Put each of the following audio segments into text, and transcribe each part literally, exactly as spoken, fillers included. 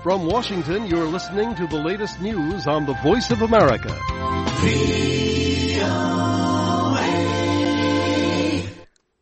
From Washington, you're listening to the latest news on the Voice of America.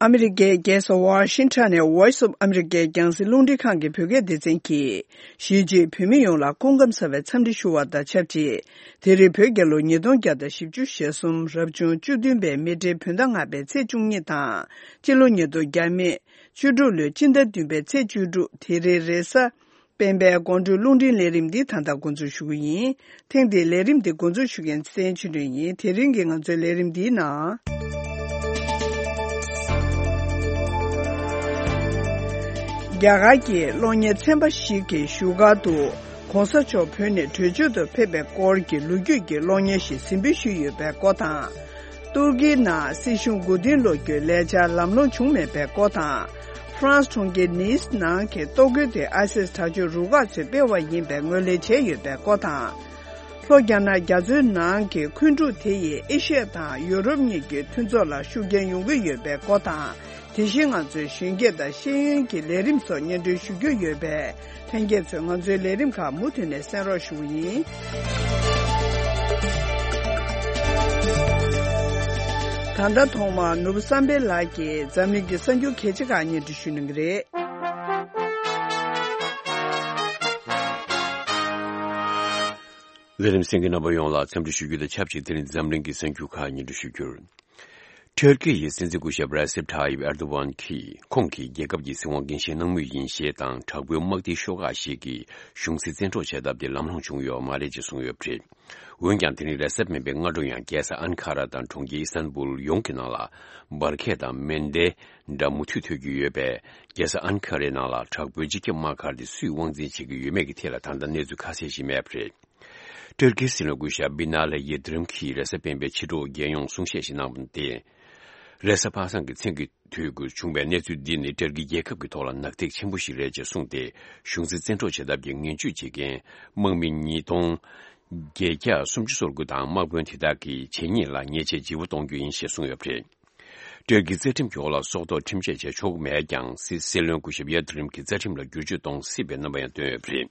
ཨ་མི་རི་ཀའི་རྒྱལ་ས་ཝ་ཤིང་ཊོན་ནས་Voice of America རྒྱང་སྲིང་རླུང་འཕྲིན་ཁང་གི་བོད་སྐད་སྡེ་ཚན་གྱིས། གཞིས་བྱེས་བོད་མི་ཡོངས་ལ་སྐུ་ཁམས་བཟང་བའི་འཚམས་འདྲི་ཞུ་བ་དང་ཆབས་ཅིག་དེ་རིང་བོད་རྒྱལ་ལོ་ཉིས་སྟོང་བརྒྱ་དང་བཞི་བཅུ་ཞེ་གསུམ་རབ་བྱུང་བཅུ་བདུན་པའི་མེ་སྤྲེལ་བོད་ཟླ་ལྔ་པའི་ཚེས་བཅུ་གཉིས་དང་། སྤྱི་ལོ་ཉིས་སྟོང་བརྒྱ་མེད་བཅུ་དྲུག་ལོའི་སྤྱི་ཟླ་བདུན་པའི་ཚེས་བཅུ་དྲུག་དེ་རིང་རེས་གཟའ་སྤེན་པའི་དགོང་དྲོའི་རླུང་འཕྲིན་ལས་རིམ་འདི་ད་ལྟ་འགོ་འཛུགས་ཞུ་གི་ཡིན། ཐེངས་འདིའི་ལས་རིམ་འདི་འགོ་འཛུགས་ཞུ་མཁན་བསྟན་ཆོས་སྒྲོན་ཡིན། དེ་རིང་གི་ང་ཚོའི་ལས་རིམ་འདིའི་ནང་། རྒྱ་གར་གྱི་གློག་བརྙན་ཚན་པ་ཞིག་གིས་བཞུགས་སྒར་དུ་༸གོང་ས་མཆོག་བོད་ནས་བྲོས་བྱོལ་དུ་ཕེབས་པའི་སྐོར་གྱི་ལོ་རྒྱུས་ཀྱི་གློག་བརྙན་ཞིག་གཟིགས་འབུལ་ཞུས་ཡོད་པའི་སྐོར་དང་། ཏུར་ཀིའི་ནང་སྲིད་གཞུང་མགོ་རྟིང་སློག་རྒྱུའི་ལས་འཆར་ལམ་ལྷོང་བྱུང་མེད་པའི་སྐོར་དང་། ཧྥ་རན་སི་གྲོང་ཁྱེར་ནིས་ནང་གི་གཏོར་རྒོལ་དེ་ཨའི་སིས་དྲག་སྤྱོད་རུ་ཁག་ཚོས་སྤེལ་བ་ཡིན་པའི་ངོས་ལེན་བྱས་ཡོད་པའི་སྐོར་དང་། ལྷོ་རྒྱ་ནག་རྒྱ་མཚོའི་ནང་གི་འཁོན་འཁྲུག་དེ་ཡིས་ཨེ་ཤི་ཡ་དང་ཡོ་རོབ་གཉིས་ཀྱི་མཐུན་ཚོགས་ལ་ཤུགས་རྐྱེན་ཡོང་གི་ཡོད་པའི་སྐོར་དང་། དེ་བཞིན་ང་ཚོའི་གཞོན་སྐྱེས་དང་ཤེས་ཡོན་གྱི་ལས་རིམ་སོགས་སྙན་སྒྲོན་ཞུ་རྒྱུ་ཡོད་པས། ལྷན་རྒྱས་ཚོས་ང་ཚོའི་ལས་རིམ་ཁག་མུ་མཐུད་ནས་གསན་རོགས་ཞུ་གི་ཡིན། ད་ལྟ་ཐོག་མར་ནོར་བུ་བསམ་འཕེལ་ལགས་ཀྱིས་འཛམ་གླིང་གི་གསར་འགྱུར་གལ་ཆེ་ཁག་སྙན་སྒྲོན་ཞུ་གནང་གི་རེད། ལས་རིམ་གསན་མཁན་རྣམ་པ་ཡོངས་ལ་འཚམས་འདྲི་ཞུ་རྒྱུ་དང་ཆབས་ཅིག་དེ་རིང་འཛམ་གླིང་གི་གསར་འགྱུར་ཁག་སྙན་སྒྲོན་ཞུ་རྒྱུར། ཏུར་ཀི་ཡི་སྲིད་འཛིན་སྐུ་ཞབས་རེ་སེབ་ཐཱ་ཡིབ་ཨེར་དོ་ཝན་གྱིས་ཁོང་གིས་རྒྱལ་ཁབ་ཀྱི་སྲིད་དབང་སྒེར་བཞེས་གནང་མུས་ཡིན་ཞེས་དང་། དྲག་པོའི་དམག་སྡེའི་ཤོག་ཁག་ཞིག་གིས་གཞུང་སྲིད་བཙན་འཕྲོག་བྱ་ཐབས་དེ་ལམ་ལྷོང་བྱུང་ཡོད་མ་རེད་ཅེས་གསུངས་ཡོད་པ་རེད། འོན་ཀྱང་དེ་རིང་རེས་གཟའ་སྤེན་པའི་སྔ་དྲོ་ཡང་རྒྱལ་ས་ཨན་ཁ་ར་དང་གྲོང་ཁྱེར་ཨི་སྟན་བུལ་ཡོངས་ཀྱི་ནང་ལ་འབར་གས་དང་མེ་མདའི་སྒྲ་མུ་མཐུད་ཐོས་རྒྱུ་ཡོད་པས། རྒྱལ་ས་ཨན་ཁ་རའི་ནང་ལ་དྲག་པོའི་སྤྱི་ཁྱབ་དམག་སྒར་དེ་སུས་དབང་འཛིན་བྱེད་ཀྱི་ཡོད་མེད་ཀྱི་ཐད་ལ་ད་ལྟ་གནས་ཚུལ་ཁ་གསལ་ཞིག་མེད་པ་རེད། ཏུར་ཀིའི་སྲིད་བློན་སྐུ་ཞབས་བི་ན་ལི་ཡིལ་དི་རིམ་གྱིས་རེས་གཟའ་སྤེན་པའི་ཕྱི་དྲོ་རྒྱལ་ཡོངས་གསུང་བཤད་ཞིག་གནང་བ་སྟེ། རེས་གཟའ་པ་སངས་ཀྱི་མཚན་གྱི་དུས་དགོས་བྱུང་བའི་གནས་ཚུལ་འདི་ནི་ཏུར་ཀི་རྒྱལ་ཁབ་ཀྱི་ཐོག་ལ་ནག་ཐིག་ཆེན་པོ་ཞིག་རེད་ཅེས་གསུངས་ཏེ། གཞུང་སྲིད་བཙན་འཕྲོག་བྱེད་ཐབས་ཀྱི་ངན་ཇུས་བྱེད་མཁན་དམག་མི་ཉིས་སྟོང་བརྒྱད་བརྒྱ་སུམ་ཅུ་སོ་དགུ་དང་དམག་དཔོན་དེ་དག་གི་གད་སྙིགས་ལ་ཉེས་ཆད་ལྗིད་པོ་གཏོང་རྒྱུ་ཡིན་ཞེས་གསུངས་ཡོད་པ་རེད། ཏུར་ཀིའི་རྩ་ཁྲིམས་ཀྱི་འོག་ལ་སྲོག་ཐོག་ཁྲིམས་ཆད་བཅད་ཆོག་གི་མེད་ཀྱང་། སྲིད་སྲིད་བློན་སྐུ་ཞབས་ཡིལ་དི་རིམ་གྱིས་རྩ་ཁྲིམས་ལ་བསྒྱུར་བཅོས་གཏོང་སྲིད་པའི་རྣམ་པ་ཡང་བཏོན་ཡོད་པ་རེད།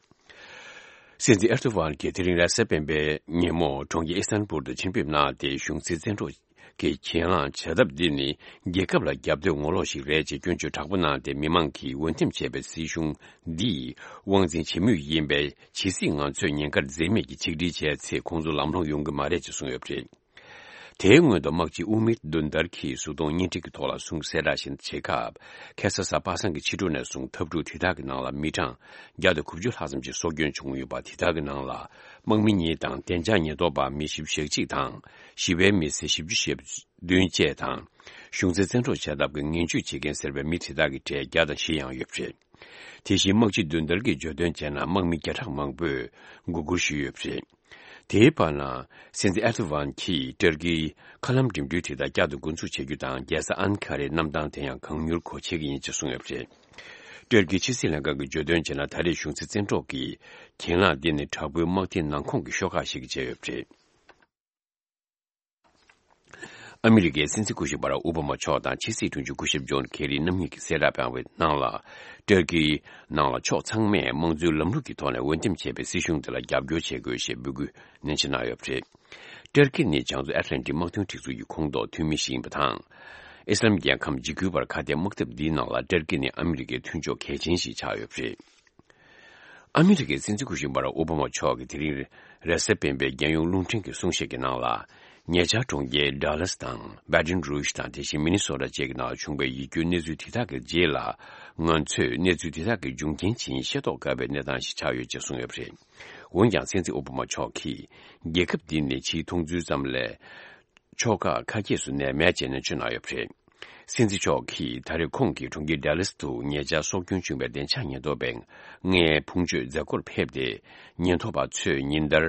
སྲིད་འཛིན་ཨེར་དོ་ཝན་གྱིས་དེ་རིང་རེས་གཟའ་སྤེན་པའི་ཉིན་མོ་གྲོང་ཁྱེར་ཨི་སྟན་བུལ་དུ་ཆིབས་ཕེབས་གནང་སྟེ། གཞུང་སྲིད་བཙན་འཕྲོག་གི་གྱེན་ལངས་བྱ་ཐབས་འདི་ནི་རྒྱལ་ཁབ་ལ་རྒྱབ་གཏོད་ངོ་ལོག་ཞིག་རེད་ཅེས་སྐྱོན་བརྗོད་དྲག་པོ་གནང་སྟེ། མི་མང་གིས་འོས་འདེམས་བྱས་པའི་སྲིད་གཞུང་འདིས་དབང་འཛིན་བྱེད་མུས་ཡིན་པས། ཇི་སྲིད་ང་ཚོས་ཉེན་ཁར་འཛེམ་མེད་ཀྱིས་ཆིག་སྒྲིལ་བྱས་ཚེ། ཁོང་ཚོ་ལམ་ལྷོང་ཡོང་གི་མ་རེད་ཅེས་གསུངས་ཡོད་པ་རེད། དེའི་སྔོན་དུ་དམག་སྤྱི་ཨུ་མིར་དུན་དར་གྱིས་གཟུགས་མཐོང་བརྙན་འཕྲིན་གྱི་ཐོག་ལ་གསུངས་གསལ་བསྒྲགས་ཤིག་བྱེད་སྐབས། ཁ་སང་གཟའ་པ་སངས་ཀྱི་ཕྱི་དྲོ་ནས་བཟུང་འཐབ་འཁྲུག་དེ་དག་གི་ནང་ལ་མི་གྲངས་བརྒྱ་དང་དགུ་བཅུ་ལྷག་ཙམ་ཞིག་སྲོག་སྐྱོན་བྱུང་ཡོད་པ། དེ་དག་གི་ནང་ལ་དམག་མི་གཉིས་དང་། བདེ་འཇགས་ཉེན་རྟོག་པ་མི་བཞི་བཅུ་ཞེ་གཅིག་དང་། ཞི་བའི་མི་སེར་བཞི་བཅུ་ཞེ་བདུན་བཅས་དང་། གཞུང་སྲིད་བཙན་འཕྲོག་བྱ་ཐབས་ཀྱི་ངན་ཇུས་བྱེད་མཁན་ཟེར་བའི་མི་དེ་དག་གི་གྲས་བརྒྱ་དང་བཞི་ཡང་ཡོད་པ་རེད། དེ་བཞིན་དམག་སྤྱི་དུན་དར་གྱིས་བརྗོད་དོན་བྱས་ན། དམག་མི་བརྒྱ་ཕྲག་མང་པོས་མགོ་སྒུར་ཞུས་ཡོད་པ་རེད། དེའི་བར་ན། སྲིད་འཛིན་ཨེར་དོ་ཝན་གྱིས་ཏུར་ཀིའི་མཁའ་ལམ་འགྲིམ་འགྲུལ་དེ་དག་བསྐྱར་དུ་འགོ་འཛུགས་བྱེད་རྒྱུ་དང་། རྒྱལ་ས་ཨན་ཁ་རའི་གནམ་ཐང་དེ་ཡང་གང་མྱུར་སྒོ་ཕྱེ་གི་ཡིན་ཅེས་གསུངས་ཡོད་པ་རེད། ཏུར་ཀིའི་ཕྱི་སྲིད་ལྷན་ཁང་གིས་བརྗོད་དོན་བྱས་ན། ད་རེས་གཞུང་སྲིད་བཙན་འཕྲོག་གི་གྱེན་ལངས་འདི་ནི་དྲག་པོའི་དམག་སྡེའི་ནང་ཁོངས་ཀྱི་ཤོག་ཁག་ཞིག་གིས་བྱས་ཡོད་པ་རེད། ཨ་མི་རི་ཀའི་སྲིད་འཛིན་སྐུ་ཞབས་བྷ་རག་ཨོ་བྷ་མ་མཆོག་དང་ཕྱི་སྲིད་དྲུང་ཆེ་སྐུ་ཞབས་ཇོན་ཁེ་རི་རྣམ་གཉིས་ཀྱིས་གསལ་བསྒྲགས་བཏང་བའི་ནང་ལ། ཏུར་ཀིའི་ནང་ལ་ཕྱོགས་ཚང་མས་དམངས་གཙོའི་ལམ་ལུགས་ཀྱི་ཐོག་ནས་འོས་འདེམས་བྱས་པའི་སྲིད་གཞུང་དེ་ལ་རྒྱབ་སྐྱོར་བྱེད་དགོས་ཞེས་འབོད་སྐུལ་ནན་ཆེ་གནང་ཡོད་པ་རེད། ཏུར་ཀི་ནི་བྱང་མཚོ་ཨེཊ་ལན་ཊིག་དམག་དོན་སྒྲིག་འཛུགས་ཀྱི་ཁོངས་གཏོགས་འཐུས་མི་ཞིག་ཡིན་པ་དང་། ཨི་སི་ལམ་རྒྱལ་ཁམས་འཇིགས་སྐུལ་བར་ཁ་གཏད་དམག་འཐབ་འདིའི་ནང་ལ་ཏུར་ཀི་ནི་ཨ་མི་རི་ཀའི་མཐུན་ཕྱོགས་གལ་ཆེན་ཞིག་ཆགས་ཡོད་པ་རེད། ཨ་མི་རི་ཀའི་སྲིད་འཛིན་སྐུ་ཞབས་བྷ་རག་ཨོ་བྷ་མ་མཆོག་གིས་དེ་རིང་རེས་གཟའ་སྤེན་པའི་རྒྱལ་ཡོངས་རླུང་འཕྲིན་གྱི་གསུང་བཤད་ཀྱི་ནང་ལ། ཉེ་ཆར་གྲོང་ཁྱེར་ཌ་ལཱ་སི་དང་བྷ་ཏོན་རུཇ་དང་། དེ་བཞིན་མི་ནི་སོ་ཊ་བཅས་ཀྱི་ནང་བྱུང་བའི་ཡིད་སྐྱོའི་གནས་ཚུལ་དེ་དག་གི་རྗེས་ལ། ང་ཚོས་གནས་ཚུལ་དེ་དག་གི་འབྱུང་རྐྱེན་ཇི་ཡིན་ཤེས་རྟོགས་དཀའ་བའི་གནས་སྟངས་ཤིག་ཆགས་ཡོད་ཅེས་གསུངས་ཡོད་པ་རེད། འོན་ཀྱང་། སྲིད་འཛིན་ཨོ་བྷ་མ་མཆོག་གིས། རྒྱལ་ཁབ་འདི་ནི་ཕྱིའི་མཐོང་ཚུལ་ཙམ་ལས། ཕྱོགས་ཁག་ཁ་གྱེས་སུ་གནས་མེད་ཅེས་ནན་བརྗོད་གནང་ཡོད་པ་རེད། སྲིད་འཛིན་མཆོག་གིས་ད་རེས་ཁོང་གིས་གྲོང་ཁྱེར་ཌ་ལཱ་སི་དུ་ཉེ་ཆར་སྲོག་སྐྱོན་བྱུང་བའི་བདེ་འཇགས་ཉེན་རྟོག་པས་མངའི་ཕུང་མཆོད་མཛད་སྒོར་ཕེབས་ཏེ། ཉེན་རྟོག་པ་ཚོས་ཉིན་ལྟར་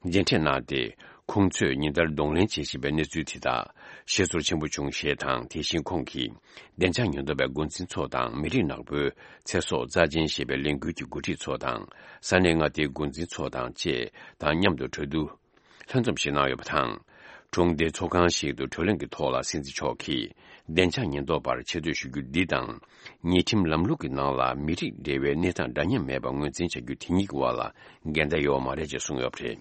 མཇལ་འཕྲད་གནང་སྟེ། ཁོང་ཚོས་ཉིན་ལྟར་གདོང་ལེན་བྱེད་བཞིན་པའི་གནས་ཚུལ་དེ་དག་ཤེས་ཚོར་ཆེན་པོ་བྱུང་ཞེས་དང་། དེ་བཞིན་ཁོང་གིས་བདེ་འཇགས་ཉེན་རྟོག་པའི་འགོ་འཛིན་ཚོ་དང་། མི་རིགས་ནག་པོའི་ཚེ་སྲོག་རྩ་ཅན་ཞེས་པའི་ལས་འགུལ་གྱི་འགོ་ཁྲིད་ཚོ་དང་། ས་གནས་མངའ་སྡེའི་འགོ་འཛིན་ཚོ་དང་བཅས་དང་མཉམ་དུ་གྲོས་བསྡུར་ལྷན་འཛོམས་ཤིག་གནང་ཡོད་པ་དང་། གྲོང་སྡེའི་ཚོགས་ཁང་ཞིག་ཏུ་གྲོས་གླེང་གི་ཐོག་ལ་སྲིད་འཛིན་མཆོག་གིས། བདེ་འཇགས་ཉེན་རྟོག་པར་ཆེ་བསྟོད་ཞུ་རྒྱུ་འདི་དང་། ཉེས་ཁྲིམས་ལམ་ལུགས་ཀྱི་ནང་ལ་མི་རིགས་འབྲེལ་བའི་གནས་སྟངས་འདྲ་མཉམ་མེད་པ་ངོས་འཛིན་བྱ་རྒྱུ་དེ་གཉིས་ཀྱི་དབར་ལ་འགལ་ཟླ་ཡོད་མ་རེད་ཅེས་གསུངས་ཡོད་པ་རེད།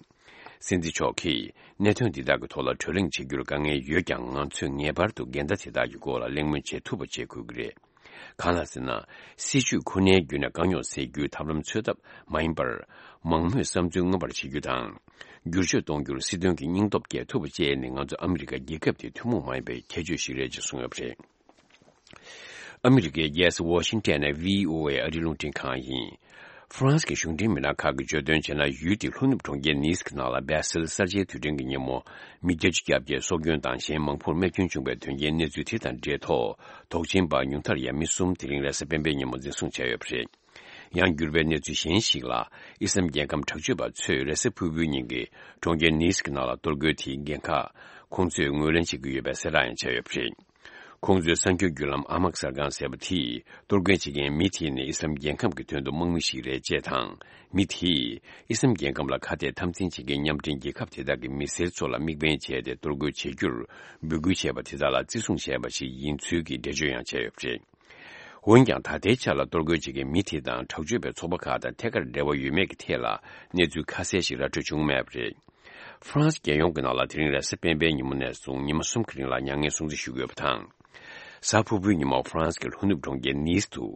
སྲིད་འཛིན་མཆོག་གིས་གནད་དོན་འདི་དག་གི་ཐོག་ལ་གྲོས་གླེང་བྱེད་རྒྱུར་དཀའ་ངལ་ཡོད་ཀྱང་། ང་ཚོས་ངེས་པར་དུ་འགལ་ཟླ་དེ་དག་གི་སྐོར་ལ་གླེང་མོལ་བྱེད་ཐུབ་པ་བྱེད་དགོས་ཀྱི་རེད། གང་ལ་ཟེར་ན། སྲིད་བྱུས་ཁོ་ནའི་བརྒྱུད་ནས་དཀའ་རྙོག་སེལ་རྒྱུའི་ཐབས་ལམ་འཚོལ་ཐབས་མ་ཡིན་པར། མང་མོས་བསམ་ཚུལ་མངོན་པར་བྱེད་རྒྱུ་དང་། བསྒྱུར་བཅོས་གཏོང་རྒྱུར་སྲིད་དོན་གྱི་སྙིང་སྟོབས་སྐྱེད་ཐུབ་པ་བཅས་ནི་ང་ཚོ་ཨ་མི་རི་ཀ་རྒྱལ་ཁབ་དེའི་ཐུན་མོང་མ་ཡིན་པའི་ཁྱད་ཆོས་ཤིག་རེད་ཅེས་གསུངས་ཡོད་པ་རེད། ཨ་མི་རི་ཀའི་རྒྱལ་ས་ཝ་ཤིང་ཊོན་ནས་བྷི་ཨོ་ཨེ་ཨ་རིའི་རླུང་འཕྲིན་ཁང་ཡིན། ཧྥ་རན་སི་གི་གཞུང་འབྲེལ་མི་སྣ་ཁག་གིས་བརྗོད་དོན་བྱས་ན། ཡུལ་དེའི་ལྷོ་ནུབ་གྲོང་ཁྱེར་ནིས་ཀྱི་ནང་ལ་བྷེ་སིལ་གསར་བརྗེའི་དུས་དྲན་གྱི་ཉིན་མོ། མི་བརྒྱད་ཅུ་གྱ་བརྒྱད་སྲོག་སྐྱོན་དང་གཞན་མང་པོར་རྨས་སྐྱོན་བྱུང་བའི་དོན་རྐྱེན་གནས་ཚུལ་དེ་དང་འབྲེལ་ཐོག་དོགས་ཅན་པ་ཉུང་མཐར་ཡང་མི་གསུམ་དེ་རིང་རེས་གཟའ་སྤེན་པའི་ཉིན་མོ་འཛིན་བཟུང་བྱས་ཡོད་པ་རེད། ཡང་འགྱུར་བའི་གནས་ཚུལ་གཞན་ཞིག་ལ། ཨི་སམ་རྒྱལ་ཁམས་དྲག་སྤྱོད་པ་ཚོས་རེས་གཟའ་ཕུར་བུའི་ཉིན་གྱི་གྲོང་ཁྱེར་ནིས་ཀྱི་ནང་ལ་གཏོར་རྒོལ་དེའི་འགན་ཁག་ཁོང་ཚོས་ངོས་ལེན་བྱེད་ཀྱི་ཡོད་པའི་གསལ་བསྒྲགས་ཡང་བྱས་ཡོད་པ་རེད། ཁོང་ཚོའི་གསར་འགྱུར་བརྒྱུད་ལམ་ཨ་མག་གསར་ཁང་ཟེར་བ་དེས་གཏོར་རྒོལ་བྱེད་མཁན་མི་དེ་ནི་ཨི་སམ་རྒྱལ་ཁམས་ཀྱི་དོན་དུ་དམག་མི་ཞིག་རེད་ཅེས་དང་། མི་དེས་ཨི་སམ་རྒྱལ་ཁམས་ལ་ཁ་གཏད་འཐབ་འཛིང་བྱེད་མཁན་མཉམ་འབྲེལ་རྒྱལ་ཁབ་དེ་དག་གི་མི་སེར་ཚོ་ལ་དམིགས་འབེན་བྱས་ཏེ་གཏོར་རྒོལ་བྱེད་རྒྱུར་འབོད་སྐུལ་བྱས་པ་དེ་དག་ལ་བརྩི་སྲུང་བྱས་པ་ཞིག་ཡིན་ཚུལ་གྱི་འགྲེལ་བརྗོད་ཡང་བྱས་ཡོད་པ་རེད། འོན་ཀྱང་། ད་ལྟའི་ཆ་ལ་གཏོར་རྒོལ་བྱེད་མཁན་མི་དེ་དང་དྲག་སྤྱོད་པའི་ཚོགས་པ་ཁག་དང་ཐད་ཀར་འབྲེལ་བ་ཡོད་མེད་ཀྱི་ཐད་ལ་གནས་ཚུལ་ཁ་གསལ་ཞིག་ར་སྤྲོད་བྱུང་མེད་པ་རེད། ཧྥ་རན་སི་རྒྱལ་ཡོངས་ཀྱི་ནང་ལ་དེ་རིང་རེས་གཟའ་སྤེན་པའི་ཉིན་མོ་ནས་བཟུང་ཉི་མ་གསུམ་གྱི་རིང་ལ་མྱ་ངན་སྲུང་བརྩི་ཞུ་དགོས་པ་དང་། གཟའ་ཕུར་བུའི་ཉིན་མོ་ཧྥ་རན་སི་གི་ལྷོ་ནུབ་གྲོང་ཁྱེར་ནིས་དུ་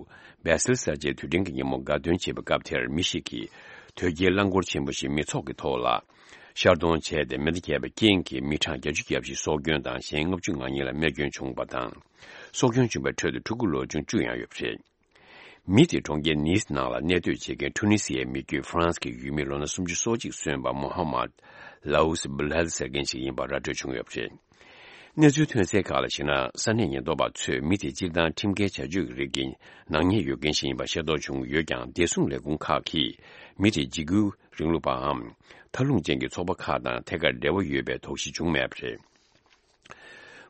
བྷེ་སིལ་གསར་བརྗེའི་དུས་དྲན་གྱི་ཉིན་མོ་དགའ་སྟོན་བྱེད་པའི་སྐབས་དེར། མི་ཞིག་གིས་དོལ་རྒྱལ་རླངས་འཁོར་ཆེན་པོ་ཞིག་མི་ཚོགས་ཀྱི་ཐོག་ལ་ཤར་གཏོང་བྱས་ཏེ། མེ་མདའ་བརྒྱབ་པའི་རྐྱེན་གྱིས་མི་གྲངས་བརྒྱད་ཅུ་གྱ་བཞི་སྲོག་སྐྱོན་དང་། གཞན་ལྔ་བཅུ་ང་གཉིས་ལ་རྨས་སྐྱོན་བྱུང་བ་དང་། སྲོག་སྐྱོན་བྱུང་བའི་ཁྲོད་དུ་ཕྲུ་གུ་ལོ་ཆུང་བཅུ་ཡང་ཡོད་པ་རེད། མི་དེ་གྲོང་ཁྱེར་ནིས་ནང་ལ་གནས་སྡོད་བྱེད་མཁན་ཊུ་ནི་སི་ཡའི་མི་རྒྱུད་ཧྥ་རན་སི་གི་ཡུལ་མི་ལོ་ན་སུམ་ཅུ་སོ་གཅིག་སོན་པ་མོ་ཧ་མད་ལའུ་སི་བུ་ལྷལ་ཟེར་མཁན་ཞིག་ཡིན་པ་ར་སྤྲོད་བྱུང་ཡོད་པ་རེད། གནས་ཚུལ་ཐོན་གསལ་ཁག་ལ་གཞིགས་ན། ས་གནས་ཉེན་རྟོག་པ་ཚོས་མི་དེ་སྤྱིར་བཏང་ཁྲིམས་འགལ་བྱ་སྤྱོད་ཀྱི་རིགས་ཀྱི་ནག་ཉེས་ཡོད་མཁན་ཞིག་ཡིན་པ་ཤེས་རྟོགས་བྱུང་ཡོད་ཀྱང་། བདེ་སྲུང་ལས་ཁུངས་ཁག་གིས་མི་དེ་འཇིགས་སྐུལ་རིང་ལུགས་པའམ་མཐའ་ལྷུང་ཅན་གྱི་ཚོགས་པ་ཁག་དང་ཐད་ཀར་འབྲེལ་བ་ཡོད་པའི་དོགས་གཞི་བྱུང་མེད་པ་རེད།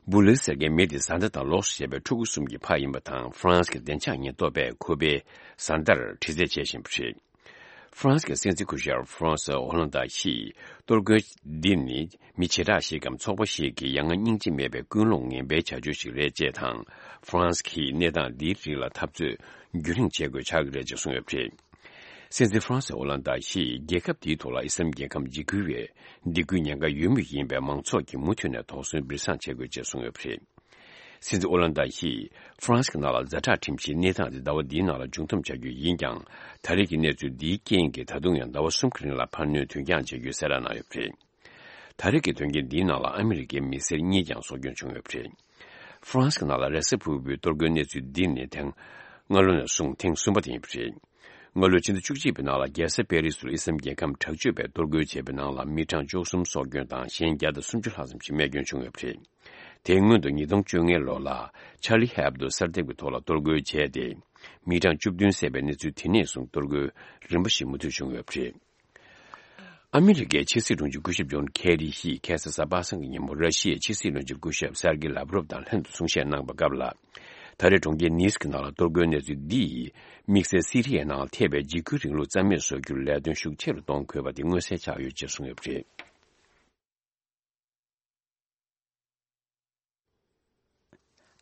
བུ་ལི་ཟེར་མཁན་མི་དེ་བཟའ་ཟླ་དང་ལོགས་སུ་བྱས་པའི་ཕྲུ་གུ་གསུམ་གྱི་ཕ་ཡིན་པ་དང་། ཧྥ་རན་སི་གི་བདེ་འཇགས་ཉེན་རྟོག་པས་ཁོ་པའི་བཟའ་ཟླར་དྲི་རྩད་བྱེད་བཞིན་པ་རེད། ཧྥ་རན་སི་གི་སྲིད་འཛིན་སྐུ་ཞབས་ཧྥ་རན་སི་ཨོ་ལན་ཏ་ཡིས། གཏོར་རྒོལ་འདི་ནི་མི་བྱེ་བྲག་ཞིག་གམ་ཚོགས་པ་ཞིག་གི་ཡ་ང་སྙིང་རྗེ་མེད་པའི་ཀུན་སློང་ངན་པའི་བྱ་སྤྱོད་ཞིག་རེད་ཅེས་དང་། ཧྥ་རན་སི་གིས་གནས་སྟངས་འདིའི་རིགས་ལ་འཐབ་རྩོད་རྒྱུན་རིང་བྱེད་དགོས་ཆགས་ཀྱི་རེད་ཅེས་གསུངས་ཡོད་པ་རེད། སྲིད་འཛིན་ཧྥ་རན་སི་ཨོ་ལན་ཏ་ཡིས་རྒྱལ་ཁབ་དེའི་ཐོག་ལ་ཨི་སམ་རྒྱལ་ཁམས་འཇིགས་སྐུལ་བའི་སྡིགས་སྐུལ་ཉེན་ཁ་ཡོད་མུས་ཡིན་པས། མང་ཚོགས་ཀྱིས་མུ་མཐུད་ནས་དོགས་ཟོན་སྦྱིན་བཟང་བྱེད་དགོས་ཅེས་གསུངས་ཡོད་པ་རེད། སྲིད་འཛིན་ཨོ་ལན་ཏ་ཡིས་ཧྥ་རན་སི་ནང་ལ་ཛ་དྲག་ཁྲིམས་ཀྱིས་གནས་སྟངས་དེ་ཟླ་བ་འདིའི་ནང་ལ་མཇུག་བསྡོམས་བྱ་རྒྱུ་ཡིན་ཀྱང་། ད་རེས་ཀྱི་གནས་ཚུལ་འདིའི་རྐྱེན་གྱིས་ད་དུང་ཡང་ཟླ་བ་གསུམ་གྱི་རིང་ལ་འཕར་སྣོན་དུས་འགྱངས་བྱེད་རྒྱུའི་གསལ་བསྒྲགས་གནང་ཡོད་པ་རེད། ད་རེས་ཀྱི་དོན་རྐྱེན་འདིའི་ནང་ལ་ཨ་མི་རི་ཀའི་མི་སེར་གཉིས་ཀྱང་སྲོག་སྐྱོན་བྱུང་ཡོད་པ་རེད། ཧྥ་རན་སི་ནང་ལ་རེས་གཟའ་ཕུར་བུའི་གཏོར་རྒོལ་གནས་ཚུལ་འདི་ནི་དེ་སྔ་ལོ་ནས་བཟུང་ཐེངས་གསུམ་པ་དེ་ཡིན་པ་རེད། སྔ་ལོའི་ཕྱི་ཟླ་བཅུ་གཅིག་པའི་ནང་ལ་རྒྱལ་ས་པེ་རི་སུར་ཨི་སམ་རྒྱལ་ཁམས་དྲག་སྤྱོད་པས་གཏོར་རྒོལ་བྱས་པའི་ནང་ལ་མི་གྲངས་བཅུ་གསུམ་སྲོག་སྐྱོན་དང་གཞན་བརྒྱ་དང་སུམ་ཅུ་ལྷག་ཙམ་ཞིག་རྨས་སྐྱོན་བྱུང་ཡོད་པ་རེད། དེའི་སྔོན་དུ་ཉིས་སྟོང་བཅོ་ལྔའི་ལོ་ལ་ཆར་ལི་ཧེབ་ཏོ་གསར་དེབ་ཀྱི་ཐོག་ལ་གཏོར་རྒོལ་བྱས་ཏེ། མི་གྲངས་བཅུ་བདུན་བསད་པའི་གནས་ཚུལ་དེ་ནས་བཟུང་གཏོར་རྒོལ་རིམ་པ་ཞིག་མུ་མཐུད་བྱུང་ཡོད་པ་རེད། ཨ་མི་རི་ཀའི་ཕྱི་སྲིད་དྲུང་ཆེ་སྐུ་ཞབས་ཇོན་ཁེ་རི་ཡིས་ཁ་སང་གཟའ་པ་སངས་ཀྱི་ཉིན་མོ་ར་ཤི་ཡའི་ཕྱི་སྲིད་བློན་ཆེན་སྐུ་ཞབས་སར་གི་ལབ་རོབ་དང་ལྷན་དུ་གསུང་བཤད་གནང་པའི་སྐབས་ལ། ད་རེས་གྲོང་ཁྱེར་ནིས་ཀྱི་ནང་ལ་གཏོར་རྒོལ་གནས་ཚུལ་འདིས་དམིགས་བསལ་སི་རི་ཡའི་ནང་ཐེབས་པའི་འཇིགས་སྐུལ་རིང་ལུགས་རྩ་མེད་བཟོ་རྒྱུར་ལས་དོན་ཤུགས་ཆེ་རུ་གཏོང་དགོས་པ་དེ་མངོན་གསལ་ཆགས་ཡོད་ཅེས་གསུངས་ཡོད་པ་རེད།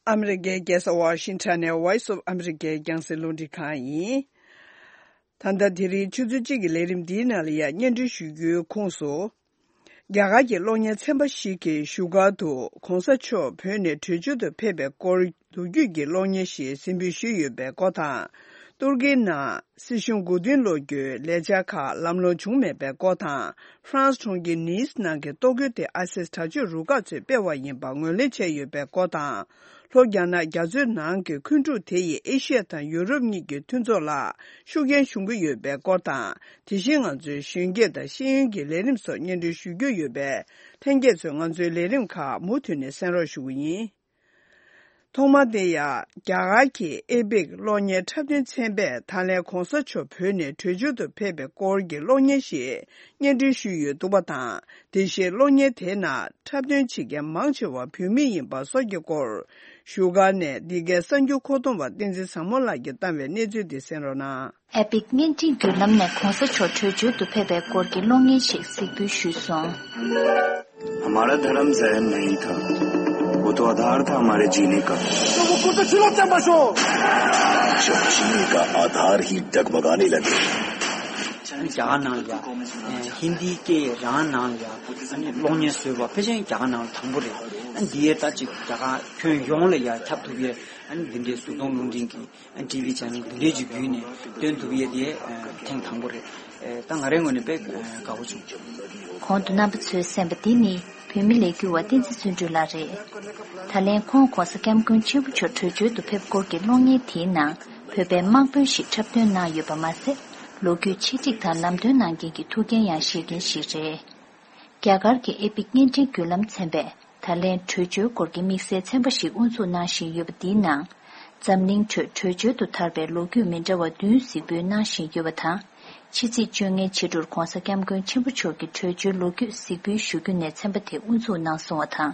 ཨ་མི་རི་ཀའི་རྒྱལ་ས་ཝ་ཤིང་ཊོན་ནས་Voice of America རྒྱང་སྲིང་རླུང་འཕྲིན་ཁང་ཡིན། ད་ལྟ་དེ་རིང་ཆུ་ཚོད་གཅིག་གི་ལས་རིམ་འདིའི་ནང་ལ་ཡང་སྙན་སྒྲོན་ཞུ་རྒྱུའི་ཁོངས་སུ། རྒྱ་གར་གྱི་གློག་བརྙན་ཚན་པ་ཞིག་གིས་བཞུགས་སྒར་དུ་གོང་ས་མཆོག་བོད་ནས་བྲོས་བྱོལ་དུ་ཕེབས་པའི་སྐོར་ལོ་རྒྱུས་ཀྱི་གློག་བརྙན་ཞིག་གཟིགས་འབུལ་ཞུས་ཡོད་པའི་སྐོར་དང་། ཏུར་ཀིའི་ནང་སྲིད་གཞུང་མགོ་རྟིང་སློག་རྒྱུའི་ལས་འཆར་ཁག་ལམ་ལྷོང་བྱུང་མེད་པའི་སྐོར་དང་། ཧྥ་རན་སི་གྲོང་ཁྱེར་ནིས་ནང་གི་གཏོར་རྒོལ་དེ་ཨ་སིས་དྲག་སྤྱོད་རུ་ཁག་ཚོས་སྤེལ་བ་ཡིན་པ་ངོས་ལེན་བྱས་ཡོད་པའི་སྐོར་དང་། ལྷོ་རྒྱ་ནག་རྒྱ་མཚོའི་ནང་གི་འཁོན་འཁྲུག་དེ་ཡིས་ཨེ་ཤི་ཡ་དང་ཡུ་རོབ་གཉིས་ཀྱི་མཐུན་ཚོགས་ལ་ཤུགས་རྐྱེན་བྱུང་གི་ཡོད་པའི་སྐོར་དང་། དེ་བཞིན་ང་ཚོའི་གཞོན་སྐྱེས་དང་ཤེས་ཡོན་གྱི་ལས་རིམ་སོགས་སྙན་སྒྲོན་ཞུ་རྒྱུ་ཡོད་པས། ལྷན་རྒྱས་ཚོས་ང་ཚོའི་ལས་རིམ་ཁག་མུ་མཐུད་ནས་གསན་རོགས་ཞུ་གི་ཡིན། ཐོག་མར་དེ་ཡང་རྒྱ་གར་གྱི་ཨེ་པེག་གློག་བརྙན་འཁྲབ་སྟོན་ཚན་པས་ད་ལན་གོང་ས་མཆོག་བོད་ནས་བྲོས་བྱོལ་དུ་ཕེབས་པའི་སྐོར་གྱི་གློག་བརྙན་ཞིག་སྙན་སྒྲོན་ཞུས་ཡོད་འདུག་པ་དང་། དེ་བཞིན་གློག་བརྙན་དེའི་ནང་འཁྲབ་སྟོན་བྱེད་མཁན་མང་ཆེ་བ་བོད་མི་ཡིན་པ་སོགས་ཀྱི་སྐོར། བཞུགས་སྒར་ནས་འདི་གའི་གསར་འགྱུར་མཁོ་གཏོང་བ་བསྟན་འཛིན་བཟང་མོ་ལགས་ཀྱིས་བཏང་བའི་གནས་ཚུལ་དེ་གསན་རོགས་གནང་། ཨེ་པིག་བརྙན་འཕྲིན་བརྒྱུད་ལམ་ནས་གོང་ས་མཆོག་བྲོས་བྱོལ་དུ་ཕེབས་པའི་སྐོར་གྱི་གློག་བརྙན་ཞིག་གཟིགས་འབུལ་ཞུས་སོང་། हमारा धर्म जय नहीं था, वो तो आधार था हमारे जीने का। तो वो कुर्ता छिलो चंबा शो। जब जीने का आधार ही डगमगाने लगे। རྒྱ་གར་ནང་ལ་ཡ་ཧིན་དིའི་སྐད་རང་ནང་ལ་ཡ་གློག་བརྙན་བཟོས་པ་ཕལ་ཆེར་རྒྱ་གར་ནང་ལ་དང་པོ་རེད། འདི་ཡས་ད་ཅིག་རྒྱ་གར་ཁྱོན་ཡོངས་ལ་ཡ་ཁྱབ་ཐུབ་ཡས་འདི་འདྲའི་གཟུགས་མཐོང་རླུང་འཕྲིན་གྱི་ཊི་ཝི་ཆེ་ནལ་འདི་འདྲའི་ཅིག་བརྒྱུད་ནས་སྟོན་ཐུབ་ཡས་དེ་ཐེངས་དང་པོ་རེད། ད་ང་རའི་ངོས་ནས་དཔེ་དགའ་བོ་བྱུང་། གོང་དུ་རྣམ་པ་ཚོས་གསན་པ་འདི་ནི་བོད་མི་ལས་འགུལ་བ་བསྟན་འཛིན་བརྩོན་འགྲུས་ལགས་རེད། ད་ལན་ཁོང་༧གོང་ས་༧སྐྱབས་མགོན་ཆེན་པོ་མཆོག་བྲོས་བྱོལ་དུ་ཕེབས་སྐོར་གྱི་གློག་བརྙན་དེའི་ནང་བོད་པའི་དམག་དཔོན་ཞིག་འཁྲབ་སྟོན་གནང་ཡོད་པ་མ་ཟད། ལོ་རྒྱུས་ཆེད་སྒྲིག་དང་ལམ་སྟོན་གནང་མཁན་གྱི་ཐུགས་འགན་ཡང་བཞེས་མཁན་ཞིག་རེད། རྒྱ་གར་གྱི་ཨེ་པིག་བརྙན་འཕྲིན་བརྒྱུད་ལམ་ཚན་པས་ད་ལན་བྲོས་བྱོལ་སྐོར་གྱི་དམིགས་བསལ་ཚན་པ་ཞིག་དབུ་འཛུགས་གནང་བཞིན་ཡོད་པ་འདིའི་ནང་། འཛམ་གླིང་ཁྲོད་བྲོས་བྱོལ་དུ་དར་བའི་ལོ་རྒྱུས་མི་འདྲ་བ་བདུན་གཟིགས་འབུལ་གནང་བཞིན་ཡོད་པ་དང་། ཕྱི་ཚེས་བཅོ་ལྔའི་ཕྱི་དྲོར་༧གོང་ས་༧སྐྱབས་མགོན་ཆེན་པོ་མཆོག་གི་བྲོས་བྱོལ་ལོ་རྒྱུས་གཟིགས་འབུལ་ཞུ་རྒྱུ་ནས་ཚན་པ་དེ་དབུ་འཛུགས་གནང་སོང་བ་དང་།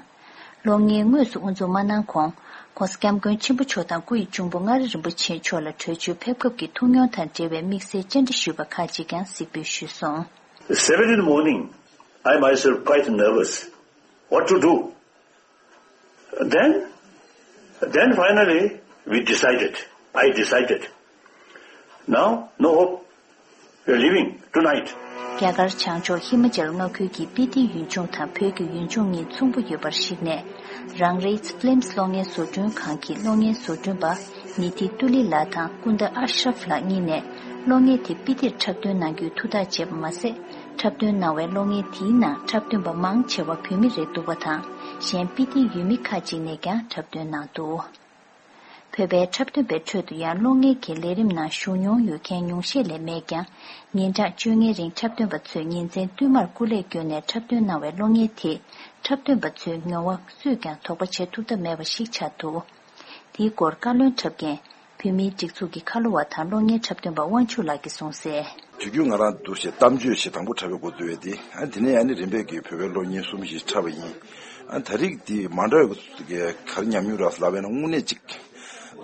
གློག་བརྙན་དངོས་སུ་དབུ་འཛུགས་མ་གནང་གོང་༧གོང་ས་༧སྐྱབས་མགོན་ཆེན་པོ་མཆོག་དང་སྐུ་ཡི་གཅུང་པོ་མངའ་རིས་རིན་པོ་ཆེ་མཆོག་ལ་བྲོས་བྱོལ་ཕེབས་སྐབས་ཀྱི་ཐུགས་མྱོང་དང་འབྲེལ་བའི་དམིགས་བསལ་བཅར་འདྲི་ཞུས་པ་ཁག་ཅིག་ཀྱང་གཟིགས་འབུལ་ཞུས་སོང་། Seven in the morning, I myself quite nervous. What to do? Then, then finally, we decided. I decided. Now, no hope. We are leaving tonight. རྒྱ་གར་བྱང་ཕྱོགས་ཧི་མ་ཅལ་མངའ་ཁུལ་གྱི་སྤི་ཏི་ཡུལ་ལྗོངས་དང་བོད་ཀྱི་ཡུལ་ལྗོངས་གཉིས་མཚུངས་པོ་ཡོད་པར་གཞིགས་ནས། རང་རེའི་ཕི་ལིམ་གློག་བརྙན་བཟོ་སྐྲུན་ཁང་གི་གློག་བརྙན་བཟོ་སྐྲུན་པ་ནི་ཐི་ཏུ་ལི་ལགས་དང་ཀུན་ད་ཨ་ཤ་རབ་ལགས་གཉིས་ནས་གློག་བརྙན་དེ་སྤི་ཏིར་འཁྲབ་སྟོན་གནང་རྒྱུའི་ཐུགས་ཐག་བཅད་པ་མ་ཟད། འཁྲབ་སྟོན་གནང་བའི་གློག་བརྙན་དེའི་ནང་འཁྲབ་སྟོན་པ་མང་ཆེ་བ་བོད་མི་རེད་འདུག་པ་དང་། གཞན་སྤི་ཏིའི་ཡུལ་མི་ཁག་ཅིག་ནས་ཀྱང་འཁྲབ་སྟོན་གནང་འདུག་བོད་པའི་འཁྲབ་སྟོན་པའི་ཁྲོད་དུ་ཡང་གློག་བརྙན་གྱི་ལས་རིམ་ནང་ཞུགས་མྱོང་ཡོད་མཁན་ཉུང་ཤས་ལས་མེད་ཀྱང་། ཉིན་གྲངས་བཅོ་ལྔའི་རིང་འཁྲབ་སྟོན་པ་ཚོས་ཉིན་མཚན་བསྟུད་མར་སྐུ་ལས་བསྐྱོན་ནས་འཁྲབ་སྟོན་གནང་བའི་གློག་བརྙན་དེས་འཁྲབ་སྟོན་པ་ཚོའི་མྱོང་བ་སུས་ཀྱང་དོགས་པ་བྱེད་ཐུབ་ཐབས་མེད་པ་ཞིག་ཆགས་འདུག་དེའི་སྐོར་བཀའ་བློན་འཁྲབ་མཁན་བོད་མིའི་སྒྲིག་འཛུགས་ཀྱི་ཁ་ལོ་བ་དང་གློག་བརྙན་འཁྲབ་སྟོན་པ་དབང་ཕྱུག་ལགས་ཀྱིས་གསུངས་གསལ། དུས་རྒྱུན་ང་རང་འདུག་སེ་གཏམ་བརྗོད་ཞིག་དང་པོ་འཁྲབ་པའི་འགོ་བཙུགས་པ་དེ། ཨ་དེ་ནས་ཨ་ནི་རིམ་པས་ཀྱི་བོད་པའི་གློག་བརྙན་གསུམ་ཞིག་འཁྲབ་པ་ཡིན། ཨ་ད་རེས་དེ་མ་འདྲ་བའི་ག་རེ་ཉམས་མྱོང་རག་ལབ་པ་ཡིན་ན་དངོས་གནས་ཅིག་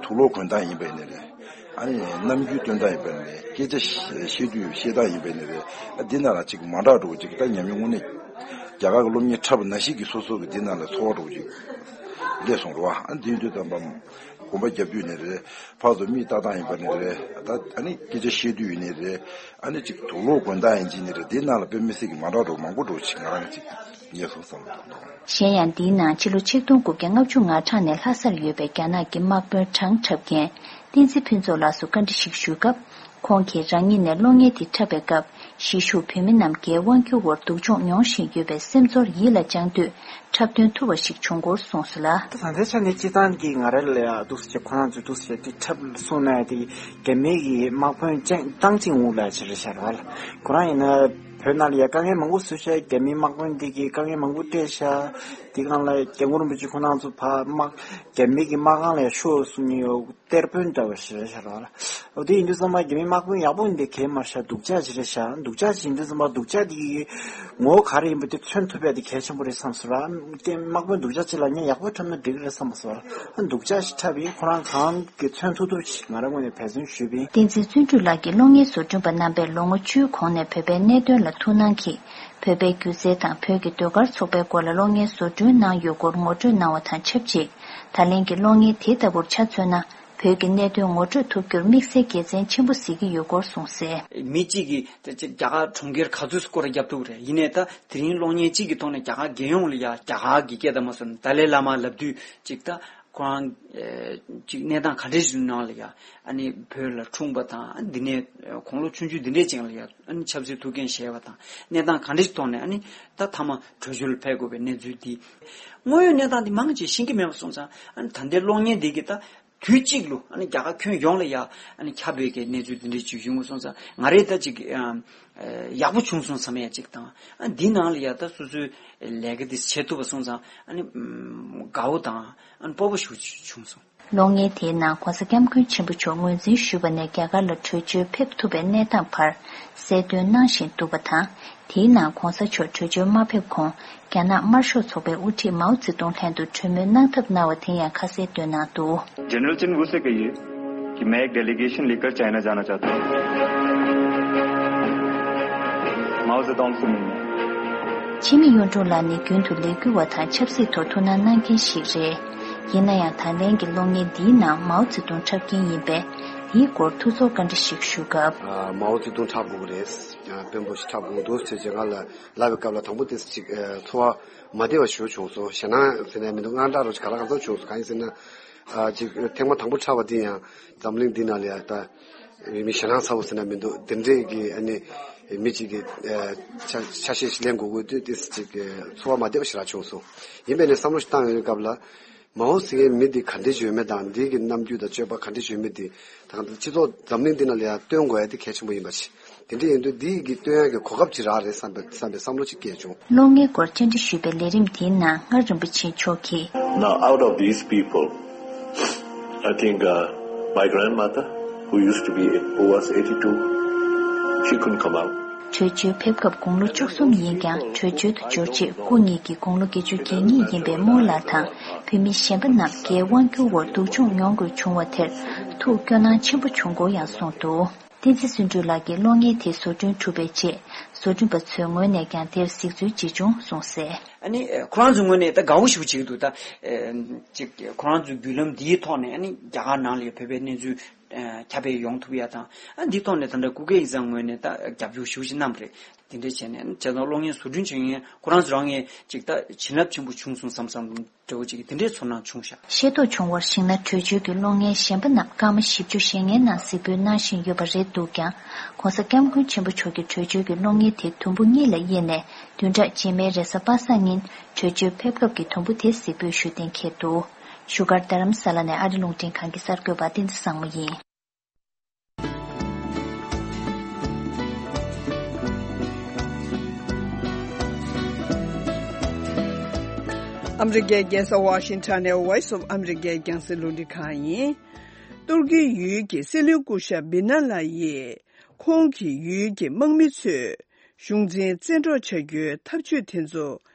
དུག་ལོག་གོན་སྟངས་ཡིན་པ་ཡིན་ནའི་རེད། ཨ་ནི་རྣམ་འགྱུར་སྟོན་སྟངས་ཡིན་པ་ཡིན་ནའི་སྐད་ཆ་བཤད་དུས་བཤད་སྟངས་ཡིན་པ་ཡིན་ནའི་རེད། ཨ་འདི་ནང་ལ་ཅིག་མ་འདྲ་འགྲོ་ཅིག་ད་ཉམས་མྱོང་དངོས་གནས་རྒྱ་གར་གྱི་གློག་བརྙན་འཁྲབ་པ་ནང་བཞིན་གྱི་སོ་སོ་གི་འདི་ནང་ལ་ཚོར་བ་འགྲོ་ཅིག་སླེབས་སོང་རེད་བ། ཨ་འདི་ཡིན་དུས་ཙམ་པ་གོམ་པ་རྒྱབ་དུས་ནས་རེད། ཕར་ཚུར་མིག་ལྟ་སྟངས་ཡིན་པ་ནས་རེད། ད་ཨ་ནི་སྐད་ཆ་བཤད་དུས་ཡིན་ནའི་རེད། ཨ་ནི་ཅིག་དུག་ལོག་གོན་སྟངས་ཡིན་གཅིག་ནི་རེད། དེའི་ནང་ལ་དཔེ་མི་སྲིད་ཀྱི་མ་འདྲ་འགྲོ་མང་པོ་འགྲོ་ཅིག་ང་རང་གཅིག་རྙེད་སོང་བསམ་བློ་གཏོང་། གཞན་ཡང་འདིའི་ནང་ཕྱི་ལོ་ཆིག་སྟོང་དགུ་བརྒྱ་ལྔ་བཅུ་ང་གྲངས་ནས་ལྷ་སར་ཡོད་པའི་རྒྱ་ནག་གི་དམག་དཔོན་གྲངས་འཁྲབ་མཁན་བསྟན་འཛིན་ཕུན་ཚོགས་ལགས་སུ་བཀའ་འདྲི་ཞིག་ཞུས་སྐབས། ཁོང་གིས་རང་ཉིད་ནས་གློག་བརྙན་དེ་འཁྲབ་པའི་སྐབས། གཞིས་བཞུགས་བོད་མི་རྣམས་རྒྱའི་དབང་སྒྱུར་འོག་སྡུག་སྦྱོང་མྱོང་བཞིན་ཡོད་པའི་སེམས་ཚོར་ཡིད་ལ་བཅངས་དུས། འཁྲབ་སྟོན་ཐུབ་པ་ཞིག་བྱུང་སྐོར་གསུངས་སོང་ལ། ད་ལྟའི་ཆ་ནས་སྤྱི་བཏང་གི་ང་རང་ལ་ཡ་འདུག་སེ་ཁོ་རང་ཚོས་འདུག་སེ་དེ་འཁྲབ་གསུངས་ན་དེ་རྒྱ་མི་གི་དམག་དཔོན་ཅང་ཏང་ཅིང་ཝུ་ལ་ཅིག་རེད་ཤག་ར་བ་ལ། ཁོ་རང་ཡིན་ན་བོད་ནང་ལ་ཡ་དཀའ་ངལ་མང་པོ་བཟོས་ཤག་རྒྱ་མིའི་དམག་དཔོན་འདི་གིས་དཀའ་ངལ་མང་པོ་སྤྲད་ཤག་དེ་སྒང་ལ་སྐྱབས་མགོན་རིན་པོ་ཆེ་ཁོ་རང་ཚོ་ཕར་དམག་རྒྱ་མི་གི་དམག་ཁང་ལ་ཡ་ཤོག་གསུང་མཁན་ཡོད། གཏེར་དཔོན་འདྲ་བ་ཞིག་རེད་ཤག་ར་བ་ལ། འོ་དེ་ཡིན་དུས་ཙམ་པ་རྒྱ་མི་དམག་དཔོན་ཡག་པོ་ཡིན་དེ་གལ་མ་ཤར། སྡུག་ཅག་ཅིག་རེད་ཤག་སྡུག་ཅག་ཅིག་ཡིན་དུས་ཙམ་པ་སྡུག་ཅག་དེ་གི་ངོ་བོ་ག་རེ་ཡིན་པ་དེ་མཚོན་ཐུབ་ཡ་དེ་གལ་ཆེན་པོ་རེད་བསམ་སོང་ར། དེ་དམག་དཔོན་སྡུག་ཅག་ཅིག་ལ་ངས་ཡག་པོ་འཁྲབ་ན་འགྲིག་གི་རེད་བསམ་སོང་ར། སྡུག་ཅག་ཞིག་འཁྲབ་ཡིན། ཁོ་རང་གང་གི་མཚོན་ཐུབ་ཐུབ་ཞིག་ང་རང་ངོས་ནས་འབད་བརྩོན་ཞུས་པ་ཡིན། བསྟན་འཛིན་བརྩོན་འགྲུས་ལགས་ཀྱིས་གློག་བརྙན་བཟོ་སྐྲུན་པ་རྣམ་པས་ལོ་ངོ་བཅུའི་གོང་ནས་བོད་པའི་གནད་དོན་ལ་ཐུགས་སྣང་གིས། བོད་པའི་སྒྱུ་རྩལ་དང་བོད་ཀྱི་ཟློས་གར་ཚོགས་པའི་སྐོར་ལ་གློག་བརྙན་བཟོ་སྐྲུན་གནང་ཡོད་སྐོར་ངོ་སྤྲོད་གནང་བ་དང་ཆབས་ཅིག་ད་ལན་གྱི་གློག་བརྙན་དེ་ལྟ་བུར་ཆ་མཚོན་ན། བོད་ཀྱི་གནད་དོན་ངོ་སྤྲོད་ཐུབ་རྒྱུར་དམིགས་བསལ་དགེ་མཚན་ཆེན་པོ་གཟིགས་ཀྱི་ཡོད་སྐོར་གསུངས་གསལ། མི་གཅིག་གིས་ད་ཅིག་རྒྱ་གར་གྲོང་ཁྱེར་ག་ཚོད་སྐོར་ར་རྒྱབ་ཐུབ་རེད། ཡིན་ནའི་ད་དེ་རིང་གློག་བརྙན་གཅིག་གི་ཐོག་ནས་རྒྱ་གར་རྒྱལ་ཡོངས་ལ་ཡ་རྒྱ་གར་གྱི་སྐད་དང་མ་སོན་ཏཱ་ལའི་བླ་མ་ལབ་དུས་ཅིག་ད་ཁོ་རང་ཅིག་གནས་སྟངས་ག་འདྲས་ཞིག་ནང་ལ་ཡ་ཨ་ནི་བོད་ལ་འཁྲུངས་པ་དང་འདི་ནས་དགུང་ལོ་ཆུང་ཆུང་འདི་འདྲས་ཅིག་ལ་ཡ་ཨ་ནི་ཆབ་སྲིད་ཐུགས་འགན་བཞེས་པ་དང་གནས་སྟངས་ག་འདྲས་ཞིག་ཐོག་ནས་ཨ་ནི་ད་མཐའ་མ་བྲོས་བྱོལ་ཕེབས་དགོས་པའི་གནས་ཚུལ་འདི་དངོས་ཡོད་གནས་སྟངས་འདི་མང་ཆེ་ཤེས་ཀྱི་མེད་པ་སོང་ཙང་ཨ་ནི་ད་ལྟའི་གློག་བརྙན་འདི་གི་ད། དུས་གཅིག་ལ་ཨ་ནི་རྒྱ་གར་ཁྱོན་ཡོངས་ལ་ཡ་ཨ་ནི་ཁྱབ་པའི་གི་གནས་ཚུལ་འདི་འདྲའི་ཅིག་ཡོང་གི་སོང་ཙང་ང་རེ་ད་ཅིག་ཨ་ཡག་པོ་བྱུང་སོང་བསམ་ཡ་ཅིག་དང་ཨ་འདི་ནང་ལ་ཡ་ད་སོ་སོའི་ལས་ཀ་འདི་བྱེད་ཐུབ་པ་སོང་ཙང་ཨ་ནི་དགའ་བོ་དང་ཨ་ནི་སྤོབས་པ་ཞེ་པོ་ཅིག་བྱུང་སོང་། གློག་བརྙན་དེའི་ནང་༧གོང་ས་༧སྐྱབས་མགོན་ཆེན་པོ་མཆོག་ངོས་འཛིན་ཞུས་པ་ནས་རྒྱ་གར་ལ་བྲོས་བྱོལ་ཕེབས་ཐུབ་པའི་གནས་སྟངས་བར་གསལ་སྟོན་གནང་བཞིན་འདུག་པ་དང་། དེའི་ནང་༧གོང་ས་མཆོག་བྲོས་བྱོལ་མ་ཕེབས་གོང་རྒྱ་ནག་དམར་ཤོག་ཚོགས་པའི་དབུ་ཁྲིད་མའོ་ཙེ་ཏུང་ལྷན་དུ་གྲོས་མོལ་གནང་ཐབས་གནང་བ་དེ་ཡང་ཁ་གསལ་བཏོན་གནང་འདུག། जनरल चिन वू से कहिए कि मैं एक डेलीगेशन लेकर चाइना जाना चाहता हूँ। माओ जेडोंग से मिलने। འཆི་མེད་གཡུང་དྲུང་ལགས་ནི་རྒྱུན་དུ་ལས་འགུལ་བ་དང་ཆབ་སྲིད་ཐོག་ཐུགས་སྣང་གནང་མཁན་ཞིག་རེད། ཡིན་ན་ཡང་ད་ལན་གྱི་གློག་བརྙན་འདིའི་ནང་མའོ་ཙེ་ཏུང་འཁྲབ་མཁན་ཡིན་པས། དེའི་སྐོར་ཐུགས་ཚོར་བཀའ་འདྲི་ཞིག་ཞུ་སྐབས། ཨ། མའོ་ཙེ་ཏུང་འཁྲབ་དགོས་ཀྱི་རེད། ཨ། དཔོན་པོ་ཞིག་འཁྲབ་དགོས་འདུག་ཅེས་ང་ལ་ལབ་པའི་སྐབས་ལ་དང་པོ་དེ་ཅིག་ཨ། ཚོར་བ་མ་བདེ་བ་ཞིག་བྱུང་སོང་། ཞེད་སྣང་ཟེར་ནས་མི་འདུག་དངངས་སྐྲག་རོ་ཅིག་ག་ལ་གང་འཚམ་བྱུང་སོང་། གང་ཡིན་ཟེར་ན། ཨ། ཅིག་ཐེངས་མ་དང་པོ་འཁྲབ་པ་འདི་ཡང་འཛམ་གླིང་འདི་ནང་ལ་ཡང་ད་མི་ཞེད་སྣང་ཚ་བོ་ཟེར་ན་མི་འདུག་དེ་འདྲས་ཀྱི་ཨ་ནི་མི་གཅིག་གི་ཨ། ཆ་ཆ་ཤས་ཤིག་ལེན་དགོས་དགོས་དུས་ཏོག་ཙམ་ཅིག་ཚོར་བ་མ་བདེ་བ་ཞེ་དྲག་བྱུང་སོང་། ཡིན་པས་ནས་བསམ་བློ་ཞིག་བཏང་ཡོང་བའི་སྐབས་ལ། མའོ་ཟེར་མཁན་མི་འདི་ག་འདྲས་བྱོན་མེད་དང་འདི་གི་རྣམ་འགྱུར་དང་སྤྱོད་པ་ག་འདྲས་བྱོན་མེད་འདི་ད་ག་སྤྱི་ཚོགས་འཛམ་གླིང་འདི་ནང་ལ་ཡང་སྟོན་དགོས་ཡ་དེ་གལ་ཆེན་པོ་ཡིན་པ་ཞིག་དེ་འདྲས་ཡིན་དུས་འདི་གི་སྟོན་ཡ་གི་གོ་སྐབས་ཅིག་རག་རེད་བསམ་པའི་བསམ་པའི་བསམ་བློ་ཅིག་སྐྱེས་བྱུང་། གློག་བརྙན་སྐོར་བཅར་འདྲི་ཞུས་པའི་ལས་རིམ་དེའི་ནང་མངའ་རིན་པོ་ཆེ་མཆོག་གིས། Now, out of these people, I think, uh, my grandmother, who used to be, who was eighty-two, she couldn't come out. བྲོས་བྱོལ་ཕེབས་སྐབས་དགུང་ལོ་བཅུ་གསུམ་ཡིན་ཀྱང་བྲོས་བྱོལ་དུ་འབྱོར་རྗེས་སྐུ་ཉིད་ཀྱི་དགུང་ལོ་བརྒྱད་ཅུ་གྱ་གཉིས་ཡིན་པའི་རྨོ་ལགས་དང་བོད་མི་གཞན་པ་རྣམས་རྒྱའི་དབང་སྒྱུར་འོག་སྡུག་སྦྱོང་མྱོང་དགོས་བྱུང་བ་དེར་ཐུགས་སྐྱོ་སྣང་ཆེན་པོ་བྱུང་སྐོར་ཡང་གསུངས་འདུག་བསྟན་འཛིན་བརྩོན་འགྲུས་ལགས་ཀྱིས་གློག་བརྙན་དེ་བཟོ་སྐྲུན་གྲུབ་པའི་རྗེས་བཟོ་སྐྲུན་པ་ཚོའི་ངོས་ནས་ཀྱང་དེར་གཟིགས་ཚུལ་ཇི་བྱུང་གསུངས་གསལ། ཨ་ནི་ཁོ་རང་ཚོའི་ངོས་ནས་ད་དགའ་བོ་ཞེ་པོ་བྱེད་ཀྱི་འདུག་ད་ཨེ། ཅིག་ཁོ་རང་ཚོའི་བརྒྱུད་ལམ་འདིའི་ཐོག་ནས་ཨ་ནི་རྒྱ་གར་ནང་ལ་བོད་པའི་གནས་ཚུལ་ཨ། ཁྱབ་སྤེལ་ཡོང་ཐུབ་ཡ་དང་། ཨ། འདིའི་ཐོག་ནས་ད་ལྟ་སྐུ་སྒེར་ཡིག་ཚང་ངོས་ནས་ད་རྒྱབ་སྐྱོར་ཞེ་པོ་ཅིག་གནང་བ་རེད། དེ་འདྲ་བྱས་ནས་བྱས་ཙང་གློག་བརྙན་བཟོ་སྐྲུན་བྱེད་མཁན་ཁོ་རང་ཚོ་རང་གིས་ཅིག་ད་བྱིན་རླབས་ཆེན་པོ་བྱུང་སོང་བསམ་བསམ་འདྲ་བོ་ཅིག་དེ་འདྲའི་ཚོར་སྣང་བྱུང་ཤག་ཤེས་རྟོགས་བྱུང་བར་གཞིགས་ན་བྲོས་བྱོལ་གྱི་གློག་བརྙན་གཞན་པ་རྣམས་སྐར་མ་བཞི་བཅུ་ཞེ་ལྔའི་ནང་གཟིགས་འབུལ་གནང་བཞིན་ཡོད་པ་རེད་འདུག་ཀྱང་། ༸གོང་ས་༸སྐྱབས་མགོན་ཆེན་པོ་མཆོག་གིས་བྲོས་བྱོལ་གྱི་གློག་བརྙན་དེ་དུམ་བུ་གཉིས་ལ་དབྱེ་ནས་བདུན་ཕྲག་རྗེས་མའི་རེས་གཟའ་པ་སངས་ཉིན་བྲོས་བྱོལ་ཕེབས་སྐབས་ཀྱི་དུམ་བུ་དེ་གཟིགས་འབུལ་ཞུ་གཏན་འཁེལ་འདུག་བཞུགས་སྒར་རྡ་རམ་ས་ལ་ནས་ཨ་རི་རླུང་འཕྲིན་ཁང་གི་གསར་འགོད་པ་བསྟན་འཛིན་བཟང་མོ་ཡིན། ཨ་མི་རི་ཀའི་རྒྱལ་ས་ཝ་ཤིང་ཊོན་ནས་Voice of America རྒྱང་སྲིང་རླུང་འཕྲིན་ཁང་ཡིན། ཏུར་ཀིའི་ཡུལ་གྱི་སྲིད་བློན་སྐུ་ཞབས་བི་ན་ལ་ཡིས། ཁོང་གི་ཡུལ་གྱི་དམག་མི་ཚོས་གཞུང་འཛིན་བཙན་འཕྲོག་བྱ་རྒྱུའི་ཐབས་ཇུས་དེ་ཚོ་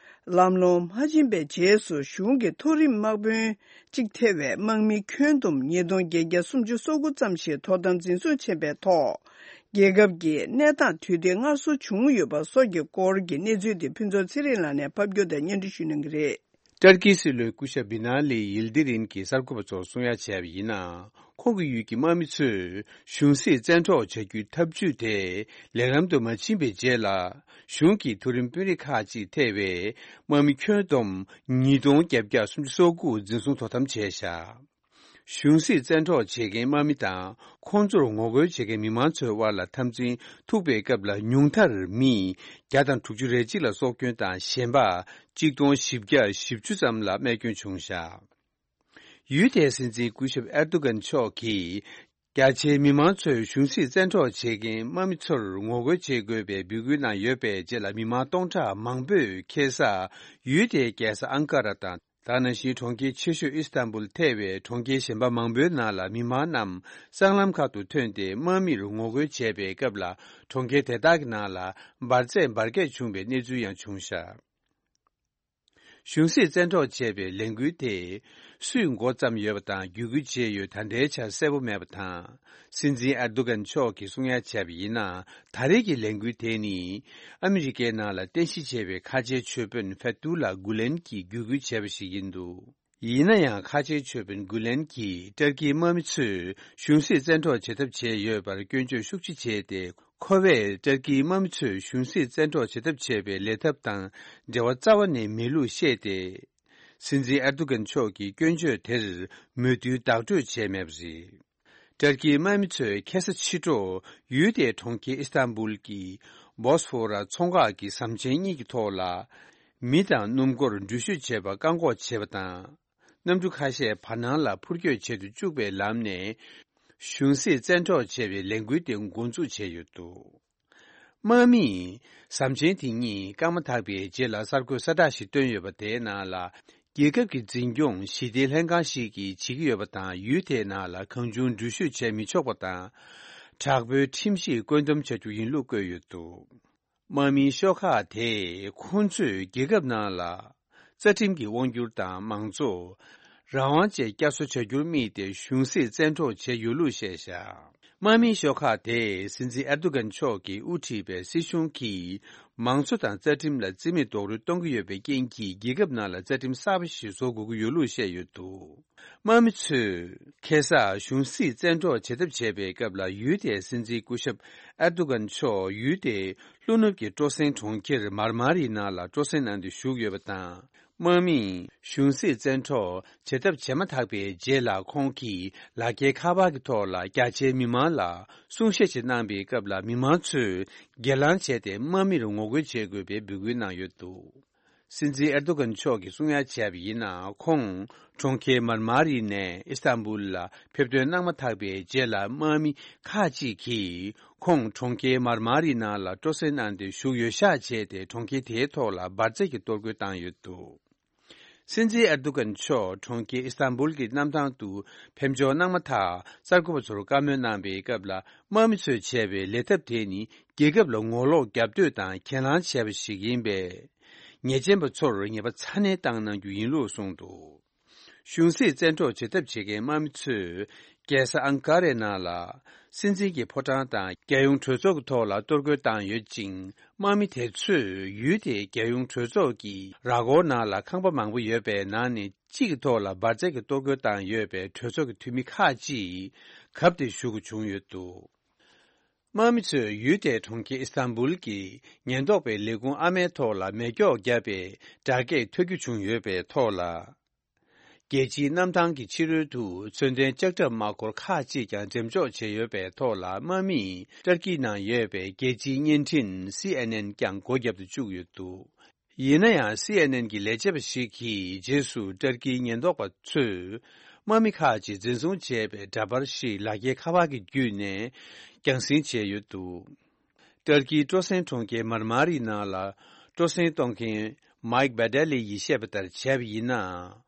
ལམ་ལྷོང་མ་ཕྱིན་པའི་རྗེས་སུ་གཞུང་གི་མཐོ་རིམ་དམག་དཔོན་གཅིག་ཐེ་བའི་དམག་མི་ཁྱོན་བསྡོམས་ཉིས་སྟོང་བརྒྱད་བརྒྱ་སུམ་ཅུ་སོ་དགུ་ཙམ་ཞིག་དོ་དམ་འཛིན་བཟུང་བྱས་པའི་ཐོག་རྒྱལ་ཁབ་ཀྱི་གནས་སྟངས་དུས་བདེ་སྔར་བཟོ་བྱུང་ཡོད་པ་སོགས་ཀྱི་སྐོར་གྱི་གནས་ཚུལ་དེ་ཕུན་ཚོགས་ཚེ་རིང་ལགས་ནས་ཕབ་སྒྱུར་དང་སྙན་སྒྲོན་ཞུ་གནང་གི་རེད། ཏར་ཀིའི་སྲིད་བློན་སྐུ་ཞབས་བི་ན་ལི་ཡིལ་དི་རིན་གྱིས་གསར་འགོད་པ་ཚོར་གསུང་ཡ་བྱས་པ་ཡིན་ན། ཁོང་གི་ཡུལ་གྱི་དམག་མི་ཚོས་གཞུང་སྲིད་བཙན་འཕྲོག་བྱ་རྒྱུའི་ཐབས་ཇུས་དེ་ལེགས་ལམ་དུ་མ་ཕྱིན་པའི་རྗེས་ལ། གཞུང་གི་མཐོ་རིམ་དཔོན་རིགས་ཁག་ཅིག་ཐེ་བའི་དམག་མི་ཁྱོན་བསྡོམས་ཉིས་སྟོང་བརྒྱད་བརྒྱ་སུམ་ཅུ་སོ་དགུ་འཛིན་བཟུང་དོ་དམ་བྱས་བཞག་གཞུང་སྲིད་བཙན་འཕྲོག་བྱེད་མཁན་དམག་མི་དང་ཁོང་ཚོར་ངོ་རྒོལ་བྱེད་མཁན་མི་མང་ཚོའི་དབར་ལ་འཐབ་འཛིང་ཐུག་པའི་སྐབས་ལ་ཉུང་མཐར་མི་བརྒྱ་དང་དྲུག་ཅུ་རེ་གཅིག་ལ་སྲོག་སྐྱོན་དང་གཞན་པ་གཅིག་སྟོང་བཞི་བརྒྱ་བཞི་བཅུ་ཙམ་ལ་རྨས་སྐྱོན་བྱུང་བཞག་ཡུལ་དེའི་སྲིད་འཛིན་སྐུ་ཞབས་ཨེར་དོ་གན་མཆོག་གིས་རྒྱ་ཆེའི་མི་མང་ཚོས་གཞུང་སྲིད་བཙན་འཕྲོག་བྱེད་མཁན་དམག་མི་ཚོར་ངོ་རྒོལ་བྱེད་དགོས་པའི་འབོད་སྐུལ་གནང་ཡོད་པའི་རྗེས་ལ་མི་མང་སྟོང་ཕྲག་མང་པོས་ཁ་སང་ཡུལ་དེའི་རྒྱལ་ས་ཨང་ཀ་ར་དང་། ད་ག་ནང་བཞིན་གྲོང་ཁྱེར་ཆེ་ཤོས་ཨི་སི་ཐན་བུལ་ཐེ་བའི་གྲོང་ཁྱེར་གཞན་པ་མང་པོའི་ནང་ལ་མི་མང་རྣམས་སྲང་ལམ་ཁག་ཏུ་ཐོན་ཏེ་དམག་མིར་ངོ་རྒོལ་བྱས་པའི་སྐབས་ལ་གྲོང་ཁྱེར་དེ་དག་གི་ནང་ལ་འབར་རྫས་འབར་གས་བྱུང་བའི་གནས་ཚུལ་ཡང་བྱུང་བཞག་གཞུང་སྲིད་བཙན་འཕྲོག་བྱས་པའི་ལས་འགུལ་དེ་སུས་འགོ་བརྩམས་ཡོད་པ་དང་བརྒྱུད་སྐུལ་བྱས་ཡོད་ད་ལྟའི་ཆར་གསལ་པོ་མེད་པ་དང་། སྲིད་འཛིན་ཨེར་དོ་གན་མཆོག་གིས་གསུང་ཡ་བྱས་པ་ཡིན་ན། ད་རེས་ཀྱི་ལས་འགུལ་དེ་ནི་ཨ་མི་རི་ཀའི་ནང་ལ་རྟེན་གཞི་བྱས་པའི་ཁ་ཆེའི་ཆོས་དཔོན་ཕེ་ཏུ་ལ་གུ་ལན་གྱིས་བརྒྱུད་སྐུལ་བྱས་པ་ཞིག་ཡིན་འདུག་ཡིན་ན་ཡང་ཁ་ཆེའི་ཆོས་དཔོན་གུ་ལན་གྱིས་ཏར་ཀིའི་དམག་མི་ཚོས་གཞུང་སྲིད་བཙན་འཕྲོག་བྱེད་ཐབས་བྱས་ཡོད་པར་སྐྱོན་བརྗོད་ཤུགས་ཆེ་བྱས་ཏེ། ཁོ་བས་ཏར་ཀིའི་དམག་མི་ཚོས་གཞུང་སྲིད་བཙན་འཕྲོག་བྱེད་ཐབས་བྱས་པའི་ལས་ཐབས་དང་འབྲེལ་བ་རྩ་བ་ནས་མེད་ལུགས་བཤད་དེ། སྲིད་འཛིན་ཨེར་དོ་གན་མཆོག་གི་སྐྱོན་བརྗོད་དེར་མོས་མཐུན་བདག་སྤྲོད་བྱས་མེད་པ་རེད། ཏར་ཀིའི་དམག་མི་ཚོས་ཁ་སང་ཕྱི་དྲོ་ཡུལ་དེའི་གྲོང་ཁྱེར་ཨི་སི་ཐན་བུལ་གྱི་བོ་སི་ཕོ་ར་མཚོ་འགག་གི་ཟམ་ཆེན་གཉིས་ཀྱི་ཐོག་ལ། མི་དང་སྣུམ་འཁོར་འགྲུལ་བཞུད་བྱེད་པར་བཀག་འགོག་བྱས་པ་དང་། གནམ་གྲུ་ཁ་ཤས་བར་སྣང་ལ་འཕུར་སྐྱོད་བྱེད་དུ་བཅུག་པའི་ལམ་ནས། གཞུང་སྲིད་བཙན་འཕྲོག་བྱས་པའི་ལས་འགུལ་དེ་འགོ་འཛུགས་བྱས་ཡོད་འདུག་དམག་མིས་ཟམ་ཆེན་དེ་གཉིས་བཀག་མ་ཐག་པའི་རྗེས་ལ་གསར་འགོད་གསལ་བསྒྲགས་ཤིག་བཏོན་ཡོད་པ། དེའི་ནང་ལ། རྒྱལ་ཁབ་ཀྱི་འཛིན་སྐྱོང་ཞི་བདེའི་ལྷན་ཁང་ཞིག་གིས་བྱེད་ཀྱི་ཡོད་པ་དང་། ཡུལ་དེའི་ནང་ལ་གང་བྱུང་འགྲུལ་བཞུད་བྱས་མི་ཆོག་པ་དང་། དྲག་པོའི་ཁྲིམས་གཞིས་བཀོད་འདོམས་བྱ་རྒྱུ་ཡིན་ལུགས་བཀོད་ཡོད་འདུག་དམག་མིའི་ཤོག་ཁག་དེས་ཁོང་ཚོས་རྒྱལ་ཁབ་ནང་ལ་རྩ་ཁྲིམས་ཀྱི་དབང་སྒྱུར་དང་མང་གཙོ། རང་དབང་བཅས་བསྐྱར་གསོ་བྱ་རྒྱུར་དམིགས་ཏེ་གཞུང་སྲིད་བཙན་འཕྲོག་བྱས་ཡོད་ལུགས་བཤད་བཞག་དམག་མིའི་ཤོག་ཁག་དེས་སྲིད་འཛིན་ཨེར་དོ་གན་མཆོག་གིས་དབུ་ཁྲིད་པའི་སྲིད་གཞུང་གིས་མང་གཙོ་དང་རྩ་ཁྲིམས་ལ་རྩིས་མེད་རྡོག་རོལ་གཏོང་གི་ཡོད་པའི་རྐྱེན་གྱིས། རྒྱལ་ཁབ་ནང་ལ་རྩ་ཁྲིམས་གསར་པ་ཞིག་བཟོ་དགོས་ཀྱི་ཡོད་ལུགས་བཤད་ཡོད་འདུག། དམག་མི་ཚོས་ཁ་སང་གཞུང་སྲིད་བཙན་འཕྲོག་བྱེད་ཐབས་བྱས་པའི་སྐབས་ལ། ཡུལ་དེའི་སྲིད་འཛིན་སྐུ་ཞབས་ཨེར་དོ་གན་མཆོག་ཡུལ་དེའི་ལྷོ་ནུབ་ཀྱི་སྤྲོ་གསེང་གྲོང་ཁྱེར་མར་མ་རིའི་ནང་ལ་སྤྲོ་གསེང་གནང་སྟེ་བཞུགས་ཡོད་པ་དང་། དམག་མིས་གཞུང་སྲིད་བཙན་འཕྲོག་བྱེད་ཐབས་བྱས་མ་ཐག་པའི་རྗེས་ལ། ཁོང་གིས་ལག་འཁྱེར་ཁ་པར་གྱི་ཐོག་ལ་རྒྱ་ཆེའི་མི་མང་ལ་གསུང་བཤད་ཅིག་གནང་པའི་སྐབས་ལ། མི་མང་ཚོས་སྒེར་ལངས་བྱས་ཏེ་དམག་མིར་ངོ་རྒོལ་བྱེད་དགོས་པའི་འབོད་སྐུལ་གནང་ཡོད་འདུག། སྲིད་འཛིན་ཨེར་དོ་གན་མཆོག་གིས་གསུང་ཡ་བྱས་པ་ཡིན་ན། ཁོང་གྲོང་ཁྱེར་མར་མ་རི་ནས་ཨི་སྟན་བུལ་ལ་ཕེབས་ཐོན་གནང་མ་ཐག་པའི་རྗེས་ལ། དམག་མི་ཁག་ཅིག་གིས་ཁོང་གྲོང་ཁྱེར་མར་མ་རི་ནང་ལ་སྤྲོ་གསེང་གནང་སྟེ་བཞུགས་ཡོད་ཤག་བྱས་ཏེ། གྲོང་ཁྱེར་དེའི་ཐོག་ལ་འབར་རྫས་ཀྱི་གཏོར་རྒོལ་བཏང་ཡོད་འདུག། སྲིད་འཛིན་ཨེར་དོ་གན་མཆོག་གྲོང་ཁྱེར་ཨི་སྟན་བུལ་གྱི་གནམ་ཐང་དུ་ཕེབས་འབྱོར་གནང་མ་ཐག། གསར་འགོད་པ་ཚོར་བཀའ་མོལ་གནང་པའི་སྐབས་ལ། དམག་མི་ཚོས་བྱས་པའི་ལས་ཐབས་དེ་ནི་རྒྱལ་ཁབ་ལ་ངོ་ལོག་རྒྱབ་གཏོད་དང་གྱེན་ལངས་བྱས་པ་ཞིག་ཡིན་པས། ཉེས་ཅན་པ་ཚོར་ཉེས་པ་ཚ་ནན་བཏང་གནང་རྒྱུ་ཡིན་ལུགས་གསུངས་འདུག། གཞུང་སྲིད་བཙན་འཕྲོག་བྱེད་ཐབས་བྱེད་མཁན་དམག་མི་ཚོས་རྒྱལ་ས་ཨང་ཀ་རའི་ནང་ལ་སྲིད་འཛིན་གྱི་ཕོ་བྲང་དང་རྒྱལ་ཡོངས་གྲོས་ཚོགས་ཀྱི་ཐོག་ལ་གཏོར་རྒོལ་བཏང་ཡོད་ཅིང་། དམག་མི་དེ་ཚོས་ཡུལ་དེའི་རྒྱལ་ཡོངས་གྲོས་ཚོགས་ཀྱི་ར་སྐོར་ནང་ལ་ཁང་པ་མང་པོ་ཡོད་པའི་ནང་ནས་གཅིག་གི་ཐོག་ལ་འབར་རྫས་ཀྱི་གཏོར་རྒོལ་བཏང་ཡོད་པས། གྲོས་ཚོགས་ཀྱི་འཐུས་མི་ཁག་ཅིག་གབ་སྟེ་བཞུགས་དགོས་བྱུང་ཡོད་འདུག། དམག་མི་ཚོས་ཡུལ་དེའི་གྲོང་ཁྱེར་ཨི་སྟན་བུལ་གྱི་ཉེན་རྟོག་པའི་ལས་ཁུངས་ཨ་མའི་ཐོག་ལ་མེ་སྒྱོགས་བརྒྱབ་པའི་སྦྲགས་སྐད་ཐོས་རྒྱུ་བྱུང་ཡོད་པའི་ཐོག་ལ། རྒྱལ་སྤྱིའི་གནམ་ཐང་གི་ཕྱི་རོལ་དུ་མཚོན་ལྡན་ལྕགས་ཁྲབ་དམག་འཁོར་ཁག་ཅིག་ཀྱང་འགྲེམས་འཇོག་བྱས་ཡོད་པའི་ཐོག་ལ། དམག་མིས་ཏར་ཀི་ནང་ཡོད་པའི་རྒྱལ་སྤྱིའི་བརྙན་འཕྲིན་སི་ཨེན་ཨེན་ཀྱང་སྒོ་བརྒྱབ་ཏུ་བཅུག་ཡོད་འདུག། ཡིན་ན་ཡང་། སི་ཨེན་ཨེན་གྱི་ལས་བྱེད་པ་ཞིག་གིས་རྗེས་སུ་ཏར་ཀིའི་ཉེན་རྟོག་པ་ཚོས་དམག་མི་ཁག་ཅིག་འཛིན་བཟུང་བྱས་པའི་འདྲ་པར་ཞིག་ལག་འཁྱེར་ཁ་པར་གྱི་བརྒྱུད་ནས་རྒྱང་སྲིང་བྱས་ཡོད་འདུག། ཏར་ཀིའི་སྤྲོ་གསེང་གྲོང་ཁྱེར་མར་མ་རི་ནང་ལ་སྤྲོ་གསེང་གཏོང་མཁན་མའིག་བྷ་ཏེ་ལི་ཡིས་བཤད་པ་ལྟར་བྱས་པ་ཡིན་ན།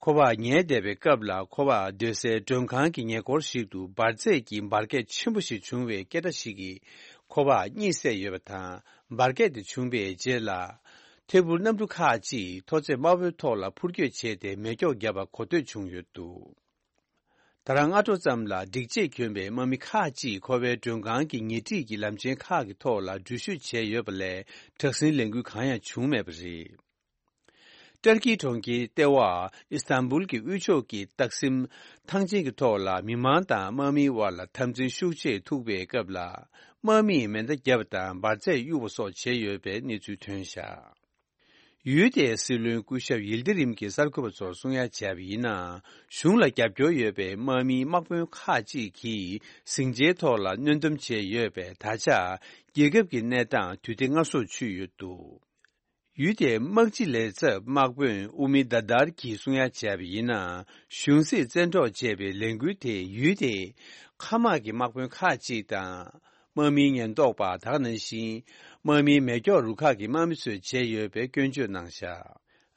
ཁོ་པ་ཉལ་བསྡད་པའི་སྐབས་ལ། ཁོ་པ་སྡོད་སའི་མགྲོན་ཁང་གི་ཉེ་འཁོར་ཞིག་ཏུ་འབར་རྫས་ཀྱི་འབར་གས་ཆེན་པོ་ཞིག་བྱུང་བའི་སྐད་སྒྲ་ཞིག་གིས་ཁོ་པ་གཉིད་སད་ཡོད་པ་དང་། འབར་གས་དེ་བྱུང་བའི་རྗེས་ལ། ཐད་འཕུར་གནམ་གྲུ་ཁག་ཅིག་མཐོ་ཚད་དམའ་བོའི་ཐོག་ལ་འཕུར་སྐྱོད་བྱས་ཏེ། མེ་སྒྱོགས་བརྒྱབ་པ་གོ་ཐོས་བྱུང་ཡོད་འདུག། ད་རང་སྔ་དྲོ་ཙམ་ལ་སྒྲིག་ཆས་གྱོན་པའི་དམག་མི་ཁག་ཅིག་ཁོ་པའི་མགྲོན་ཁང་གི་ཉེ་འཁྲིས་ཀྱི་ལམ་ཆེན་ཁག་གི་ཐོག་ལ་འགྲུལ་བཞུད་བྱས་ཡོད་པ་ལས། དྲག་ཟིང་ལས་འགུལ་གང་ཡང་བྱུང་མེད་པ་རེད། ཏར་ཀིའི་གྲོང་ཁྱེར་ལྟེ་བ་ཨི་སྟན་བུལ་གྱི་དབུས་ཕྱོགས་ཀྱི་སྟག་སྲིན་ཐང་ཆེན་གྱི་ཐོག་ལ། མི་མང་དང་དམག་མིའི་དབར་ལ་འཐབ་འཛིང་ཤུགས་ཆེ་ཐུག་པའི་སྐབས་ལ། དམག་མིས་མེ་མདའ་བརྒྱབ་པ་དང་འབར་རྫས་གཡུགས་པ་སོགས་བྱས་ཡོད་པའི་གནས་ཚུལ་ཐོན་བཞག། ཡུལ་དེའི་སྲིད་བློན་སྐུ་ཞབས་ཡིལ་དི་རིམ་གྱིས་གསར་འགོད་པ་ཚོར་གསུང་ཡ་བྱས་པ་ཡིན་ན། གཞུང་ལ་རྒྱབ་སྐྱོར་ཡོད་པའི་དམག་མིའི་དམག་དཔོན་ཁག་ཅིག་གིས་ཟིང་ཆའི་ཐོག་ལ་གནོན་སྡོམ་བྱས་ཡོད་པས། ད་ཆ་རྒྱལ་ཁབ་ཀྱི་གནས་སྟངས་དུས་བདེ་སྔར་སྲོལ་ཆུད་ཡོད་འདུག། ཡུལ་དེའི་དམག་སྤྱི་ལས་ཚབ་དམག་དཔོན་ཨུ་མི་དཱ་དར་གྱིས་གསུང་ཡ་བྱས་པ་ཡིན་ན། གཞུང་སྲིད་བཙན་འཕྲོག་བྱས་པའི་ལས་འགུལ་དེས་ཡུལ་དེའི་མཁའ་དམག་གི་དམག་དཔོན་ཁག་ཅིག་དང་། དམག་མིའི་ཉེན་རྟོག་པ། དེ་ག་ནང་བཞིན་དམག་མིའི་མེ་སྒྱོགས་རུ་ཁག་གི་དམག་མི་ཚོས་བྱས་ཡོད་པའི་སྐྱོན་བརྗོད་གནང་བཞག།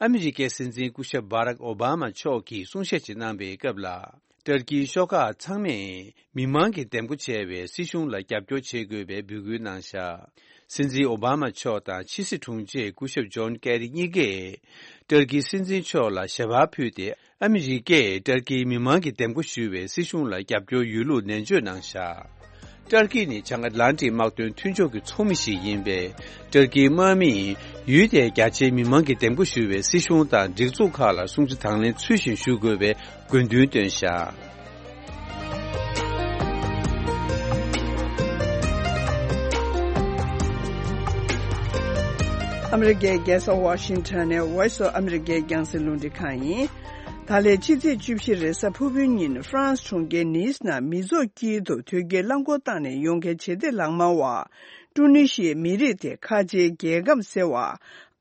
ཨ་མི་རི་ཀའི་སྲིད་འཛིན་སྐུ་ཞབས་བྷ་རག་ཨོ་བྷ་མ་མཆོག་གིས་གསུང་བཤད་ཅིག་གནང་པའི་སྐབས་ལ། ཏར་ཀིའི་ཤོག་ཁག་ཚང་མས་མི་མང་གིས་འདེམས་བསྐོ་བྱས་པའི་སྲིད་གཞུང་ལ་རྒྱབ་སྐྱོར་བྱེད་དགོས་པའི་འབོད་སྐུལ་གནང་བཞག། སྲིད་འཛིན་ཨོ་བྷ་མ་མཆོག་དང་ཕྱི་སྲིད་དྲུང་ཆེ་སྐུ་ཞབས་ཇོན་ཀེ་རི་གཉིས་ཀས་ཏར་ཀིའི་སྲིད་འཛིན་མཆོག་ལ་ཞལ་པར་ཕུལ་ཏེ། ཨ་མི་རི་ཀས་ཏར་ཀིའི་མི་མང་གིས་འདེམས་བསྐོ་ཞུས་པའི་སྲིད་གཞུང་ལ་རྒྱབ་སྐྱོར་ཡོད་ལུགས་ནན་བརྗོད་གནང་བཞག། ཏར་ཀི་ནི་བྱང་ཨེཊ་ལན་ཊིག་དམག་དོན་མཐུན་ཕྱོགས་ཀྱི་ཚོགས་མི་ཞིག་ཡིན་པས། ཏར་ཀིའི་དམག་མིས་ཡུལ་དེའི་རྒྱ་ཆེའི་མི་མང་གིས་འདེམས་བསྐོ་ཞུས་པའི་སྲིད་གཞུང་དང་སྒྲིག་འཛུགས་ཁག་ལ་སྲུང་བརྩི་དང་ལེན་ཚུལ་བཞིན་ཞུ་དགོས་པའི་དགོས་འདུན་བཏོན་བཞག། ཨ་མི་རི་ཀའི་རྒྱལ་ས་ཝ་ཤིང་ཊོན་ནས་Voice of America རྒྱང་སྲིང་རླུང་འཕྲིན་ཁང་ཡིན། ད་ལན་ཕྱི་ཚེས་བཅུ་བཞི་རེས་གཟའ་ཕུར་བུའི་ཉིན་ཧྥ་རན་སི་གྲོང་ཁྱེར་ནིས་ནང་མི་ཚོགས་དཀྱིལ་དུ་དོས་སྐྱེལ་རླངས་འཁོར་བཏང་ནས་ཡོང་མཁན་ཞི་བདེ་ལག་དམར་བ། ཀྲུ་ནི་ཤིའི་མི་རིགས་དེ་ཁ་ཆེའི་རྒྱལ་ཁམས་ཟེར་བ།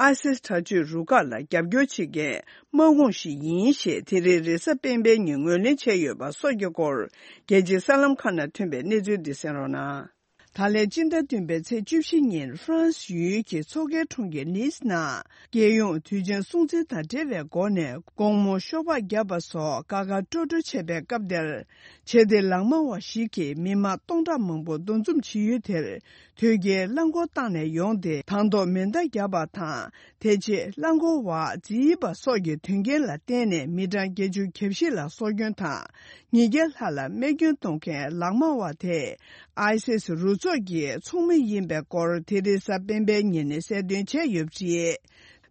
ཨ་སིས་དྲག་སྤྱོད་རུ་ཁག་ལ་རྒྱབ་སྐྱོར་བྱེད་མཁན་དམག་དཔུང་ཞིག་ཡིན་ཞེས་དེ་རིང་རེས་གཟའ་སྤེན་པའི་ཉིན་ངོས་ལེན་བྱས་ཡོད་པ་སོགས་ཀྱི་སྐོར། རྒྱལ་སྤྱིའི་གསར་ལམ་ཁག་ནང་ཐོན་པའི་གནས་ཚུལ་འདི་གསན་རོགས་གནང་། ད་ལན་སྤྱི་ཟླ་བདུན་པའི་ཚེས་བཅུ་བཞི་ཉིན་ཧྥ་རན་སི་ཡུལ་གྱི་མཚོ་ཁའི་གྲོང་ཁྱེར་ནིས་ནང་། རྒྱལ་ཡོངས་དུས་ཆེན་སྲུང་བརྩི་དང་འབྲེལ་བའི་སྒོ་ནས་དགོང་མོ་ཤོག་སྦག་བརྒྱབ་པ་སོགས་དགའ་དགའ་སྤྲོ་སྤྲོ་བྱས་པའི་སྐབས་དེར། ཆེ་བདེ་ལག་དམར་བ་ཞིག་གིས་མི་མང་སྟོང་ཕྲག་མང་པོ་འདུ་འཛོམས་བྱེད་ཡུལ་དེར། དོལ་རྒྱལ་རླངས་འཁོར་བཏང་ནས་ཡོང་སྟེ་དང་ཐོག་མེ་མདའ་བརྒྱབ་པ་དང་། དེ་རྗེས་རླངས་འཁོར་བ་བརྫིས་པ་སོགས་ཀྱི་དོན་རྐྱེན་ལ་བརྟེན་ནས་མི་གྲངས་བརྒྱད་ཅུ་གྱ་བཞི་ལ་སྲོག་སྐྱོན་དང་། ཉིས་བརྒྱ་ལྷག་ལ་རྨས་སྐྱོན་གཏོང་མཁན་ལག་དམར་བ་དེ། ཨའི་སིས་རུ་ཚོགས་ཀྱི་ཚོགས་མི་ཡིན་པའི་སྐོར་དེ་རིང་གཟའ་སྤེན་པའི་ཉིན་ནས་གསལ་སྟོན་བྱས་ཡོད་པ་རེད།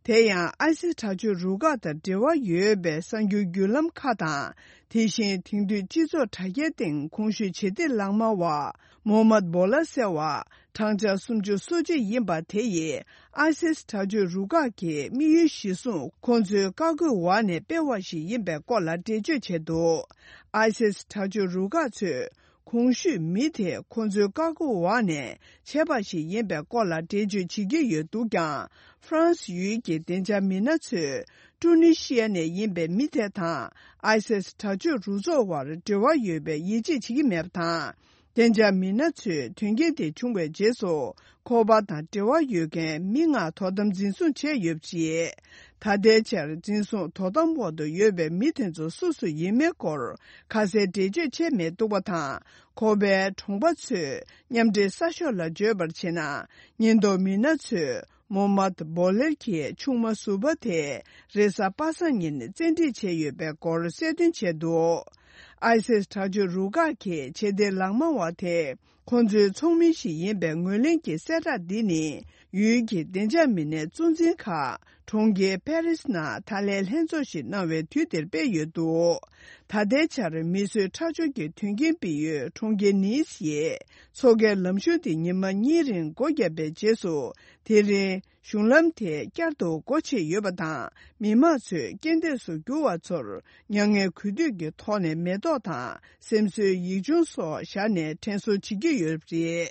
དེ་ཡང་ཨའི་སིས་དྲག་སྤྱོད་རུ་ཁག་དང་འབྲེལ་བ་ཡོད་པའི་གསར་འགྱུར་བརྒྱུད་ལམ་ཁག་དང་། དེ་བཞིན་དེང་དུས་སྤྱི་ཚོགས་དྲ་རྒྱའི་སྟེང་གོང་ཞུས་བྱེད་གཏེ་ལག་དམར་བ་མོ་མད་བོ་ལ་ཟེར་བ། གྲངས་ཆ་སུམ་ཅུ་སོ་གཅིག་ཡིན་པ་དེ་ཡིས་ཨའི་སིས་དྲག་སྤྱོད་རུ་ཁག་གི་དམིགས་ཡུལ་གཞིར་བཟུང་ཁོང་ཚོའི་བཀའ་བཀོད་འོག་ནས་སྤེལ་བ་ཞིག་ཡིན་པའི་སྐོར་ལ་འགྲེལ་བརྗོད་བྱས་འདུག་ཨའི་སིས་དྲག་སྤྱོད་རུ་ཁག་ཚོས་གོང་ཞུས་མི་དེ་ཁོང་ཚོའི་བཀའ་བཀོད་འོག་ནས་བྱས་པ་ཞིག་ཡིན་པའི་སྐོར་ལ་འགྲེལ་བརྗོད་བྱེད་ཀྱི་ཡོད་འདུག་ཀྱང་། ཧྥ་རན་སི་ཡུལ་གྱི་བདེ་འཇགས་མི་སྣ་ཚོས་ཀྲུ་ནི་ཤི་ཡ་ནས་ཡིན་པའི་མི་དེ་དང་ཨའི་སིས་དྲག་སྤྱོད་རུ་ཚོགས་བར་འབྲེལ་བ་ཡོད་པའི་ཡིད་ཆེས་བྱེད་ཀྱི་མེད་པ་དང་། བདེ་འཇགས་མི་སྣ་ཚོས་དོན་རྐྱེན་དེ་བྱུང་བའི་རྗེས་སུ། ཁོ་པ་དང་འབྲེལ་བ་ཡོད་མཁན་མི་ལྔ་དོ་དམ་འཛིན་བཟུང་བྱས་ཡོད་པ་རེད། ད་ལྟའི་ཆར་འཛིན་བཟུང་དོ་དམ་འོག་ཏུ་ཡོད་པའི་མི་དེ་ཚོ་སུ་སུ་ཡིན་མིན་སྐོར་ཁ་གསལ་འགྲེལ་བརྗོད་བྱས་མེད་འདུག་པ་དང་། ཁོ་པའི་གྲོང་པ་ཚོས་མཉམ་འབྲེལ་གསར་ཤོག་ལ་བརྗོད་པར་བྱས་ན། ཉེན་རྟོག་མི་སྣ་ཚོས་མོ་མད་བོ་ལེར་གྱི་ཆུང་མ་ཟུར་པ་དེ་རེས་གཟའ་པ་སངས་ཉིན་བཙན་ཁྲིད་བྱས་ཡོད་པའི་སྐོར་གསལ་སྟོན་བྱས་འདུག་ཨའི་སིས་དྲག་སྤྱོད་རུ་ཁག་གི་ཆེ་མཐོའི་ལག་དམར་བ་དེ། ཁོང་ཚོའི་ཚོགས་མི་ཞིག་ཡིན་པའི་ངོས་ལེན་གྱི་གསལ་བསྒྲགས་འདི་ནི། ཡུལ་གྱི་བདེ་འཇགས་མི་སྣའི་གཙོ་འཛིན་ཁག་གྲོང་ཁྱེར་པེ་རིས་ནང་ད་ལན་ལྷན་ཚོགས་ཤིག་གནང་བའི་དུས་དེར་སྤེལ་ཡོད་འདུག་ད་ལྟའི་ཆར་མི་གསོད་ཁྲག་སྦྱོར་གྱི་དོན་རྐྱེན་སྤེལ་ཡུལ་གྲོང་ཁྱེར་ནིས་ཡི་མཚོ་ཁའི་ལམ་གཞུང་དེ་ཉི་མ་གཉིས་རིང་སྒོ་བརྒྱབ་པའི་རྗེས་སུ། དེ་རིང་གཞུང་ལམ་དེ་བསྐྱར་དུ་སྒོ་ཕྱེ་ཡོད་པ་དང་། མི་མང་ཚོས་རྐྱེན་འདས་སུ་གྱུར་བ་ཚོར་མྱ་ངན་གུས་འདུད་ཀྱི་ཐོག་ནས་མེ་ཏོག་དང་སེམས་གསོའི་ཡིག་ཆུང་སོགས་བཞག་ནས་དྲན་གསོ་བྱེད་ཀྱི་ཡོད་པ་རེད།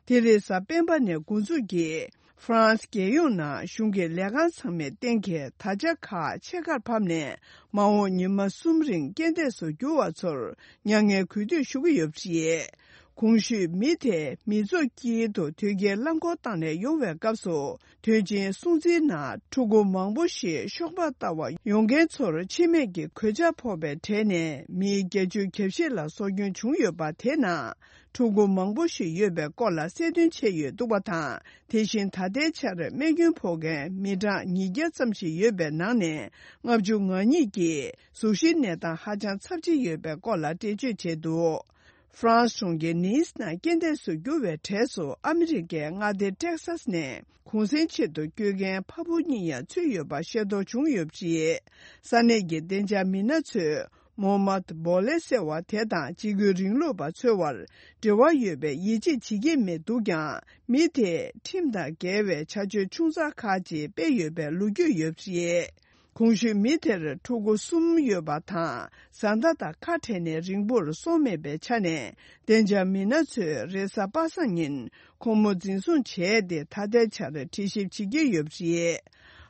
དེ་རིང་གཟའ་སྤེན་པ་ནས་འགོ་འཛུགས་ཀྱིས་ཧྥ་རན་སི་རྒྱལ་ཡོངས་ནང་གཞུང་གི་ལས་ཁང་ཚང་མའི་སྟེང་གི་དར་ཆ་ཁག་ཕྱེད་ཀར་ཕབ་ནས། མ་འོངས་ཉི་མ་གསུམ་རིང་རྐྱེན་འདས་སུ་གྱུར་བ་ཚོར་མྱ་ངན་གུས་འདུད་ཞུ་གི་ཡོད་པ་རེད། གོང་ཞུས་མི་དེ་མི་ཚོགས་དཀྱིལ་དུ་དོལ་རྒྱལ་རླངས་འཁོར་བཏང་ནས་ཡོང་བའི་སྐབས་སུ། དུས་ཆེན་སྲུང་བརྩིའི་ནང་ཕྲུ་གུ་མང་པོ་ཞིག་ཤོག་སྦག་ལྟ་བར་ཡོང་མཁན་ཚོར་འཆི་རྨས་ཀྱི་གོད་ཆག་ཕོག་པའི་གྲས་ནས་མི་བརྒྱད་ཅུ་གྱ་བཞི་ལ་སྲོག་སྐྱོན་བྱུང་ཡོད་པ། དེ་ནང་ཕྲུ་གུ་མང་པོ་ཞིག་ཡོད་པའི་སྐོར་ལ་གསལ་སྟོན་བྱས་ཡོད་འདུག་པ་དང་། དེ་བཞིན་ད་ལྟའི་ཆར་རྨས་སྐྱོན་ཕོག་མཁན་མི་གྲངས་ཉིས་བརྒྱ་ཙམ་ཞིག་ཡོད་པའི་ནང་ནས་ལྔ་བཅུ་ང་གཉིས་ཀྱི་གཟུགས་གཞིའི་གནས་སྟངས་ཧ་ཅང་ཚབས་ཆེ་ཡོད་པའི་སྐོར་ལ་འགྲེལ་བརྗོད་བྱས་འདུག་ཧྥ་རན་སི་གྲོང་ཁྱེར་ནིས་ནང་རྐྱེན་འདས་སུ་གྱུར་བའི་གྲས་སུ་ཨ་མི་རི་ཀའི་མངའ་སྡེ་ཏེག་སཱས་ནས་གུང་གསེང་ཆེད་དུ་སྐྱོད་མཁན་ཕ་བུ་གཉིས་ཡང་ཚུད་ཡོད་པ་ཤེས་རྟོགས་བྱུང་ཡོད་པ་རེད། ས་གནས་ཀྱི་བདེ་འཇགས་མི་སྣ་ཚོས་མོ་མད་བོ་ལེ་ཟེར་བ་དེ་དང་འཇིགས་སྐུལ་རིང་ལུགས་པ་འཚོལ་བར་འབྲེལ་བ་ཡོད་པའི་ཡིད་ཆེས་བྱེད་ཀྱི་མེད་འདུག་ཀྱང་། མི་དེས་ཁྲིམས་དང་འགལ་བའི་བྱ་སྤྱོད་ཆུང་ཙག་ཁག་ཅིག་སྤེལ་ཡོད་པའི་ལོ་རྒྱུས་ཡོད་པ་རེད། གོང་ཞུས་མི་དེར་ཕྲུ་གུ་གསུམ་ཡོད་པ་དང་། བཟའ་ཟླ་དང་ཁ་བྲལ་ནས་རིང་པོར་སོང་མེད་པའི་ཆ་ནས། བདེ་འཇགས་མི་སྣ་ཚོས་རེས་གཟའ་པ་སངས་ཉིན་ཁོང་མོ་འཛིན་བཟུང་བྱས་ཏེ། ད་ལྟའི་ཆར་དྲི་ཞིབ་བྱེད་ཀྱི་ཡོད་པ་རེད།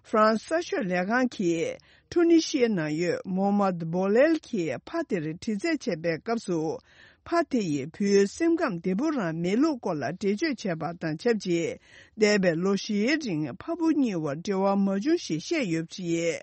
ཧྥ་རན་སི་གསར་ཤོག་ལས་ཁང་གིས་ཀྲུ་ནི་ཤི་ཡའི་ནང་ཡོད་མོ་མད་བོ་ལེལ་གྱི་ཕ་དེར་དྲི་རྩད་བྱས་པའི་སྐབས་སུ། ཕ་དེ་ཡིས་བུའི་སེམས་ཁམས་བདེ་པོ་རང་མེད་ལུགས་སྐོར་ལ་འགྲེལ་བརྗོད་བྱས་པ་དང་ཆབས་ཅིག་འདས་པའི་ལོ་བཞིའི་རིང་ཕ་བུ་གཉིས་བར་འབྲེལ་བ་མ་བྱུང་ཞེས་བཤད་ཡོད་པ་རེད།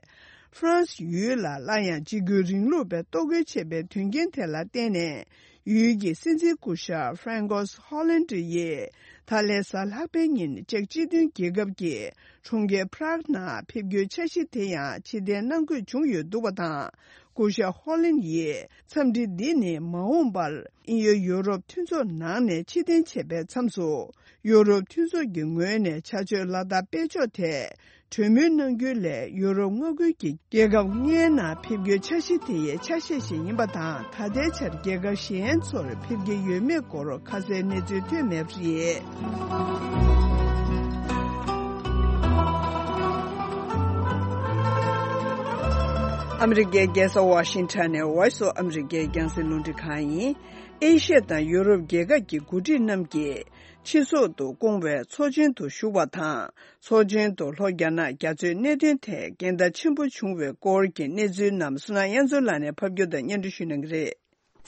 ཧྥ་རན་སི་ཡུལ་ལ་སླར་ཡང་འཇིགས་སྐུལ་རིང་ལུགས་པས་གཏོར་རྒོལ་བྱས་པའི་དོན་རྐྱེན་དེ་ལ་བརྟེན་ནས། ཡུལ་གྱི་སྲིད་འཛིན་སྐུ་ཞབས་ཧྥ་རན་ཀོས་ཧོ་ལན་ཡིས་ད་ལན་གཟའ་ལྷག་པའི་ཉིན་ཅེཀ་སྤྱི་མཐུན་རྒྱལ་ཁབ་ཀྱི་གྲོང་ཁྱེར་པ་རག་ནང་ཕེབས་སྐྱོད་འཆར་གཞི་དེ་ཡང་ཕྱིར་འཐེན་གནང་དགོས་བྱུང་ཡོད་འདུག་པ་དང་། སྐུ་ཞབས་ཧོ་ལན་ཡིས་འཚམས་འདྲི་འདི་ནི་མ་འོངས་པར་དབྱིན་ཡུལ་ཡུ་རོབ་མཐུན་ཚོགས་ནང་ནས་ཕྱིར་འཐེན་བྱེད་པའི་མཚམས་སུ། ཡུ་རོབ་མཐུན་ཚོགས་ཀྱི་ངོས་ནས་བྱ་སྤྱོད་ལ་དྭགས་སྤེལ་ཕྱོགས་ཐད་གྲོས་མོལ་གནང་རྒྱུ་ལས། ཡུ་རོབ་མངའ་ཁུལ་གྱི་རྒྱལ་ཁབ་ལྔའི་ནང་ཕེབས་སྐྱོད་འཆར་གཞི་དེ་ཡི་ཆ་ཤས་ཤིག་ཡིན་པ་དང་། ད་ལྟའི་ཆར་རྒྱལ་ཁབ་གཞན་ཚོར་ཕེབས་ཀྱི་ཡོད་མེད་སྐོར་ཁ་གསལ་གནས་ཚུལ་ཐོན་མེད་པ་རེད། ཨ་མི་རི་ཀའི་རྒྱལ་ས་ཝ་ཤིང་ཊོན་ནས་Voice of America རྒྱང་སྲིང་རླུང་འཕྲིན་ཁང་ཡིན། ཨེ་ཤི་ཡ་དང་ཡུ་རོབ་རྒྱལ་ཁབ་ཀྱི་འགོ་ཁྲིད་རྣམས་ཀྱིས་ཕྱི་སོག་ཏུ་བསྐོང་བའི་ཚོགས་ཆེན་དུ་ཞུགས་པ་དང་། ཚོགས་ཆེན་དུ་ལྷོ་རྒྱ་ནག་རྒྱ་མཚོའི་གནད་དོན་ཐད་འགལ་ཟླ་ཆེན་པོ་བྱུང་བའི་སྐོར་གྱི་གནས་ཚུལ་རྣམས་བསོད་ནམས་དབྱངས་མཚོ་ལགས་ནས་ཕབ་སྒྱུར་དང་སྙན་སྒྲོན་ཞུ་གནང་གི་རེད།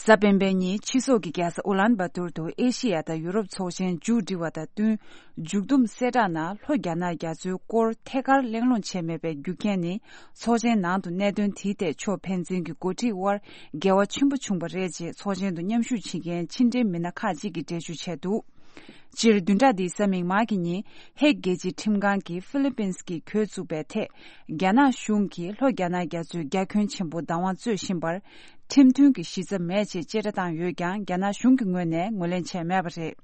གཟའ་སྤེན་པའི་ཉིན་ཕྱི་སོག་གི་རྒྱལ་ས་ཨུ་ལན་བ་ཏུར་དུ་ཨེ་ཤི་ཡ་དང་ཡུ་རོབ་ཚོགས་ཆེན་མཇུག་སྒྲིལ་བ་དང་བསྟུན། མཇུག་བསྡོམས་གསལ་བསྒྲགས་ནང་ལྷོ་རྒྱ་ནག་རྒྱ་མཚོའི་སྐོར་ཐད་ཀར་གླེང་སློང་བྱས་མེད་པའི་རྒྱུ་རྐྱེན་ནི། ཚོགས་ཆེན་ནང་དུ་གནད་དོན་དེའི་ཐད་ཕྱོགས་ཕན་ཚུན་གྱི་འགོ་ཁྲིད་དབར་འགལ་བ་ཆེན་པོ་བྱུང་བ་རེད་ཅེས་ཚོགས་ཆེན་དུ་མཉམ་ཞུགས་བྱེད་མཁན་ཕྱི་འབྲེལ་མི་སྣ་ཁག་ཅིག་གིས་འགྲེལ་བརྗོད་བྱས་འདུག་སྤྱིར་བདུན་ཕྲག་འདིའི་གཟའ་མིག་དམར་གྱི་ཉིན་ཧེག་རྒྱལ་སྤྱིའི་ཁྲིམས་ཁང་གིས་ཧྥི་ལི་པིན་གྱིས་གྱོད་བཙུགས་པའི་ཐད། རྒྱ་ནག་གཞུང་གིས་ལྷོ་རྒྱ་ནག་རྒྱ་མཚོའི་རྒྱ་ཁྱོན་ཆེན་པོ་བདག་དབང་རྩོད་བཞིན་པར། ཁྲིམས་མཐུན་གྱི་གཞི་རྩ་མེད་ཅེས་བཅད་ཁྲ་བཏང་ཡོད་ཀྱང་རྒྱ་ནག་གཞུང་གི་ངོས་ནས་ངོས་ལེན་བྱས་མེད་པ་རེད།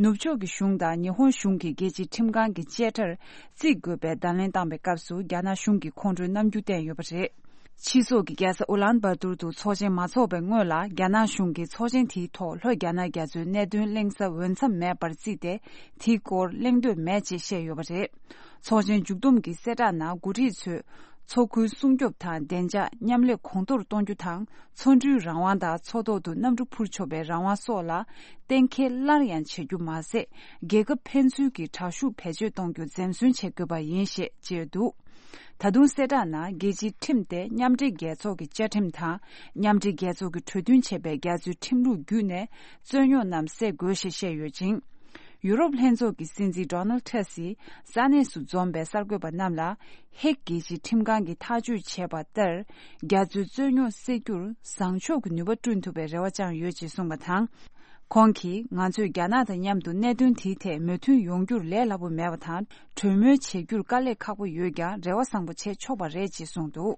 ནུབ་ཕྱོགས་ཀྱི་གཞུང་དང་ཉི་ཧོང་གཞུང་གིས་རྒྱལ་སྤྱིའི་ཁྲིམས་ཁང་གི་བཅད་ཁྲར་བརྩི་དགོས་པའི་བརྡ་ལན་བཏང་པའི་སྐབས་སུ་རྒྱ་ནག་གཞུང་གིས་ཁོང་ཁྲོའི་རྣམ་འགྱུར་བསྟན་ཡོད་པ་རེད། ཕྱི་སོག་གི་རྒྱལ་ས་ཨུ་ལན་བ་ཏུར་དུ་ཚོགས་ཆེན་མ་འཚོགས་པའི་སྔོན་ལ་རྒྱ་ནག་གཞུང་གིས་ཚོགས་ཆེན་དེའི་ཐོག་ལྷོ་རྒྱ་ནག་རྒྱ་མཚོའི་གནད་དོན་གླེང་ས་འོས་འཚམ་མེད་པར་བརྩིས་ཏེ། དེའི་སྐོར་གླེང་འདོད་མེད་ཅེས་བཤད་ཡོད་པ་རེད། ཚོགས་ཆེན་མཇུག་བསྡོམས་ཀྱི་གསལ་བསྒྲགས་ནང་འགོ་ཁྲིད་ཚོས། མཚོ་ཁུལ་སྲུང་སྐྱོབ་དང་བདེ་འཇགས་མཉམ་ལས་གོང་མཐོར་གཏོང་རྒྱུ་དང་། མཚོ་འགྲུལ་རང་དབང་དང་མཚོ་ཐོག་ཏུ་གནམ་གྲུ་འཕུར་ཆོག་པའི་རང་དབང་སོགས་ལ་གཏན་འཁེལ་སླར་ཡང་བྱེད་རྒྱུ་མ་ཟད། རྒྱལ་ཁབ་ཕན་ཚུན་གྱི་དྲག་ཤུགས་བེད་སྤྱོད་གཏོང་རྒྱུ་འཛེམ་ཟོན་བྱེད་དགོས་པ་ཡིན་ཞེས་བརྗོད་འདུག་ད་དུང་གསལ་བསྒྲགས་ནང་རྒྱལ་སྤྱིའི་ཁྲིམས་ཏེ་མཉམ་འབྲེལ་རྒྱལ་ཚོགས་ཀྱི་བཅའ་ཁྲིམས་དང་། མཉམ་འབྲེལ་རྒྱལ་ཚོགས་ཀྱི་གྲོས་མཐུན་བྱས་པའི་རྒྱ་མཚོའི་ཁྲིམས་ལུགས་བརྒྱུད་ནས་རྩོད་རྙོག་རྣམས་སེལ་དགོས་ཞེས་བཤད་ཡོད་ཅིང་། ཡུ་རོབ་ལྷན་ཚོགས་ཀྱི་སྲིད་འཛིན་ཌོ་ནལ་ཊྲམ་སི་ས་གནས་སུ་འཛོམས་པའི་གསར་འགོད་པ་རྣམས་ལ། ཧེག་རྒྱལ་སྤྱིའི་ཁྲིམས་ཁང་གིས་ཐག་གཅོད་བྱས་པ་ལྟར། རྒྱ་མཚོའི་རྩོད་རྙོག་སེལ་རྒྱུར་བཟང་ཕྱོགས་ཀྱི་ནུས་པ་བསྐྲུན་ཐུབ་པའི་རེ་བ་བཅངས་ཡོད་ཅེས་གསུངས་པ་དང་། ཁོང་གིས་ང་ཚོས་རྒྱ་ནག་དང་མཉམ་དུ་གནད་དོན་དེའི་ཐད་མོས་མཐུན་ཡོང་རྒྱུར་ལས་སླ་པོ་མེད་པ་དང་། གྲོས་མོལ་བྱེད་རྒྱུར་དཀའ་ལས་ཁག་པོ་ཡོད་ཀྱང་རེ་བ་བཟང་པོ་བྱེད་ཆོག་པ་རེད་ཅེས་གསུངས་འདུག་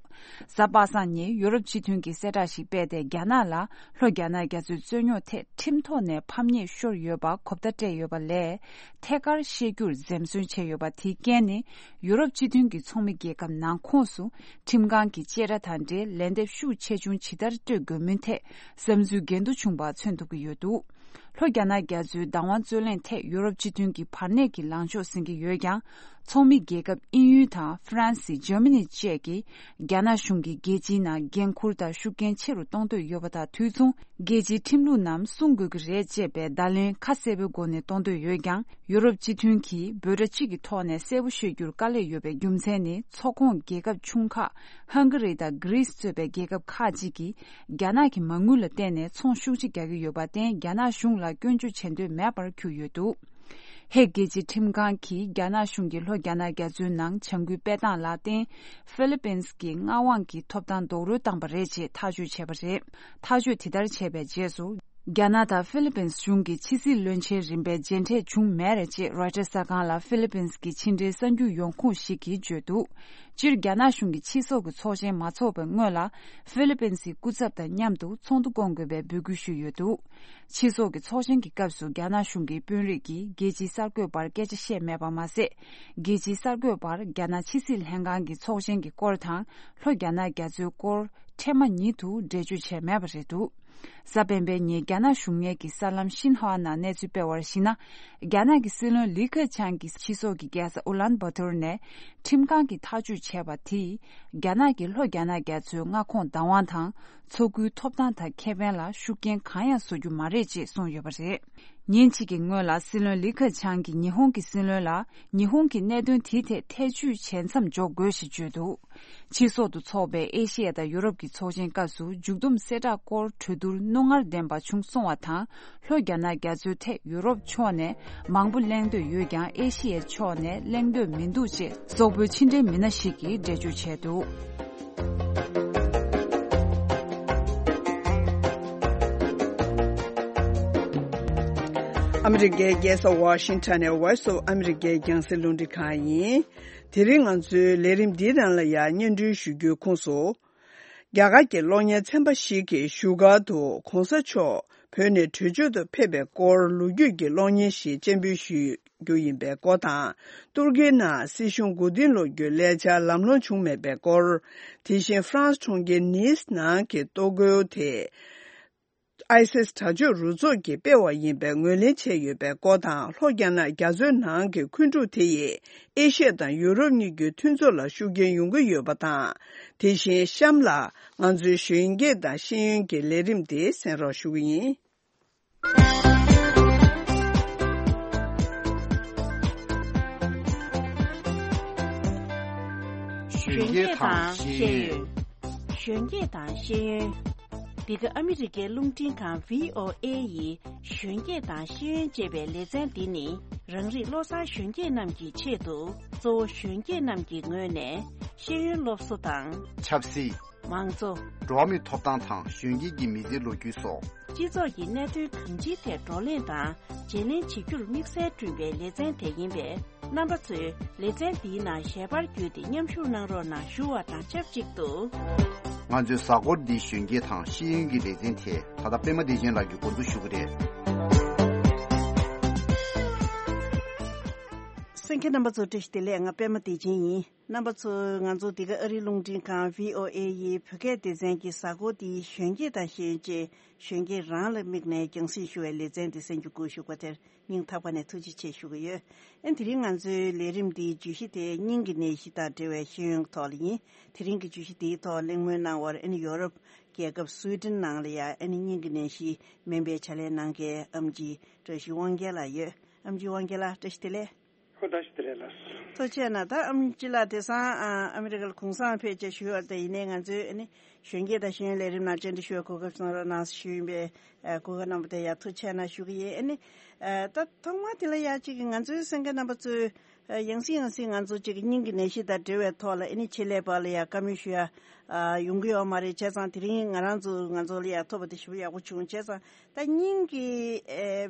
གཟའ་པ་སངས་ཉིན་ཡུ་རོབ་སྤྱི་མཐུན་གྱིས་གསལ་བསྒྲགས་ཤིག་སྤེལ་ཏེ། རྒྱ་ནག་ལ་ལྷོ་རྒྱ་ནག་རྒྱ་མཚོའི་རྩོད་རྙོག་ཐད་ཁྲིམས་ཐོག་ནས་ཕམ་ཉེས་ཤོར་ཡོད་པ་གོ་བརྡ་སྤྲད་ཡོད་པ་ལས། ཐད་ཀར་བཤད་རྒྱུར་འཛེམ་ཟོན་བྱས་ཡོད་པ་དེའི་རྐྱེན་ནི། ཡུ་རོབ་སྤྱི་མཐུན་གྱི་ཚོགས་མི་རྒྱལ་ཁབ་ནང་ཁོངས་སུ་ཁྲིམས་ཁང་གི་བཅད་ཁྲ་དང་འབྲེལ་ལན་འདེབས་ཤུགས་ཆེ་ཆུང་ཇི་ལྟར་སྤྲོད་དགོས་མིན་ཐད་བསམ་ཚུལ་འགལ་འདུ་བྱུང་བ་མཚོན་ཐུབ་ཀྱི་ཡོད་འདུག་ལྷོ་རྒྱ་ནག་རྒྱ་མཚོའི་བདག་དབང་རྩོད་གླེང་ཐད་ཡུ་རོབ་སྤྱི་མཐུན་གྱིས་བར་གནས་ཀྱི་ལངས་ཕྱོགས་ཟིན་གྱི་ཡོད་ཀྱང་། ཚོགས་མི་རྒྱལ་ཁབ་དབྱིན་ཡུལ་དང་ཧྥ་རན་སི། འཇར་མ་ནི་བཅས་ཀྱིས་རྒྱ་ནག་གཞུང་གིས་རྒྱལ་སྤྱིའི་ནང་འགན་འཁུར་དང་ཤུགས་རྐྱེན་ཆེ་རུ་གཏོང་འདོད་ཡོད་པ་དང་དུས་མཚུངས། རྒྱལ་སྤྱིའི་ཁྲིམས་ལུགས་རྣམས་སྲུང་དགོས་ཀྱི་རེད་ཅེས་པའི་བརྡ་ལན་ཁ་གསལ་པོའི་སྒོ་ནས་གཏོང་འདོད་ཡོད་ཀྱང་། ཡུ་རོབ་སྤྱི་མཐུན་གྱིས་འབོད་སྒྲ་གཅིག་གི་ཐོག་ནས་གསལ་པོ་ཤོད་རྒྱུར་དཀའ་ལས་ཡོད་པའི་རྒྱུ་མཚན་ནི། ཚོགས་ཁོངས་རྒྱལ་ཁབ་ཆུང་ཁག་ཧང་ག་རི་དང་གྷི་རིས་གཙོས་པའི་རྒྱལ་ཁབ་ཁག་ཅིག་གིས་རྒྱ་ནག་གི་མ་དངུལ་ལ་བརྟེན་ནས་ཚོང་ཤུགས་ཆེ་རྒྱག་གི་ཡོད་པར་བརྟེན། རྒྱ་ནག་གཞུང་ལ་སྐྱོན་བརྗོད་བྱེད་འདོད་མེད་པར་གྱུར་ཡོད་འདུག་ཧེག་རྒྱལ་སྤྱིའི་ཁྲིམས་ཁང་གིས་རྒྱ་ནག་གཞུང་གིས་ལྷོ་རྒྱ་ནག་རྒྱ་མཚོའི་ནང་བྱ་འགུལ་སྤེལ་སྟངས་ལ་བརྟེན། ཧྥི་ལི་པིན་གྱི་མངའ་དབང་གི་ཐོབ་ཐང་རྡོག་རོལ་བཏང་པ་རེད་ཅེས་ཐག་གཅོད་བྱས་པ་རེད། ཐག་གཅོད་དེ་ལྟར་བྱས་པའི་རྗེས་སུ། རྒྱ་ནག་དང་ཧྥི་ལི་པིན་གཞུང་གི་ཕྱི་སྲིད་བློན་ཆེན་རིམ་པའི་མཇལ་འཕྲད་བྱུང་མེད་རེད་ཅེས་རོའི་ཊར་གསར་ཁང་ལ་ཧྥི་ལི་པིན་གྱི་ཕྱི་འབྲེལ་གསར་འགྱུར་ཡོང་ཁུངས་ཤིག་གིས་བརྗོད་འདུག་སྤྱིར་རྒྱ་ནག་གཞུང་གིས་ཕྱི་སོག་གི་ཚོགས་ཆེན་མ་འཚོགས་པའི་སྔོན་ལ། ཧྥི་ལི་པིན་གྱི་སྐུ་ཚབ་དང་མཉམ་དུ་ཚོགས་འདུ་སྐོང་དགོས་པའི་འབོད་སྐུལ་ཞུས་ཡོད་འདུག་ཕྱི་སོག་གི་ཚོགས་ཆེན་གྱི་སྐབས་སུ་རྒྱ་ནག་གཞུང་གི་དཔོན་རིགས་ཀྱིས་རྒྱལ་སྤྱིའི་གསར་འགོད་པར་སྐད་ཆ་བཤད་མེད་པ་མ་ཟད། རྒྱལ་སྤྱིའི་གསར་འགོད་པར་རྒྱ་ནག་ཕྱི་སྲིད་ལྷན་ཁང་གི་ཚོགས་ཆེན་གྱི་སྐོར་དང་། ལྷོ་རྒྱ་ནག་རྒྱ་མཚོའི་སྐོར་འཕྲལ་མ་ཉིད་དུ་འགྲེལ་བརྗོད་བྱས་མེད་པ་རེད་འདུག་གཟའ་སྤེན་པའི་ཉིན་རྒྱ་ནག་གཞུང་གཉེར་གྱི་གསར་ལམ་ཤིན་ཧྭ་ནང་གནས་ཚུལ་སྤེལ་བར་གཞིགས་ན། རྒྱ་ནག་གི་སྲིད་བློན་ལི་ཁེ་ཆང་གིས་ཕྱི་སོག་གི་རྒྱལ་ས་ཨུ་ལན་བྷ་ཏུར་ནས་ཁྲིམས་ཁང་གིས་ཐག་གཅོད་བྱས་པ་དེས། རྒྱ་ནག་གིས་ལྷོ་རྒྱ་ནག་རྒྱ་མཚོའི་མངའ་ཁོངས་བདག་དབང་དང་། མཚོ་ཁུལ་ཐོབ་ཐང་དང་ཁེ་ཕན་ལ་ཤུགས་རྐྱེན་གང་ཡང་བཟོ་རྒྱུ་མ་རེད་ཅེས་གསུངས་ཡོད་པ་རེད། ཉིན་གཅིག་གི་སྔོན་ལ་སྲིད་བློན་ལི་ཁེ་ཆང་གིས་ཉི་ཧོང་གི་སྲིད་བློན་ལ། ཉི་ཧོང་གིས་གནད་དོན་དེའི་ཐད་ཐེ་བྱུས་བྱེད་མཚམས་འཇོག་དགོས་ཞེས་བརྗོད་འདུག་ཕྱི་སོག་ཏུ་འཚོགས་པའི་ཨེ་ཤི་ཡ་དང་ཡུ་རོབ་ཀྱི་ཚོགས་ཆེན་སྐབས་སུ་མཇུག་བསྡོམས་གསལ་བསྒྲགས་སྐོར་གྲོས་བསྡུར་རྣོ་ངར་ལྡན་པ་བྱུང་སོང་བ་དང་། ལྷོ་རྒྱ་ནག་རྒྱ་མཚོའི་ཐད་ཡུ་རོབ་ཕྱོགས་ནས་མང་པོ་གླེང་འདོད་ཡོད་ཀྱང་ཨེ་ཤི་ཡའི་ཕྱོགས་ནས་གླེང་འདོད་མི་འདུག་ཅེས་སོག་པོའི་ཕྱི་འབྲེལ་མི་སྣ་ཞིག་གིས་འགྲེལ་བརྗོད་བྱས་འདུག་ཨ་མི་རི་ཀའི་རྒྱལ་ས་ཝ་ཤིང་ཊོན་ནས་Voice of America རྒྱང་སྲིང་རླུང་འཕྲིན་ཁང་ཡིན། དེ་རིང་ང་ཚོའི་ལས་རིམ་འདིའི་ནང་ལ་ཡང་སྙན་སྒྲོན་ཞུ་རྒྱུའི་ཁོངས་སུ། རྒྱ་གར་གྱི་གློག་བརྙན་ཚན་པ་ཞིག་གིས་བཞུགས་སྒར་དུ་གོང་ས་མཆོག་བོད་ནས་བྲོས་བྱོལ་དུ་ཕེབས་པའི་སྐོར་ལོ་རྒྱུས་ཀྱི་གློག་བརྙན་ཞིག་སྤྱན་འབུལ་ཞུ་རྒྱུ་ཡིན་པའི་སྐོར་དང་། ཏུར་ཀིའི་ནང་སྲིད་གཞུང་མགོ་རྟིང་སློག་རྒྱུའི་ལས་འཆར་ལམ་ལྷོང་བྱུང་མེད་པའི་སྐོར། དེ་བཞིན་ཧྥ་རན་སི་གྲོང་ཁྱེར་ནིས་ནང་གི་ལྟོ་གོས་དེ་ཨའི་སིས་དྲག་སྤྱོད་རུ་ཚོགས་ཀྱིས་སྤེལ་བ་ཡིན་པའི་ངོས་ལེན་བྱས་ཡོད་པའི་སྐོར་དང་། ལྷོ་རྒྱ་ནག་རྒྱ་མཚོའི་ནང་གི་འཁོན་འཁྲུག་དེ་ཡིས་ཨེ་ཤི་ཡ་དང་ཡུ་རོབ་གཉིས་ཀྱི་མཐུན་ཚོགས་ལ་ཤུགས་རྐྱེན་ཡོང་གི་ཡོད་པ་དང་། དེ་བཞིན་གཤམ་ལ་ང་ཚོའི་གཞོན་སྐྱེས་དང་ཤེས་ཡོན་གྱི་ལས་རིམ་དེ་གསན་རོགས་ཞུ་གི་ཡིན། གཞོན་སྐྱེས་དང་ཤེས་ཡོན། གཞོན་སྐྱེས་དང་ཤེས་ཡོན། འདི་ག་ཨ་མི་རི་ཀའི་རླུང་འཕྲིན་ཁང་བྷི་ཨོ་ཨེ་ཡི་གཞོན་སྐྱེས་དང་ཤེས་ཡོན་ཅེས་པའི་ལེ་ཚན་འདི་ནི། རང་རིགས་བློ་བཟང་གཞོན་སྐྱེས་རྣམས་ཀྱི་ཆེད་དུ། གཙོ་བོ་གཞོན་སྐྱེས་རྣམས་ཀྱི་ངོས་ནས་ཤེས་ཡོན་སློབ་གསོ་དང་། ཆབ་སྲིད། མང་གཙོ། འགྲོ་བ་མིའི་ཐོབ་ཐང་དང་གཞོན་སྐྱེས་ཀྱི་མི་ཚེའི་ལོ་རྒྱུས་སོགས། སྤྱི་ཚོགས་ཀྱི་གནད་དོན་གང་ཅིའི་ཐད་བགྲོ་གླེང་དང་བརྗེ་ལེན་བྱེད་རྒྱུར་དམིགས་བསལ་བསྐྲུན་པའི་ལེ་ཚན་དེ་ཡིན་པས། རྣམ་པ་ཚོས་ལེ་ཚན་འདིའི་ནང་ཞལ་པར་བརྒྱུད་དེ་མཉམ་ཞུགས་གནང་རོགས་གནང་ཞུ་བ་དང་ཆབས་ཅིག་ཏུ། ང་ཚོའི་གཟའ་འཁོར་འདིའི་གཞོན་སྐྱེས་དང་ཤེས་ཡོན་གྱི་ལེ་ཚན་དེ་ད་ལྟ་པད་མ་བདེ་ཆེན་ལགས་ཀྱིས་འགོ་འཛུགས་ཞུ་གི་རེད། གསན་མཁན་རྣམ་པ་ཚོ་བཀྲ་ཤིས་བདེ་ལེགས། ང་པད་མ་བདེ་ཆེན་ཡིན། རྣམ་པ་ཚོ། ང་ཚོ་འདི་ག་ཨ་རིའི་རླུང་འཕྲིན་ཁང་བྷི་ཨོ་ཨེ་ཡི་བོད་སྐད་སྡེ་ཚན་གྱི་གཟའ་འཁོར་འདིའི་གཞོན་སྐྱེས་དང་ཤེས་ཡོན་ཅན། གཞོན་སྐྱེས་རང་ལ་དམིགས་ནས་རྒྱང་སྲིང་ཞུ་བའི་ལེ་ཚན་འདི་གསན་རྒྱུ་དགོས་ཞུ་བ་དེར་སྙིང་ཐག་པ་ནས་ཐུགས་རྗེ་ཆེ་ཞུ་གི་ཡོད། ཨ་ནི་དེ་རིང་ང་ཚོའི་ལས་རིམ་འདིའི་བརྗོད་གཞི་དེ་སྙིང་གི་ནད་གཞི་དང་འབྲེལ་བའི་ཤེས་ཡོན་ཐོག་ལ་ཡིན། དེ་རིང་གི་བརྗོད་གཞི་འདིའི་ཐོག་གླེང་མོལ་གནང་བར་ཨ་ནི་ཡོ་རོབ་རྒྱལ་ཁབ་སུའེ་ཏེན་ནང་ལ་ཡང་ཨ་ནི་སྙིང་གི་ནད་གཞི་སྨན་པའི་ཕྱག་ལས་གནང་མཁན་ཨམ་ཆི་བཀྲ་ཤིས་དབང་རྒྱལ་ལགས་ཡོད། ཨམ་ཆི་དབང་རྒྱལ་ལགས་བཀྲ་ཤིས་བདེ་ལེགས། ཨོ་བཀྲ་ཤིས་བདེ་ལེགས་ལགས། ཐུགས་རྗེ་གནང་། ད་ཨམ་ཆི་ལགས་དེང་སང་ཨ་ཨ་མི་རི་ཀ་ལ་གུང་སེང་ཕེབས་བྱས་བཞུགས་ཡོད་དེ། ཡིན་ནའི་ང་ཚོའི་ཨ་ནི་གཞོན་སྐྱེས་དང་ཤེས་ཡོན་ལས་རིམ་ནང་བཅར་འདྲི་ཞུ་བའི་གོ་སྐབས་གནང་རོགས་གནང་ཞུས་ཡིན་པས། ཨ་གོ་སྐབས་གནང་བ་དེ་ཡང་ཐུགས་རྗེ་གནང་ཞུ་གི་ཡིན། ཨ་ནི་ཨ་ད་ཐོག་མ་དེ་ལ་ཡང་གཅིག་གི་ང་ཚོའི་གསན་མཁན་རྣམ་པ་ཚོས་ཨ་ཡང་སེ་ཡང་སེ་ང་ཚོ་གཅིག་གི་སྙིང་གི་ནད་གཞི་དང་འབྲེལ་བའི་ཐོག་ལ་ཨ་ནི་ཆེད་ལས་པ་ལ་ཡང་བཀའ་མོལ་ཞུ་ཡ་ཨ་ཡོང་གི་ཡོད་མ་རེད། བྱས་ཙང་དེ་རིང་ང་རང་ཚོ་ང་ཚོ་ལ་ཡང་ཐོབ་པ་དེ་ཞེ་པོ་ཡག་པོ་བྱུང་། བྱས་ཙང་ད་སྙིང་གི་ཨ་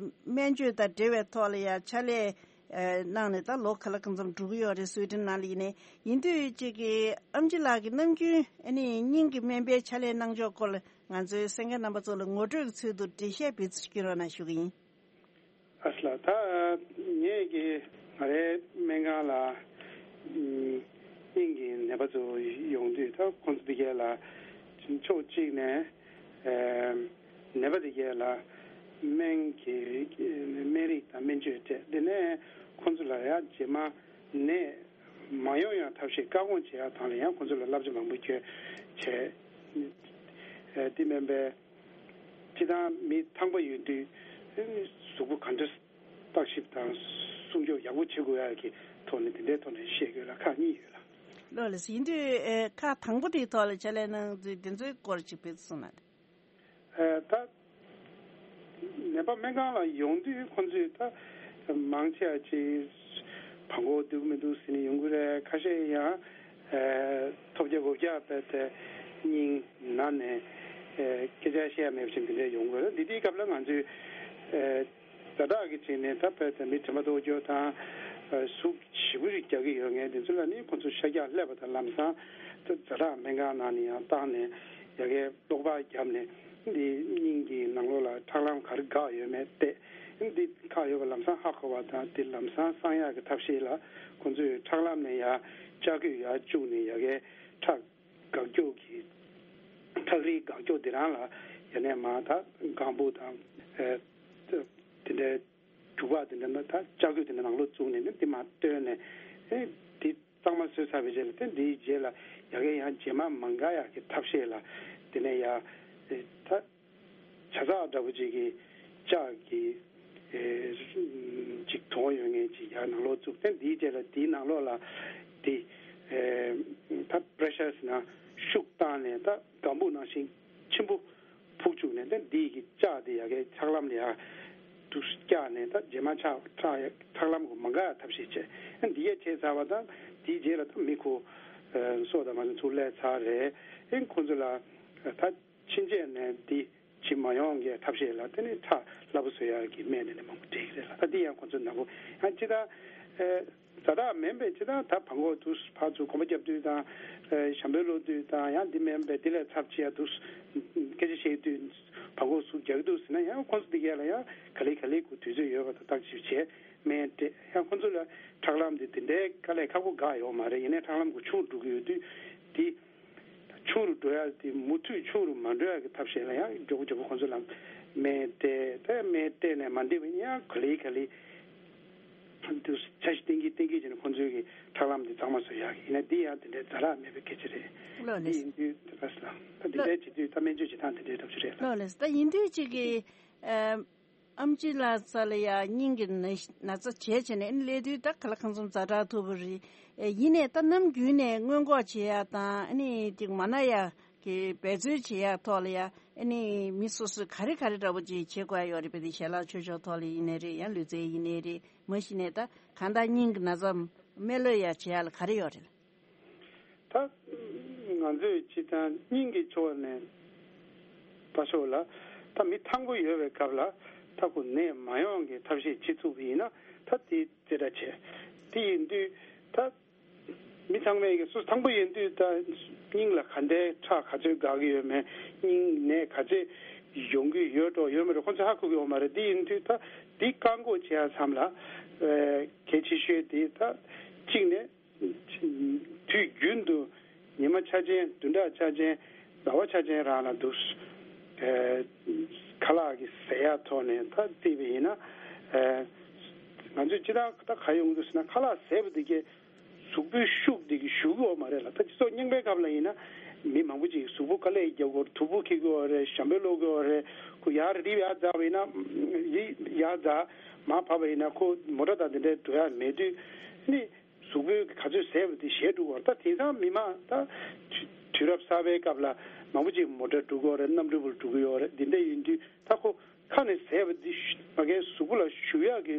སྨན་བཅོས་དང་འབྲེལ་བའི་ཐོག་ལ་ཡང་ཕྱག་ལས། ཨ་གནང་ནས་ད་ལོ་ག་ལ་གང་འཚམ་འགྲོ་གི་ཡོད་རེད། སུའེ་ཏེན་ནང་ལ་ཡིན་ནའི། ཡིན་དུས་གཅིག་གི་ཨམ་ཆི་ལགས་ཀྱིས་ནམ་རྒྱུན་ཨ་ནི་སྙིང་གི་སྨན་པའི་ཕྱག་ལས་གནང་ཕྱོགས་སྐོར་ལ་ང་ཚོའི་གསན་མཁན་རྣམ་པ་ཚོ་ལ་ངོ་སྤྲོད་ཀྱི་ཚུལ་དུ་འགྲེལ་བཤད་འབུལ་རྒྱུ་རོགས་གནང་ཞུ་གི་ཡིན། ཨ་ལ་ད་ངས་ཀྱི་ང་རའི་སྨན་ཁང་ལ་ཨམ་སྙིང་གི་ནད་པ་ཚོ་ཡོང་དུས། ད་ཁོང་ཚོ་དེ་གས་ལ་ཕྱོགས་གཅིག་ནས། ཨེམ། ནད་པ་དེ་གས་ལ་སྨན་གྱི་སྨན་རིགས་དང་སྨན་བཅོས་སྤྲད། དེ་ནས་ཁོང་ཚོ་ལ་ཡང་རྗེས་མ་ནད་མ་ཡོང་ཡང་ཐབས་ཤེས་བཀག་འགོག་བྱེད་ཡག་ཐོག་ལ་ཡང་ཁོང་ཚོ་ལ་བསླབ་བྱ་མང་པོ་བསྐྱོན་བྱས། ཨེ་དེ་མིན་པའི་སྤྱིར་བཏང་མི་ཐང་པ་ཡོད་དུས་གཟུགས་པོ་ག་འདྲ་བརྟག་ཞིབ་དང་སྲུང་སྐྱོབ་ཡག་པོ་བྱེད་དགོས་ཡག་གི་ཐོག་ནས་དེ་འདྲའི་ཐོག་ནས་བཤད་དགོས་ལ་ཁག་གཉིས་ཡོད་ལ། ལགས་ལགས། ཡིན་དུས་ཨེ་ཁག་དང་པོ་དེའི་ཐོག་ལ་ཕྱག་ལས་གནང་ཚུལ་དེ་ཚོའི་སྐོར་ཅིག་དཔེ་གསུངས་ན། ཨེ་ད་ནད་པ་སྨན་ཁང་ལ་ཡོང་དུས་ཁོང་ཚོས་ད་མང་ཆེ་བ་ཅིག་བྲང་ཁོག་སྡུག་མི་འདུག་ཟེར་ནས་ཡོང་གི་རེད། ཁ་ཤས་ཡང་ཨེ་ཐོལ་རྒྱག་སྒོག་རྒྱག་བྱས་ཏེ་སྙིང་ན་ནས་ཨེ་སྐད་ཆ་བཤད་ཡ་མེད་པ་བྱས་འདི་འདྲ་ཡོང་གི་རེད། འདི་དུས་སྐབས་ལ་ང་ཚོས་ཨེ་ཛ་དྲག་གི་བྱས་ནས་ད་བྱས་ཏེ་མི་དྲན་པ་གཏོང་རྒྱུ་དང་། ཨེ་ཟུག་ཞེ་པོ་ཞིག་རྒྱག་གི་ཡོད་མཁན་དེ་ཚོ་ལ་ནི་ཁོང་ཚོ་ཤ་རྒྱགས་ལྷོད་པ་དང་། ལམ་སང་ད་ཛ་དྲག་སྨན་ཁང་ནང་ནས་ཡང་བཏང་ནས་ཡ་གིའི་གློག་པར་བརྒྱབ་ནས་འདི་སྙིང་གི་ནང་ལོགས་ལ་ཁྲག་ལམ་ག་རེ་འགག་ཡོད་མེད་བལྟས། འདི་འགག་ཡོད་པ་ལམ་སང་ཧ་གོ་བ་དང་། འདི་ལམ་སང་གསང་ཡག་གི་ཐབས་ཤེས་ལ་ཁོང་ཚོས་ཁྲག་ལམ་ནས་ཡར་ལྕགས་ཀྱུས་ཡར་བཅུག་ནས་ཡ་གིའི་ཁྲག་འགག་རྒྱུ་གི་ཁྲག་རིལ་འགག་རྒྱུ་འདི་རང་ལ་ཡ་ནས་མ་ད་ལྒང་བུ་དང་ཨེ་དེ་འདྲའི་རྒྱུག་པ་དེ་འདྲ་ན་ད་ལྕགས་ཀྱུ་དེ་འདྲ་ནང་ལོགས་བཙུགས་ནས་ནི་དེ་མར་བཏོན་ནས། ཨེ་དེ་གཙང་མ་བཟོས་ཚར་བའི་རྗེས་ལ། དེ་འདིའི་རྗེས་ལ་ཡ་གིའི་ཡང་རྗེས་མ་མ་འགག་ཡག་གི་ཐབས་ཤེས་ལ་དེ་ནས་ཡ་ཨེ་ད་ཇ་ཚགས་འདྲ་པོ་ཅིག་གི་ལྕགས་ཀྱི་ཨེ་ཅིག་དོང་ཡོད་མཁན་ཅིག་ཡར་ནང་ལོགས་བཙུགས། དེ་འདིའི་རྗེས་ལ་དེའི་ནང་ལོགས་ལ་དེ་ཨེ་ད་པེ་རེ་ཤར་ཟེར་ན་ཤུགས་བཏང་ནས་ད་ལྒང་བུ་ནང་བཞིན་ཆེན་པོ་ཕུག་བཅུག་ནས། ད་འདི་གི་ལྕགས་དེ་ཡ་གིའི་ཁྲག་ལམ་ལ་ཡར་འདུག་བཀྱགས་ནས། ད་རྗེས་མ་ཁྲག་ཁྲག་ཁྲག་ལམ་གོ་མ་འགག་ཡ་ཐབས་ཤེས་བྱས། ཨ་འདི་ཡ་བྱས་ཚར་བ་དང་། དེའི་རྗེས་ལ་ད་མི་ཁོ་ཨ་སྲོག་དང་མ་སོང་ཚུར་སླེབས་ཚར་རེད། ཨ་ཁོང་ཚོ་ལ་ད་ཕྱིན་ཆད་ནས་འདི་བྱེད་མ་ཡོང་གི་ཐབས་ཤེས་ལ་དེ་ནི་ཁྲག་སླ་པོ་བཟོ་ཡ་གི་སྨན་དེ་ནི་མང་པོ་སྤྲད་ཀྱི་རེད་ལ། ད་འདི་ཡང་ཁོང་ཚོ་ནག་པོ་ཡང་ཅི་ད་ཨ། ཛ་དྲག་མིན་པའི་ཅི་ད་ད་བྲང་ཁོག་དུ་ཕར་ཚུར་གོམ་པ་རྒྱབ་དུས་དང་། ཨེ་ཞྭ་མོ་ལོག་དུས་དང་། ཡང་འདི་མིན་པའི་འདི་ལས་ཚབས་ཆེ་ཡ་འདུག་སྐད་ཆ་བཤད་དུས་བྲང་ཁོག་ཟུག་རྒྱག་གི་འདུག་ཟེར་ན། ཡང་ཁོང་ཚོ་འདི་གས་ལ་ཡང་ག་ལེ་ག་ལེ་གུ་དུས་ཚོད་ཡོད་པ་དང་། བརྟག་ཞིབ་བྱས་སྨན་སྤྲད། ཡང་ཁོང་ཚོ་ལ་ཁྲག་ལམ་འདི་དེ་འདྲའི་དཀའ་ལས་ཁག་པོ་འགག་ཡོད་མ་རེད། ཡིན་ནའི་ཁྲག་ལམ་གུ་ཆུང་རུ་འགྲོ་གི་ཡོད་དུས་འདི། ཆུང་རུ་འགྲོ་ཡ་དེ་མུ་མཐུད་ཆུང་རུ་མ་འགྲོ་ཡ་གི་ཐབས་ཤེས་ལ་ཡང་མགྱོགས་པོ་མགྱོགས་པོ་ཁོང་ཚོ་ལ་སྨན་སྤྲད། དེ་སྨན་སྤྲད་ནས་མ་འདྲིས་པ་ཡིན་ཡང་ག་ལེ་ག་ལེ་འདུག་འཆར་གཞི་བཏིང་གི་བཏིང་གི་བྱས་ནས་ཁོང་ཚོའི་གི་ཁྲག་ལམ་དེ་གཙང་མ་བཟོ་ཡ་གི་ཡིན་ན་འདི་ཡང་དེ་འདྲའི་ཛ་དྲག་མེད་པའི་སྐད་ཆ་རེད། ལགས་ལགས། འདི་ཡིན་དུས་ད་ལྟ་ད་འདི་འདྲའི་བྱེད་དུས་ད་སྨན་བཅོས་བྱེད་སྟངས་དེ་འདྲའི་ཐབས་ཤེས་རེད་ལ། ལགས་ལགས། ད་ཡིན་དུས་གཅིག་གི་ཨ། ཨམ་ཆི་ལགས་རྩ་ལ་ཡ་སྙིང་གི་ན་ན་ཚ་བྱས་བྱས་ནས་ཨ་ནི་སླེབས་དུས་ད་ག་ལ་གང་འཚམ་ཛ་དྲག་ཐུག་པ་རེད། ཨེ་ཡིན་ནའི་ད་ནམ་རྒྱུན་ནས་སྔོན་འགོག་བྱེད་ཡ་དང་། ཨ་ནི་ཅིག་མ་ན་ཡ་ གི་འབད་རྩོལ་བྱེད་ཡག་ཐོག་ལ་ཡ་ཨ་ནི་མི་སོ་སོས་ག་རེ་ག་རེ་འདྲ་པོ་ཅིག་བྱེད་དགོས་ཡ་ཡོད་རེད་པས། དེ་ཞལ་ལག་མཆོད་ཆོག་ཐོག་ལ་ཡིན་ནའི་རེད། ཡང་ལུས་རྩལ་ཡིན་ནའི་རེད། མ་གཞི་ནས་ད་གང་ལྟར་སྙིང་གི་ན་ཚ་མེད་ལོས་ཡ་བྱེད་ཡ་ལ་ག་རེ་ཡོད་རེད། ད་ང་ཚོས་སྤྱི་བཏང་སྙིང་གི་ཕྱོགས་ནས་ལྟ་ཕྱོགས་ལ་ད་མི་ཐང་པོ་ཡོད་པའི་སྐབས་ལ་ད་ཁོ་ནད་མ་ཡོང་གི་ཐབས་ཤེས་བྱེད་ཐུབ་པ་ཡིན་ན་ད་དེ་རྩེ་གྲ་ཆེ། དེ་ཡིན་དུས་ད། མི་ཚང་མས་ཀྱི་སུ་ཐང་པོ་ཡིན་དུས་ད་སྙིང་ལ་ག་འདྲའི་ཁྲག་ག་ཚོད་འགག་གི་ཡོད་མེད། སྙིང་ནད་ག་ཚོད་ཡོང་གི་ཡོད་འགྲོ་ཡོད་མེད་འགྲོ་ཁོ་ཚོས་ཧ་གོ་གི་ཡོད་མ་རེད། འདི་ཡིན་དུས་ད་འདི་བཀག་འགོག་བྱེད་ཡ་མཚམས་ལ་ཨེ་གལ་ཆེ་ཤོས་དེ་ད་གཅིག་ནས་དུས་རྒྱུན་དུ་ཉི་མ་འཆར་ཅན་བདུན་ཕྲག་འཆར་ཅན་ཟླ་བ་འཆར་ཅན་རང་ལ་འདུག་ཨེ་ཁ་ལག་གི་ཟས་ཡ་ཐོག་ནས་ད་བལྟས་པ་ཡིན་ན་ཨེ་ང་ཚོས་སྤྱིར་བཏང་ད་ག་ཡོང་གི་འདུག་ཟེར་ན་ཁ་ལག་ཟས་པ་དེ་གས། གཟུགས་པོའི་ཤུགས་འདི་གི་ཞུ་གི་ཡོད་མ་རེད་ལ། ད་སྤྱི་ཚོགས་རྙིང་པའི་སྐབས་ལ་ཡིན་ན་མི་མང་པོ་ཅིག་གཟུགས་པོ་དཀའ་ལས་རྒྱག་གི་ཡོད་རེད། དུ་བ་འཁྱེར་གི་ཡོད་རེད། ཞྭ་མོ་སློག་གི་ཡོད་རེད། ཁོ་ཡར་རི་ཡར་འཛེགས་པ་ཡིན་ན་རི་ཡར་འཛེགས་མར་བབས་པ་ཡིན་ན་ཁོ་མོ་ཊ་དང་དེ་འདྲའི་འགྲོ་ཡ་མེད་དུས་ནི་གཟུགས་པོའི་ག་ཚོད་ཟས་པ་དེ་ཞེད་འགྲོ་གི་ཡོད་རེད། ད་དེང་སང་མི་མང་ད་དུས་རབས་གསར་པའི་སྐབས་ལ་མང་པོ་ཅིག་མོ་ཊ་འགྲོ་གི་ཡོད་རེད། གནམ་གྲུ་བར་འགྲོ་གི་ཡོད་རེད། འདི་འདྲ་ཡིན་དུས་ད་ཁོ། ཁ་ནས་ཟས་པ་འདི་ཕ་གའི་གཟུགས་པོ་ལ་ཞུ་ཡག་གི་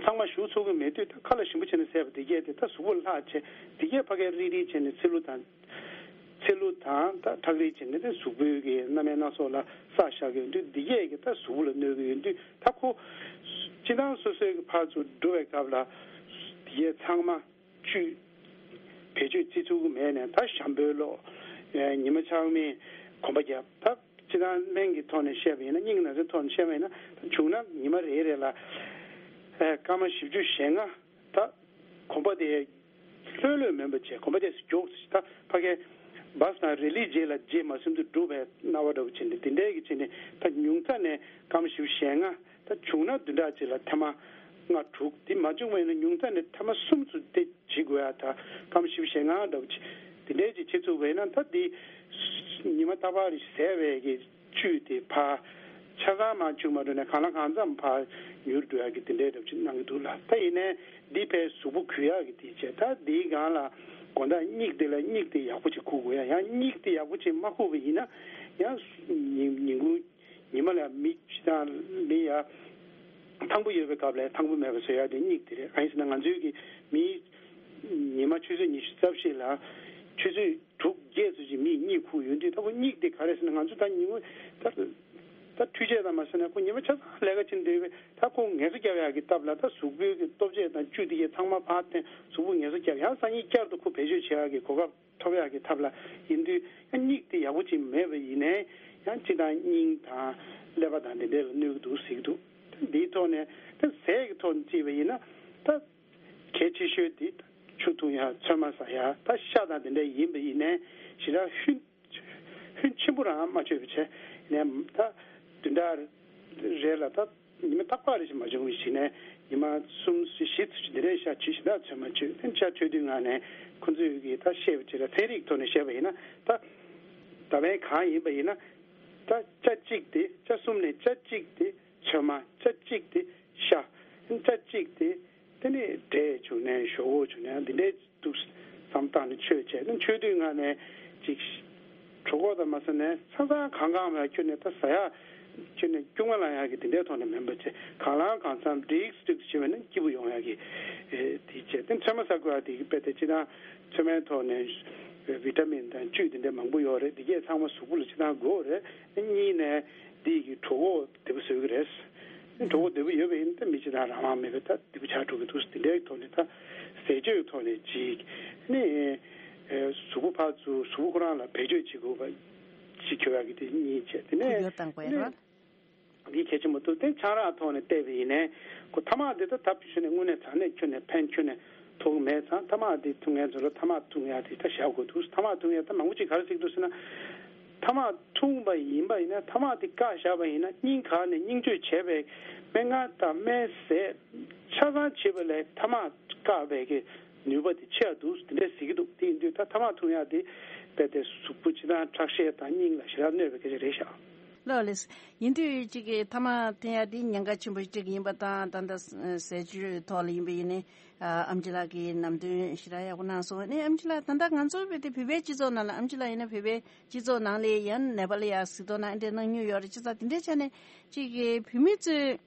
ཚང་མ་ཞུ་ཚུགས་ཀྱི་མེད་དུས་ད་ཁ་ལ་ཞིམ་པོ་བྱས་ནས་ཟས་པ་འདི་གས་དེ་ད་གཟུགས་པོ་ལ་ལྷག་བྱས་འདི་གས་ཕ་གའི་རིལ་རིལ་བྱས་ནས་ཚེ་ལུ་དང་ཚེ་ལུ་དང་ད་ཁྲག་རིལ་བྱས་ནས་དེ་གཟུགས་པོའི་གི་སྣ་མིན་སྣ་ཚོགས་ལ་བསགས་བཞག་གི་ཡོད་དུས་འདི་གས་གི་ད་གཟུགས་པོ་ལ་གནོད་ཀྱི་ཡོད་དུས་ད་ཁོ་སྤྱི་བཏང་སོ་སོའི་གི་ཕར་ཚུར་འགྲོ་བའི་སྐབས་ལ་འདི་གས་ཚང་མ། བཅུད། བེད་སྤྱོད་བྱེད་ཚུགས་ཀྱི་མེད་ནས་ད་ཞྭ་མོ་སློག་ཉི་མ་ཆགས་མིན་གོམ་པ་རྒྱབ། ད་སྤྱིར་བཏང་སྨན་གྱི་ཐོག་ནས་བཤད་པ་ཡིན་ན་སྙིང་ན་ཚའི་ཐོག་ནས་བཤད་པ་ཡིན་ན་ད་བྱུང་ན་ཉི་མ་རེ་རེ་ལ་སྐར་མ་བཞི་བཅུ་ཞེ་ལྔ་ད་གོམ་པ་དེ་ལྷོད་ལྷོད་མིན་པ་བྱས་གོམ་པ་དེ་མགྱོགས་ད་ཕ་གའི་བཱས་དང་རེ་ལིའི་རྗེས་ལ་རྗེས་མ་ཟིན་དུ་སྒྲུབ་པའི་སྣང་བ་འདྲ་བོ་བྱས་ནས་དེ་འདྲའི་གི་བྱས་ནས་ད་ཉུང་མཐའ་ནས་སྐར་མ་བཞི་བཅུ་ཞེ་ལྔ། ད་བྱུང་ན་བདུན་ཕྲག་གཅིག་ལ་ཐེངས་མ་ལྔ་དྲུག་འདི་མ་བྱུང་བ་ཡིན་ན་ཉུང་མཐའ་ནས་ཐེངས་མ་གསུམ་ཚུར་དེ་བྱེད་དགོས་ཡ། ད་སྐར་མ་བཞི་བཅུ་ཞེ་ལྔ་འདྲ་བོ་ཅིག་དེ་འདྲའི་ཅིག་བྱེད་ཐུབ་པ་ཡིན་ན་ད་འདི་ཉི་མ་རྟག་པར་ཟས་པའི་གི་བཅུད་དེ་ཕར་ཆ་ཚང་མར་བཅུག་མ་འགྲོ་ནས་གང་ལ་གང་འཚམ་ཕར་ཉུལ་འགྲོ་ཡ་གི་དེ་འདྲའི་འདྲ་བོ་ཅིག་གནང་གི་འདུག་ལ། ད་ཡིན་ནའི་འདི་ཕར་གཟུགས་པོ་གུ་ཡ་གི་དེ་བྱས་ད་འདིའི་སྒང་ལ་དགོང་དག་སྙིགས་དེ་ལ་སྙིགས་དེ་ཡག་པོ་ཅིག་ཁུག་དགོས་ཡ། ཡང་སྙིགས་དེ་ཡག་པོ་ཅིག་མ་ཁུག་པ་ཡིན་ན་ཡང་ཉིན་ཉིན་གུང་། ཉི་མ་ལ་མི་ཅི་དང་མི་ཡ། ཐང་པོ་ཡོད་པའི་སྐབས་ལ་ཐང་པོ་མེད་པ་བཟོ་ཡ་དེ་སྙིགས་དེ་རེད། གང་ཡིན་ཟེར་ན་ང་ཚོའི་གི་མི་ཉི་མ་ཆུ་ཚོད་ཉི་ཤུ་རྩ་བཞི་ལ་ཆུ་ཚོད་དྲུག་བརྒྱད་ཙམ་ཅིག་མིས་གཉིད་ཁུག་ཡོང་དུས་ད་ཁོ་སྙིགས་དེ་ག་རེ་ཟེར་ན་ང་ཚོ་ད་ཉིན་མོ་ད་ད་འཕྲུལ་ཆས་དང་མ་ཟེར་ན་ཁོ་ཉི་མ་ཆ་ཚང་ལས་ཀ་བྱེད་འདོད་པས་ད་ཁོ་ངལ་གསོ་རྒྱབ་ཡག་གི་སྟབས་ལ་ད་གཟུགས་པོའི་གི་ལྟོ་ཆས་དང་བཅུད་དེ་གས་ཚང་མ་ཕར་འཐེན་གཟུགས་པོ་ངལ་གསོ་རྒྱབ་ཡང་སང་ཉིན་བསྐྱར་དུ་ཁོ་བེད་སྤྱོད་བྱེད་ཡག་གི་གོ་སྐབས། ཐོབ་ཡག་གི་ཐབས་ལ་ཡིན་དུས་ཡང་སྙིགས་དེ་ཡག་པོ་ཅིག་མེད་པ་ཡིན་ནའི་ཡང་སྤྱི་དང་སྙིང་དང་ཀླད་པ་དང་དེ་འདྲའི་ལ་གནོད་ཀྱི་འདུག་ཟེར་གྱི་འདུག་འདིའི་ཐོག་ནས་ད་ཟས་ཀྱི་ཐོག་ནས་བརྩིས་པ་ཡིན་ན་ད་གལ་ཆེ་ཤོས་དེ་ཆུ་འཐུང་ཡག་ཚོད་མ་ཟ་ཡག་ད་ཤ་དང་དེ་འདྲ་ཡིན་པ་ཡིན་ནའི་ཞེ་དྲག་ཧུན་ཧུན་ཆེན་པོ་རང་མ་མཆོད་པ་བྱས་ནས་ད་བདུན་ཕྲག་རེ་ལ་ད། ཉི་མ་རྟག་པར་རེ་ཞིག་མ་བྱུང་བའི་ཞིག་ནས་ཉི་མ་གསུམ་བཞི་ཙམ་ཅིག་འདི་འདྲའི་ཤ་བཅུ་ཞིག་ད་ཚོད་མ་བཅུ་ཏན་ཤ་མཆོད་དུས་ང་ནས་ཁོ་ཚོས་ཀྱི་ད་བཤད་པ་ཅིག་ལ་ཚན་རིག་ཐོག་ནས་བཤད་པ་ཡིན་ན་ད་ད་བན་གང་ཡིན་པ་ཡིན་ན་ད་ཅ་གཅིག་དེ་ཅ་གསུམ་ནས་ཅ་གཅིག་དེ་ཚོད་མ་ཅ་གཅིག་དེ་ཤ་ཅ་གཅིག་དེ་དེ་ནས་འབྲས་བྱུང་ནས་ཞོག་ཁོག་བྱུང་ནས་འདི་འདྲའི། འདུག་བསམ་བཏང་ནས་མཆོད་བྱས་ནས་མཆོད་དུས་ང་ནས་ཅིག་གྲོད་ཁོག་དང་མ་ཟ་ནས་ཚ་ཚ་གང་གང་མ་ཁྱོད་ནས་ད་ཟ་ཡ་ཁྱོད་ནས་སྐྱུག་མ་ལངས་ཡ་གི་དེ་འདྲའི་ཐོག་ནས་མིན་པ་བྱས་གང་ལང་གང་འཚམ་འགྲིག་འགྲིག་བྱས་པ་ན་སྐྱིད་པོ་ཡོང་ཡ་གི་དེ་བྱས་དེ་ཚོད་མ་ཟ་དགོས་ཡ་དེ་གི་དཔེ་དེ་སྤྱི་དང་ཚོད་མའི་ཐོག་ནས་བི་ཏ་མིན་དང་བཅུད་དེ་འདྲ་མང་པོ་ཡོད་རེད། དེ་གས་ཚང་མ་གཟུགས་པོ་ལ་སྤྱི་དང་དགོས་རེད། གཉིས་ནས་དེ་གི་གྲོད་ཁོག་བདེ་པོ་བཟོ་གི་རེད། གྲོད་ཁོག་བདེ་པོ་ཡོད་པ་ཡིན་ན་ད་མི་སྤྱི་དང་རང་དབང་མེད་པའི་ད། འདི་པོ་ཆགས་འགྲོ་གི་འདུག་དེ་འདྲའི་ཐོག་ནས་ད་ཟས་སྤྱོད་ཐོག་ནས་ཅིག་ནི་གཟུགས་པོ་ཕར་ཚུར་གཟུགས་པོ་ཁོ་རང་ལ་བེད་སྤྱོད་བྱེད་དགོས་པ་ཅིག་ཁྱོད་རང་གི་དེ་གཉིས་བྱས་དེ་ནས་ཁུ་བྱུག་བཏང་དགོས་ནི་རེད། འདི་གལ་ཆེན་པོ་འདུག་དེ་ཆང་རག་ཐོག་ནས་བལྟས་པ་ཡིན་ནའི་ཁོ་ཐ་མག་འདི་ད་ད་ཁྱོད་ནས་དངོས་གནས་དྲང་གནས་ཁྱོད་ནས་ཕན་ཁྱོད་ནས་ཐོགས་མེད་ཙང་ཐ་མག་འདི་འཐུང་མཁན་ཚོ་ལ་ཐ་མག་འཐུང་ཡ་དེ་ད་བཞག་དགོས་འདུག་ཐ་མག་འཐུང་ཡ་ད་མང་པོ་ཅིག་ག་རེ་ཟེར་གྱི་འདུག་ཟེར་ན། ཐ་མག་འཐུང་བ་ཡིན་པ་ཡིན་ན་ཐ་མག་དེ་བཀག་བཞག་པ་ཡིན་ན་སྙིང་ག་ནས་སྙིང་བཅོས་བྱས་པའི་སྨན་ཁང་དང་སྨན་ཟས་ཆ་ཚང་བྱེད་པ་ལས་ཐ་མག་བཀག་པའི་གི་ནུས་པ་དེ་ཆེ་བ་འདུག་དེ་འདྲས་ཟེར་གྱི་འདུག་དེ་ཡིན་དུས་ད་ཐ་མག་འཐུང་ཡག་དེ་རྦད་དེ་གཟུགས་པོ་སྤྱི་དང་ཁྲག་ཤེད་དང་སྙིང་ལ་ཞེ་དྲག་གནོད་པའི་སྐད་ཆ་རེད་ཤག་ལགས་ལགས། ཡིན་དུས་ཅིག་གི་ཐ་མག་འཐེན་ཡ་འདི་ཉེན་ཁ་ཆེན་པོ་ཅིག་ཡིན་པ་དང་། ད་ལྟ་ཟས་སྤྱོད་ཐོག་ལ་ཡིན་པ་ཡིན་ནའི་ཨ་ཨེམ་ཆི་ལགས་ཀྱིས་ལམ་སྟོན་ཞེ་དྲག་ཡག་པོ་གནང་སོང་། ཨ་ནི་ཨེམ་ཆི་ལགས་ད་ལྟ་ང་ཚོ་བོད་དེ་བོད་པའི་སྤྱི་ཚོགས་ནང་ལ། ཨེམ་ཆི་ལགས་ཡིན་ན་བོད་པའི་སྤྱི་ཚོགས་ནང་ལ་ཡང་ནད་པ་ལ་ཡ་གཟིགས་རྟོག་གནང་འདྲ་གནང་མྱོང་ཡོད་རེད། བྱས་ཙང་དེ་འདྲའི་ཆ་ནས་ཅིག་གི་བོད་མི་ཚོས་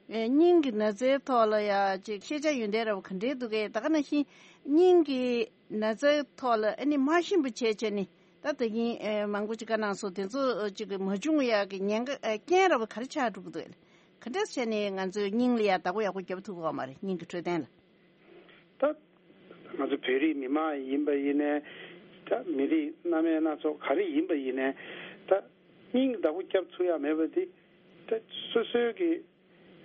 ཨེ་སྙིང་གི་ན་ཚའི་ཐོག་ལ་ཡ་ཅིག་ཤེས་བྱ་ཡོན་ཏན་རབ་ག་འདྲའི་འདུག་གས། ད་ག་ནང་བཞིན་སྙིང་གི་ན་ཚའི་ཐོག་ལ་ཨ་ནི་མ་ཤེས་པ་བྱས་བྱས་ནས་ད་ད་གིན་ཨེ་མང་པོ་ཅིག་བཀའ་གནང་སོང་། དེ་ཚོ་ཅིག་མ་བྱུང་ཡག་གི་ཉེན་ཁ་ཨེ་རྐྱེན་རབ་ག་རེ་ཆགས་འགྲོ་གི་འདུག་གས། ག་འདྲས་བྱས་ནས་ང་ཚོའི་སྙིང་ལ་ཡ་བདག་པོ་ཡག་པོ་རྒྱབ་ཐུབ་ཀྱི་ཡོད་མ་རེད། སྙིང་གི་འཕྲོད་བསྟེན་ལ། ད་ང་ཚོ་བོད་རིགས་མི་མང་ཡིན་པ་ཡིན་ནའི། ད་མི་རིགས་སྣ་མིན་སྣ་ཚོགས་ག་རེ་ཡིན་པ་ཡིན་ནའི། ད་སྙིང་བདག་པོ་རྒྱབ་ཚུགས་ཡ་མེད་པ་དེ་ད་སོ་སོའི་གི་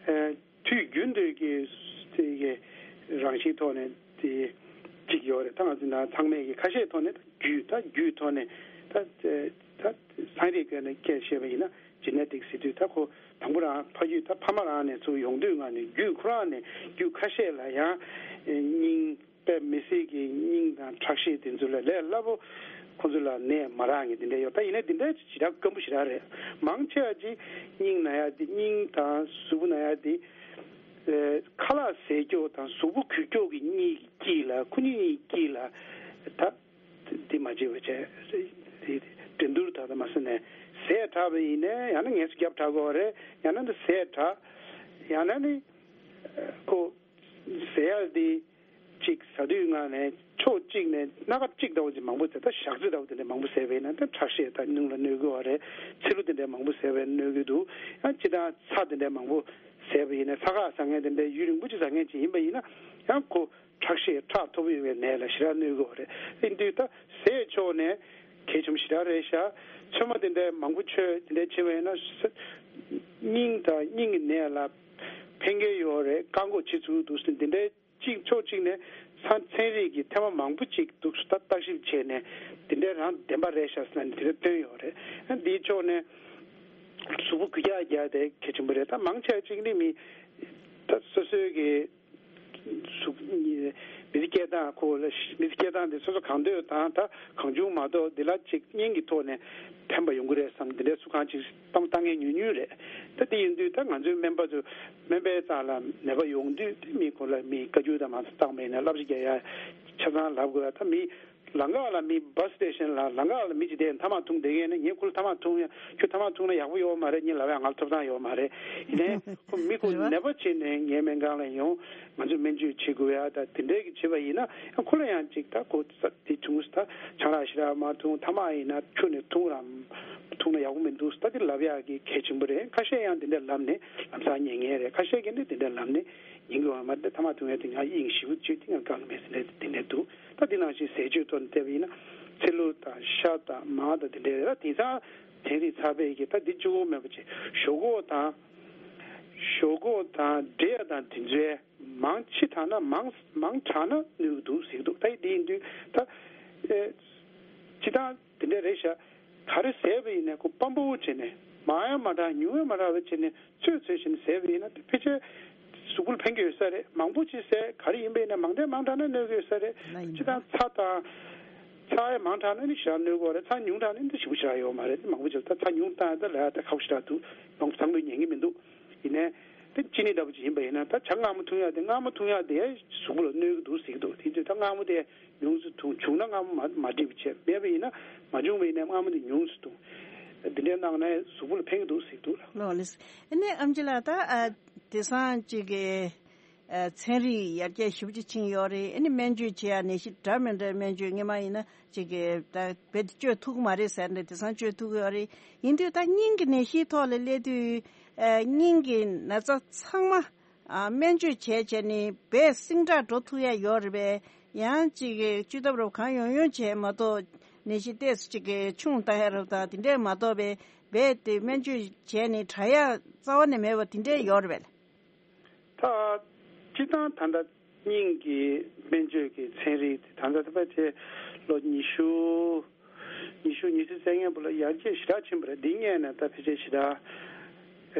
ཨེ་དུས་རྒྱུན་དུ་གི་དེ་གི་རང་བཞིན་ཐོག་ནས་དེ་གཅིག་ཡོད་རེད། ད་ང་ཚོ་ན་ཚང་མས་གི་ཁ་ཤས་ཐོག་ནས་ད་རྒྱུད་ད་རྒྱུད་ཐོག་ནས་ད་ད་ཚན་རིག་སྐོར་ནས་སྐད་བཤད་པ་ཡིན་ན། ཇི་ནེ་ཊིག་ཟེར་དུས་ད་ཁོ་དང་པོ་རང་ཕ་རྒྱུད་ད་ཕ་མ་རང་ནས་ཚུར་ཡོང་དུས་ང་ནས་རྒྱུད་ཁོ་རང་ནས་རྒྱུད་ཁ་ཤས་ལ་ཡང་སྙིང་དཔེ་མི་སྲིད་ཀྱི་སྙིང་དང་ཁྲག་ཤེད་དེ་ཚོ་ལ་ལས་སླ་པོ་ཁོ་ཚོ་ལ་ནད་མ་རག་མཁན་དེ་འདྲ་ཡོད། ད་ཡིན་ན་དེ་འདྲ་ཞེ་དྲག་སྐམ་པོ་ཞེ་དྲག་རེད། མང་ཆེ་བ་ཅིག་སྙིང་ན་ཡ་དེ་སྙིང་དང་གཟུགས་པོ་ན་ཡ་དེ་ཨེ་ཁ་ལག་ཟས་སྐྱོགས་དང་གཟུགས་པོ་འགུལ་སྐྱོགས་ཀྱི་གཉིས་ཀྱི་དཀྱིལ་ལ་ཁོ་གཉིས་གཉིས་དཀྱིལ་ལ་ད། འདི་མ་བྱེད་པ་བྱས། འདི་འགྲན་བསྡུར་ད་ལྟ་མ་ཟེར་ནས་ཟས་དྲག་པ་ཡིན་ནའི་ཡང་ན་ངལ་གསོ་རྒྱབ་དྲག་དགོས་རེད། ཡང་ན་འདི་ཟས་དྲག་ཡང་ན་ནི་ཁོ་ཟས་ཡག་འདི་གཅིག་ཟ་དུས་ངང་ནས་ཕྱོགས་གཅིག་ནས་སྣ་ཁ་གཅིག་ལྟ་བུ་ཅིག་མང་པོ་ཟས། ད་ཞག་ཚི་ལྟ་བུ་དེ་འདྲ་མང་པོ་ཟས་པ་ཡིན་ན་ད་ཁྲག་ཤེད་དང་སྣུམ་ལ་གནོད་གི་ཡོད་རེད། ཚིལ་ལུ་དེ་འདྲ་མང་པོ་ཟས་པས་གནོད་གི་འདུག་ཡང་སྤྱིར་བཏང་ཚྭ་དེ་འདྲ་མང་པོ་ཟས་པ་ཡིན་ན། ཚྭ་ཁ་ཟ་མཁན་དེ་འདྲ་ཡུན་རིང་པོ་ཅིག་ཟ་མཁན་ཅིག་ཡིན་པ་ཡིན་ན་ཡང་ཁོ། ཁྲག་ཤེད་ཁྲག་མཐོ་པོ་ཡོད་པའི་ནད་ལ་ཞེ་དྲག་གནོད་ཀྱི་ཡོད་རེད། ཨིན་དུས་ད་ཟས་ཕྱོགས་ནས་གལ་ཆེན་པོ་ཞེ་དྲག་རེད་ཤག་ཚོད་མ་དེ་འདྲའི་མང་པོ་མཆོད་དེ་འདྲའི་བྱེད་པ་ཡིན་ན་ས་སྙིང་དང་སྙིང་གི་ནད་ལ་ཕན་གྱི་ཡོད་རེད། བཀག་འགོག་བྱེད་ཚུལ་འདུག་ཟེར་དེ་འདྲའི་གཅིག་ཕྱོགས་གཅིག་ནས་ཚན་ཚན་རིག་གི་ཐེངས་མ་མང་པོ་ཅིག་འདུག་ད་བརྟག་ཞིབ་བྱས་ནས་དེ་འདྲའི་རང་བདེན་པ་རེད་ཤག་ཟེར་ནས་དེ་འདྲ་བཏོན་ཡོད་རེད། ཨ་འདིའི་ཕྱོགས་ནས་གཟུགས་པོ་འགུལ་རྒྱག་རྒྱག་དེ་གལ་ཆེན་པོ་རེད། ད་མང་ཆེ་བ་གཅིག་ནི་མི་ད་སོ་སོའི་གི་གཟུགས་མི་ཚེ་སྐྱེལ་སྟངས་ཁོ་ལ་མི་ཚེ་སྐྱེལ་སྟངས་དེ་སོ་སོ་གང་འདོད་དང་ད་གང་བྱུང་མ་གཏོགས་འདི་ལ་ཅིག་གཉེན་གྱི་ཐོག་ནས་ཕན་པ་ཡོང་གི་རེད་བསམ་འདི་འདྲའི་སུ་གང་ཅིག་གཏམ་བཏང་མཁན་ཉུང་ཉུང་རེད། ད་དེ་ཡིན་དུས་ད་ང་ཚོའི་སྨན་པ་ཚོ་སྨན་པའི་རྩ་ལ་ནད་པ་ཡོང་དུས་དེ་མི་ཁོ་ལ་མི་བཀའ་བཀྱོན་དང་མ་བཏང་མེད་ན་བསླབ་བྱ་རྒྱག་ཡ་ཆ་ཚང་ལབ་དགོས་ཡ། ད་མི་ལམ་ཁ་ལ་མི་བྷ་སི་སི་ཊེ་ཤན་ལ་ལམ་ཁ་ལ་མི་ཅིག་བསྡད་ཐ་མག་འཐུང་བསྡད་མཁན་ནི་ངས་ཁོ་ལ་ཐ་མག་འཐུང་ཡ་ཁྱོད་ཐ་མག་འཐུང་ན་ཡག་པོ་ཡོད་མ་རེད། ངས་ལབ་ཡ་ང་ལ་ཐོབ་ཐང་ཡོད་མ་རེད། ཡིན་ནའི་ཁོ་མི་ཁོ་རེད་བ། ནད་པ་བྱས་ནས་ངའི་སྨན་ཁང་ལ་ཡོང་ང་ཚོས་སྨན་བཅོས་བྱེད་དགོས་ཡ་ད་དེ་འདྲའི་གི་བྱེད་པ་ཡིན་ན་ཡང་ཁོ་ལ་ཡང་ཅིག་ད་ཁོ་ས་དེ་བྱུང་ས་ཆང་རག་ཞེ་དྲག་མ་འཐུང་། ཐ་མག་ཡིན་ན་ཁྱོད་ནས་འཐུང་ར་འཐུང་ན་ཡག་པོ་མི་འདུག་ད་དེ་ལབ་ཡ་གི་གལ་ཆེན་པོ་རེད། ཁ་ཤས་ཡང་དེ་འདྲ་ལབ་ནས་ལམ་སང་ཉན་མཁན་རེད། ཁ་ཤས་ཀྱིས་ནི་དེ་འདྲ་ལབ་ནས་ཉན་གི་ཡོད་མ་རེད། ཐ་མག་འཐུང་ཡ་དེ་ང་དབྱིངས་ཞེ་པོ་བཅོས་དེ་ང་དགའ་གི་མེད་ཟེར་ནས་དེ་འདྲ་འདུག་ད་དེ་ནང་བཞིན་ཟས་སྤྱོད་ཐོག་ནས་བལྟས་པ་ཡིན་ན་ཚིལ་ལུ་དང་ཤ་དང་མར་དང་དེ་འདྲ་རེད། ད་དེང་སང་ཚན་རིག་ཚ་བའི་གི་ད་འདི་གཅིག་པོ་མེད་པ་བྱས་ཞོག་ཁོག་དང་ཞོག་ཁོག་དང་འབྲས་དང་དེ་ཚོའི་མང་ཆེ་དྲགས་ན་མང་མང་དྲགས་ན་གནོད་ཀྱི་འདུག་ཟེར་གྱི་འདུག་ད་དེ་ཡིན་དུས་ད་ཨེ་སྤྱིར་བཏང་དེ་འདྲ་རེད་ཤག་ག་རེ་ཟས་པ་ཡིན་ནའི་ཁོ་སྤམ་པོ་བྱས་ནས་མང་ཡང་མ་དྲགས་ཉུང་ཡང་མ་དྲགས་པ་བྱས་ནས་ཚོད་ཚོད་བྱས་ནས་ཟས་པ་ཡིན་ན་དེ་ཕལ་ཆེར་གཟུགས་པོ་ལ་ཕན་གྱི་ཡོད་ས་རེད། མང་པོ་ཅིག་ཟས་ག་རེ་ཡིན་པ་ཡིན་ན་མང་དྲགས་མང་དྲགས་ན་གནོད་ཀྱི་ཡོད་ས་རེད། ལ་ཡིན་སྤྱིར་བཏང་ཚྭ་དང་ཚྭ་ཡང་མང་དྲགས་ན་ནི་ཞེ་དྲག་གནོད་ཀྱི་ཡོད་རེད། ཚྭ་ཉུང་དྲགས་ན་ནི་ཞེ་པོ་ཞེ་དྲག་ཡོད་མ་རེད། མང་པོ་ཅིག་ད་ཚྭ་ཉུང་བཏང་ཡ་ད་ལ་ཡ་ད་ཁག་པོ་ཞེ་དྲག་འདུག་མང་པོ་ཚང་མས་ཉན་གྱི་མི་འདུག་ཡིན་ནའི་དེ་ཅི་ནི་འདྲ་པོ་ཅིག་ཡིན་པ་ཡིན་ན་ད་ཇ་མངར་མོ་འཐུང་ཡ་དེ་མངར་མོ་འཐུང་ཡ་དེ་གཟུགས་པོ་ལ་གནོད་ཀྱི་འདུག་ཟེར་གྱི་འདུག་དེ་ཚོས་ད་མངར་མོ་དེ་ཉུང་སུ་འཐུང་། བྱུང་ན་སྔ་མོ་མ་མ་འགྲིག་པ་བྱས། མེད་པ་ཡིན་ན་མ་བྱུང་བ་ཡིན་ན་སྔ་མོ་དེ་ཉུང་སུ་འཐུང་། འདི་འདྲའི་གནང་ན་གཟུགས་པོ་ལ་ཕན་གྱི་འདུག་ཟེར་གྱི་འདུག་ལགས། ལགས་ལགས། ཨ་ནི་ཨེམ་ཆི་ལགས་ད་ཨ་དེང་སང་ཅིག་གི་ཨ་ཚན་རིག་ཡར་རྒྱས་ཞེ་པོ་ཅིག་ཕྱིན་ཡོད་རེད། ཨ་ནི་སྨན་བཅོས་བྱེད་ཡ་ནད་གཞི་འདྲ་མི་འདྲའི་སྨན་བཅོས་སྔོན་མ་ཡིན་ན་ཅིག་གི་ད་རྦད་དེ་བཅོས་ཐུབ་ཀྱི་མ་རེད་ཟེར་ནས་དེང་སང་བཅོས་ཐུབ་ཀྱི་ཡོད་རེད། ཡིན་དུས་ད་སྙིང་གི་ནད་གཞིའི་ཐོག་ལ་སླེབས་དུས་ཨ་སྙིང་གི་ན་ཚ་ཚང་མ། ཨ་སྨན་བཅོས་བྱས་བྱས་ནས་རྦད་སིང་དྲག་འགྲོ་ཐུབ་ཡ་ཡོད་རེད་པས། ཡང་ཅིག་གི་བཅོས་ཐབས་རབ་གང་ཡོང་ཡོང་བྱས་མ་གཏོགས་ནད་གཞི་ཏོག་ཙམ་ཅིག་གི་ཆུང་བཏང་ཡ་རབ་དང་དེ་འདྲས་མ་གཏོགས་པས་རྦད་དེ་སྨན་བཅོས་བྱས་ནས་དྲག་ཡ་རྩ་བ་ནས་མེད་པ་དེ་འདྲས་ཡོད་རེད་པས། ད་སྤྱིར་བཏང་ད་ལྟ་སྙིང་གི་སྨན་བཅོས་ཀྱི་ཚན་རིག་དེ་ད་ལྟ་ད་ལྟ་དེ་ལོ་ཉི་ཤུ་ཉི་ཤུ་ཉི་ཤུ་རྩ་ལྔའི་བར་ལ་ཡར་རྒྱས་ཞེ་དྲག་ཕྱིན་པ་རེད། འདི་སྔོན་ནས་ད་ཕལ་ཆེར་ཞེ་དྲག་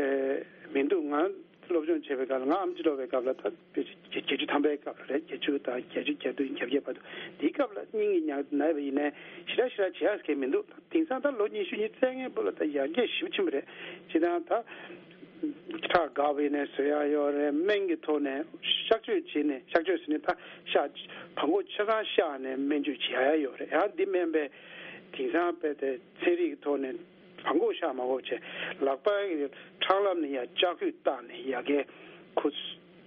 ཨེ་མི་འདུག་ང་ སློབ་སྦྱོང་བྱེད་པའི་སྐབས་ལ། ང་ཨེམ་ཆི་འགྲོ་བའི་སྐབས་ལ་ད་བརྒྱད་ཅུ་ཐམ་པའི་སྐབས་ལ་རེད། བརྒྱད་ཅུ་དང་བརྒྱད་ཅུ་གྱ་བདུན་གྱ་བརྒྱད་བར་དུ། དེའི་སྐབས་ལ་སྙིང་གི་ཉག་ན་བ་ཡིན་ནའི་ཞེ་དྲག་ཞེ་དྲག་བྱེད་ཡག་གང་མི་འདུག། དེང་སང་ད་ལོ་ཉི་ཤུ་ཉི་ཤུ་རྩ་ལྔའི་བར་ལ་ད་ཡར་རྒྱས་ཞེ་པོ་ཕྱིན་པ་རེད། སྤྱིར་བཏང་ད་ཁྲག་འགག་པ་ཡིན་ནའི་བཟོ་ཡག་ཡོད་རེད། སྨན་གྱི་ཐོག་ནས་གཤག་བཅོས་བྱས་ནས། གཤག་བཅོས་ཟེར་ནས་ད་གཤག་བྲང་ཁོག་ཆ་ཚང་གཤགས་ནས་སྨན་བཅོས་བྱེད་ཡག་ཡོད་རེད། ཡང་འདི་མིན་པའི་དེང་སང་དཔེ་དེ་ཚན་རིག་གི་ཐོག་ནས་བྲང་ཁོག་གཤགས་མ་དགོས་པ་བྱས། ལག་པའི་ཁྲག་ལམ་ནས་ཡར་ལྕགས་སྐུད་བཏགས་ནས་ཡར་རྒྱས་ཁོ་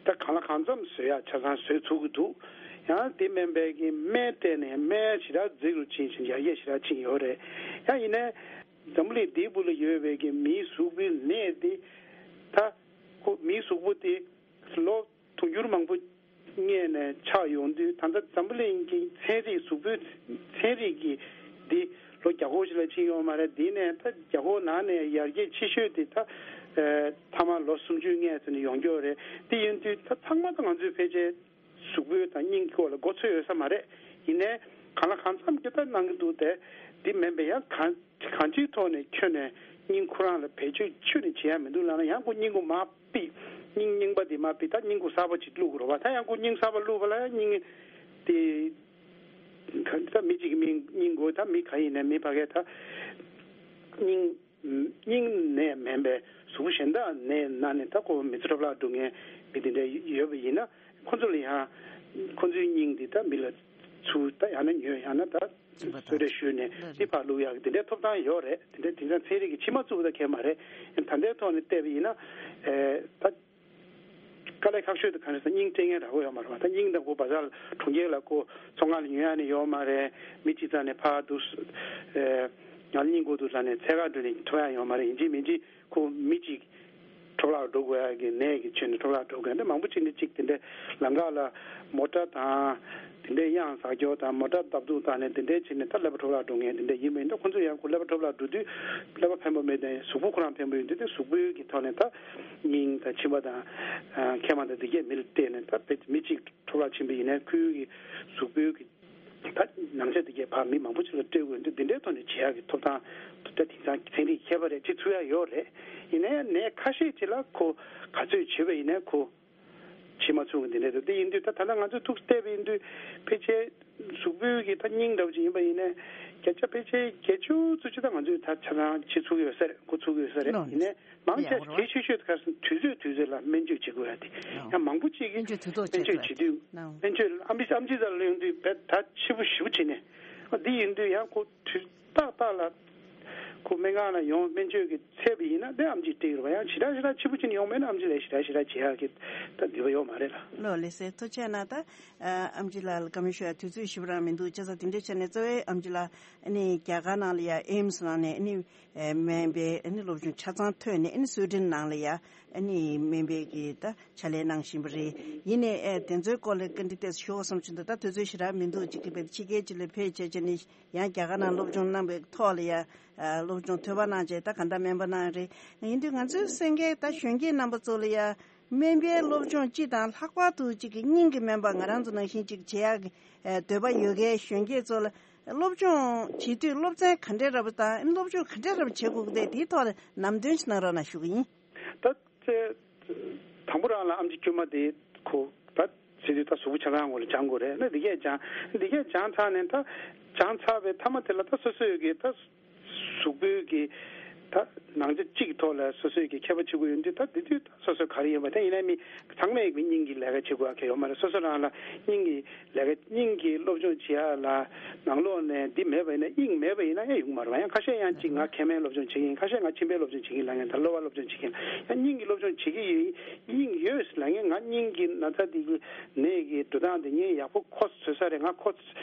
ད་གང་ལ་གང་འཚམ་བཟོ་ཡག་ཆ་ཚང་བཟོས་ཚུགས་ཀྱི་འདུག། ཡང་དེ་མིན་པའི་གི་སྨན་སྤྲད་ནས་སྨན་ཞེ་དྲག་རྫིག་རུ་ཕྱིན་ཞིང་ཡར་རྒྱས་ཞེ་དྲག་ཕྱིན་ཡོད་རེད། ཡང་ཡིན་ནའི་འཛམ་བུ་གླིང་འདིའི་སྦུག་ལ་ཡོད་པའི་གི་མིའི་གཟུགས་པོའི་ནད་དེ། ད་ཁོ་མིའི་གཟུགས་པོ་དེ་ལོ་དུང་ཕྱུར་མང་པོ་སྔོན་ནས་ཆགས་ཡོང་དུས། ད་ལྟ་འཛམ་བུ་གླིང་གི་ཚན་རིག་གཟུགས་པོའི་ཚན་རིག་གི་འདི་ལོ་བརྒྱ་སྐོར་ཞིག་ལས་ཕྱིན་ཡོད་མ་རེད། འདི་ནས་ད་བརྒྱ་སྐོར་ནང་ནས་ཡར་རྒྱས་ཆེ་ཤོས་དེ་ད་ཨ་ཐ་མ་ལོ་སུམ་ཅུ་སྔོན་ཙམ་ནས་ཡོང་གི་ཡོད་རེད། དེ་ཡིན་དུས་ད་ཚང་མ་ད་ང་ཚོའི་ཕལ་ཆེར་གཟུགས་པོའི་དང་སྙིང་གི་སྐོར་ལ་མགོ་ཚོད་ཡོད་ས་མ་རེད། ཡིན་ནའི་གང་ལ་གང་འཚམ་གྱི་ད་གནང་གི་འདུག་སྟེ། འདི་མིན་པའི་ཡང་གང་གང་ཅིའི་ཐོག་ནས་ཁྱོན་ནས་སྙིང་ཁོ་རང་ལ་བེད་སྤྱོད་ཁྱོན་ནས་བྱེད་ཡ་མི་འདུག་ལབ་ན། ཡང་ཁོ་སྙིང་ཁོ་མར་ཕུད། སྙིང་རྙིང་པ་འདི་མར་ཕུད། ད་སྙིང་ཁོ་གསར་པ་ཅིག་བླུག་དགོས་རེད་པ། ད་ཡང་ཁོ་སྙིང་གསར་པ་བླུག་པ་ལ་ཡང་སྙིང་དེ་ག་ད་མི་གཅིག་གི་མི་སྙིང་དགོས། ད་མི་ག་ཡིན་ནའི་མི་ཕ་གིའི་ད་སྙིང་སྙིང་ནད་མིན་པའི་གཟུགས་པོ་གཞན་དག་ནད་ན་ནས་ད་ཁོ་མི་ཚེ་འཕྲོ་བརླག་འགྲོ་མཁན་མི་དེ་འདྲ་ཡོད་པ་ཡིན་ན། ཁོ་ཚོ་ལ་ཡང་ཁོ་ཚོའི་སྙིང་འདི་ད་མི་ལ་ཚུར་ད་ཡང་ན་ཉོས། ཡང་ན་ད་གསོལ་རས་ཞུས་ནས་འདི་ཕར་བླུག་ཡག་གི་དེ་འདྲའི་ཐོབ་ཐང་ཡོད་རེད། དེ་འདྲའི་དེང་སང་ཚན་རིག་གི་ཕྱི་མ་བཙུགས་པ་ད་གལ་མ་རེད། ད་ལྟའི་ཐོག་ནས་བལྟས་པ་ཡིན་ན་ཨེ་ད། དཀའ་ལས་ཁག་ཤོས་དེ་ག་རེ་ཟེར། སྙིང་སྤྲད་མཁན་ར་བ་ཡོད་མ་རེད་པ། ད་སྙིང་དང་ཁོ་བ་ཟ་གྲོང་ཁྱེར་ལ་ཁོ་ཚོང་ཁང་ལ་ཉོ་ཡག་ནི་ཡོད་མ་རེད། མི་གཅིག་རྩ་ནས་ཕར་འདུག་ཨེ་ང་ལ་སྙིང་དགོས་འདུག་ལབ་ནས་འཚོལ་ག་འགྲོ་ནས་ཐོབ་ཡག་ཡོད་མ་རེད། ཡིན་གཅིག་མིན་གཅིག་ཁོ་མི་གཅིག་འཕྲོ་བརླག་འགྲོ་དགོས་ཡག་གི་ནད་ཀྱི་ཆེད་ནས་འཕྲོ་བརླག་འགྲོ་མཁན་དེ་མང་པོ་ཅིག་ནི་གཅིག་དེ་འདྲའི་ལམ་ཁ་ལ་མོ་ཊ་དང་དེ་འདྲའི་གཡང་ཟ་རྒྱུ་དང་མོ་ཊ་བརྡབ་གཏུག་བཏང་ནས་དེ་འདྲའི་བྱས་ནས་ད་ཀླད་པ་འཕྲོ་བརླག་འགྲོ་མཁན་དེ་འདྲ་ཡིན་པ་ཡིན་ན། ཁོ་ཚོ་ཡང་ཁོ་ཀླད་པ་འཕྲོ་བརླག་འགྲོ་དུས་ཀླད་པ་ཕན་པོ་མེད་དེ་གཟུགས་པོ་ཁོ་རང་ཕན་པོ་ཡིན་དུས། དེ་གཟུགས་པོའི་གི་ཐོག་ནས་ད་སྙིང་དང་མཆིན་པ་དང་མཁལ་མ་དང་དེ་གས་མི་ལ་སྤྲད་ནས། ད་དཔེ་མི་གཅིག་འཕྲོ་བརླག་ཕྱིན་པ་ཡིན་ན་ཁོའི་གི་གཟུགས་པོའི་གི་ད་ནང་ཆ་དེ་གས་ཕར་མི་མང་པོ་ཅིག་ལ་སྤྲད་དགོས་འདུག། འདི་འདྲའི་ཐོག་ནས་བྱེད་ཡག་གི་ཐོབ་ཐང་ད་དེང་སང་ཚན་རིག་མཁས་པ་རེད། བྱེད་ཚུགས་ཡག་ཡོད་རེད། ཡིན་ནའི་ནད་ཁ་ཤས་ཅིག་ལ་ཁོ་ག་ཚོད་བྱེད་པ་ཡིན་ནའི་ཁོ་བྱེད་མ་ཚུགས་གི་འདི་འདྲ་འདུག། དེ་ཡིན་དུས་ད་ད་ལྟ་ང་ཚོས་ཐུགས་བལྟས་པ་ཡིན་དུས་ཕལ་ཆེར་གཟུགས་པོའི་གི་ད་སྙིང་འདྲ་བོ་ཅིག་ཡིན་པ་ཡིན་ནའི་བརྒྱ་ཆ་ཕལ་ཆེར་བརྒྱད་ཅུ་ཙམ་ཅིག་ད་ང་ཚོས་ད་ཆ་ཚང་བྱེད་ཚུགས་ཀྱི་ཡོད་ས་རེད། འགོ་ཚུགས་ཀྱི་ཡོད་ས་རེད། ལོ། ཡིན་ནའི་མང་ཆེ་ཡག་རོ། གལ་ཆེ་ཤོས་དེ་ག་རེ་ཟེར་ན་དུས་ཚོད་དུས་ཚོད་ལ་སྨན་བཅོས་བྱེད་དགོས་ཡ་དེ། ཡང་མང་པོ་ཅིག་གིས་སྨན་བཅོས་དུས་ཐོག་སྨན་བཅོས་བྱེད་དུས། སྨན་བཅོས་ལ་ཨམ་ཆི་ཨམ་ཆི་རྩ་ལ་ཡོང་དུས་བས་ད་ཕྱི་པོ་ཞེ་པོ་བྱེད་ནས། འདི་ཡིན་དུས་ཡང་ཁོ་དུས་ཏག་ཏག་ལ་ཁོ་སྨན་ཁང་ལ་ཡོང་སྨན་བཅོས་ཀྱི་ཚད་པ་ཡིན་ན་དེ་ཨམ་ཆིས་སྤྲད་ཡོད་རེད་པ། ཡང་ཞེ་དྲག་ཞེ་དྲག་ཕྱི་པོ་བྱེད་ནས་ཡོང་མེད་ན་ཨམ་ཆི་ལས་ཞེ་དྲག་ཞེ་དྲག་བྱེད་ཡག་གི་ད་ནུས་པ་ཡོད་མ་རེད་ལ། ལོ་ལེགས་སེ་ཐུགས་རྗེ་གནང་། ད་ཨམ་ཆི་ལགས་ལ་བཀའ་མོལ་ཞུ་ཡ་དུས་ཚོད་ཞེ་པོ་རང་མི་འདུག། བྱས་ཙང་དེ་འདྲ་བྱས་ནས་གཙོ་བོའི་ཨམ་ཆི་ལགས་ཨ་ནི་རྒྱ་གར་ནང་ལ་ཡ་ཨེམ་སི་ནང་ནས་ཨ་ནི་ཨེ་སྨན་པའི་ཨ་ནི་སློབ་སྦྱོང་ཆ་ཚང་ཐོན་ནས། ཨ་ནི་སུའེ་ཌེན་ནང་ལ་ཡ་ཨ་ནི་སྨན་པའི་གི་ད་ཕྱག་ལས་གནང་བཞིན་པ་རེད། ཡིན་ནའི་ཨེ་དེ་ཚོའི་སྐོར་ལ་བཀའ་འདྲི་ཏོག་ཙམ་ཞུ་དགོས་བསམ་བྱུང་། ད་ད་དུས་ཚོད་ཞེ་དྲག་མི་འདུག། ཅིག་གི་བས་ཕྱི་རྒྱལ་ཅིག་ལ་ཕེབས་བྱས་བྱས་ནས་ཡང་རྒྱ་གར་ནང་སློབ་སྦྱོང་གནང་བའི་ཐོག་ལ་ཡ་ཨ་སློབ་སྦྱོང་ཐོས་པ་གནང་བྱས་ད་ག་འདྲ་སྨན་པ་གནང་རེད། ཡིན་དུས་ང་ཚོའི་གསན་མཁན་ད་གཞོན་སྐྱེས་རྣམ་པ་ཚོ་ལ་ཡ་སྨན་པའི་སློབ་སྦྱོང་སྤྱི་དང་ལྷག་པར་དུ་ཅིག་གི་སྙིང་གི་སྨན་པ་ང་རང་ཚོ་ནང་བཞིན་ཅིག་བྱེད་ཡག་གི་ཨ་འདོད་པ་ཡོད་མཁན་གཞོན་སྐྱེས་ཚོ་ལ་སློབ་སྦྱོང་བྱེད་དུས་སློབ་ཚན་ག་འདྲའི་འདྲ་པོ་དང་སློབ་སྦྱོང་ག་འདྲའི་འདྲ་པོ་བྱེད་དགོས་ཀྱི་རེད། དེའི་ཐོག་ལ་ལམ་སྟོན་ཞིག་གནང་རོགས་གནང་ཞུ་གི་ཡིན། ད་ཚེ་དང་པོ་རང་ལ་ཨམ་ཆི་དཀྱུས་མ་དེ་ཁོ་ད་ཟེར་དུས་ད་གཟུགས་པོ་ཆ་ཚང་ངོ་ལ་སྦྱང་དགོས་རེད། ན་འདི་གས་སྦྱང་འདི་གས་སྦྱང་ཚར་ནས། ད་སྦྱང་ཚར་བའི་མཐའ་མ་དེ་ལ་ད་སོ་སོའི་གི་ད་གཟུགས་པོའི་གི་ད་ནང་ཆ་གཅིག་གི་ཐོག་ལ་སོ་སོའི་གི་མཁས་པ་བྱེད་དགོས་ཡོང་དུས། ད་འདི་དུས་ད་སོ་སོ་ག་རེ་ཡིན་པ་དེ་ཡིན་ན་མི་ཚང་མས་མི་སྙིང་གི་ལས་ཀ་བྱེད་དགོས་ཡ་གལ་ཡོད་མ་རེད། སོ་སོ་རང་ལ་སྙིང་གི་ལས་ཀ་སྙིང་གི་སློབ་སྦྱོང་བྱེད་ཡ་ལ་ནང་ལོགས་ནས་འདི་མེད་པ་ཡིན་ན། དབྱིངས་མེད་པ་ཡིན་ན་ཡང་ཡོང་གི་མ་རེད་པ། ཡང་ཁ་ཤས་ཡང་གཅིག་ང་མཁལ་མའི་སློབ་སྦྱོང་བྱེད་ཀྱི་ཡིན། ཁ་ཤས་ང་མཆིན་པའི་སློབ་སྦྱོང་བྱེད་ཀྱི་ཡིན་ལབ་མཁན་དང་གློ་བ་སློབ་སྦྱོང་བྱེད་ཀྱི་ཡིན། ཡང་སྙིང་གི་སློབ་སྦྱོང་བྱེད་ཀྱི་ཡོད་ཡིན་ལབ་མཁན། ང་སྙིང་གི་ན་ཚ་འདི་གི་ནད་ཀྱི་འགྲོ་སྟངས་འདི་ངས་ཡག་པོ་གོ་ཚོད་ས་རེད། ང་གོ་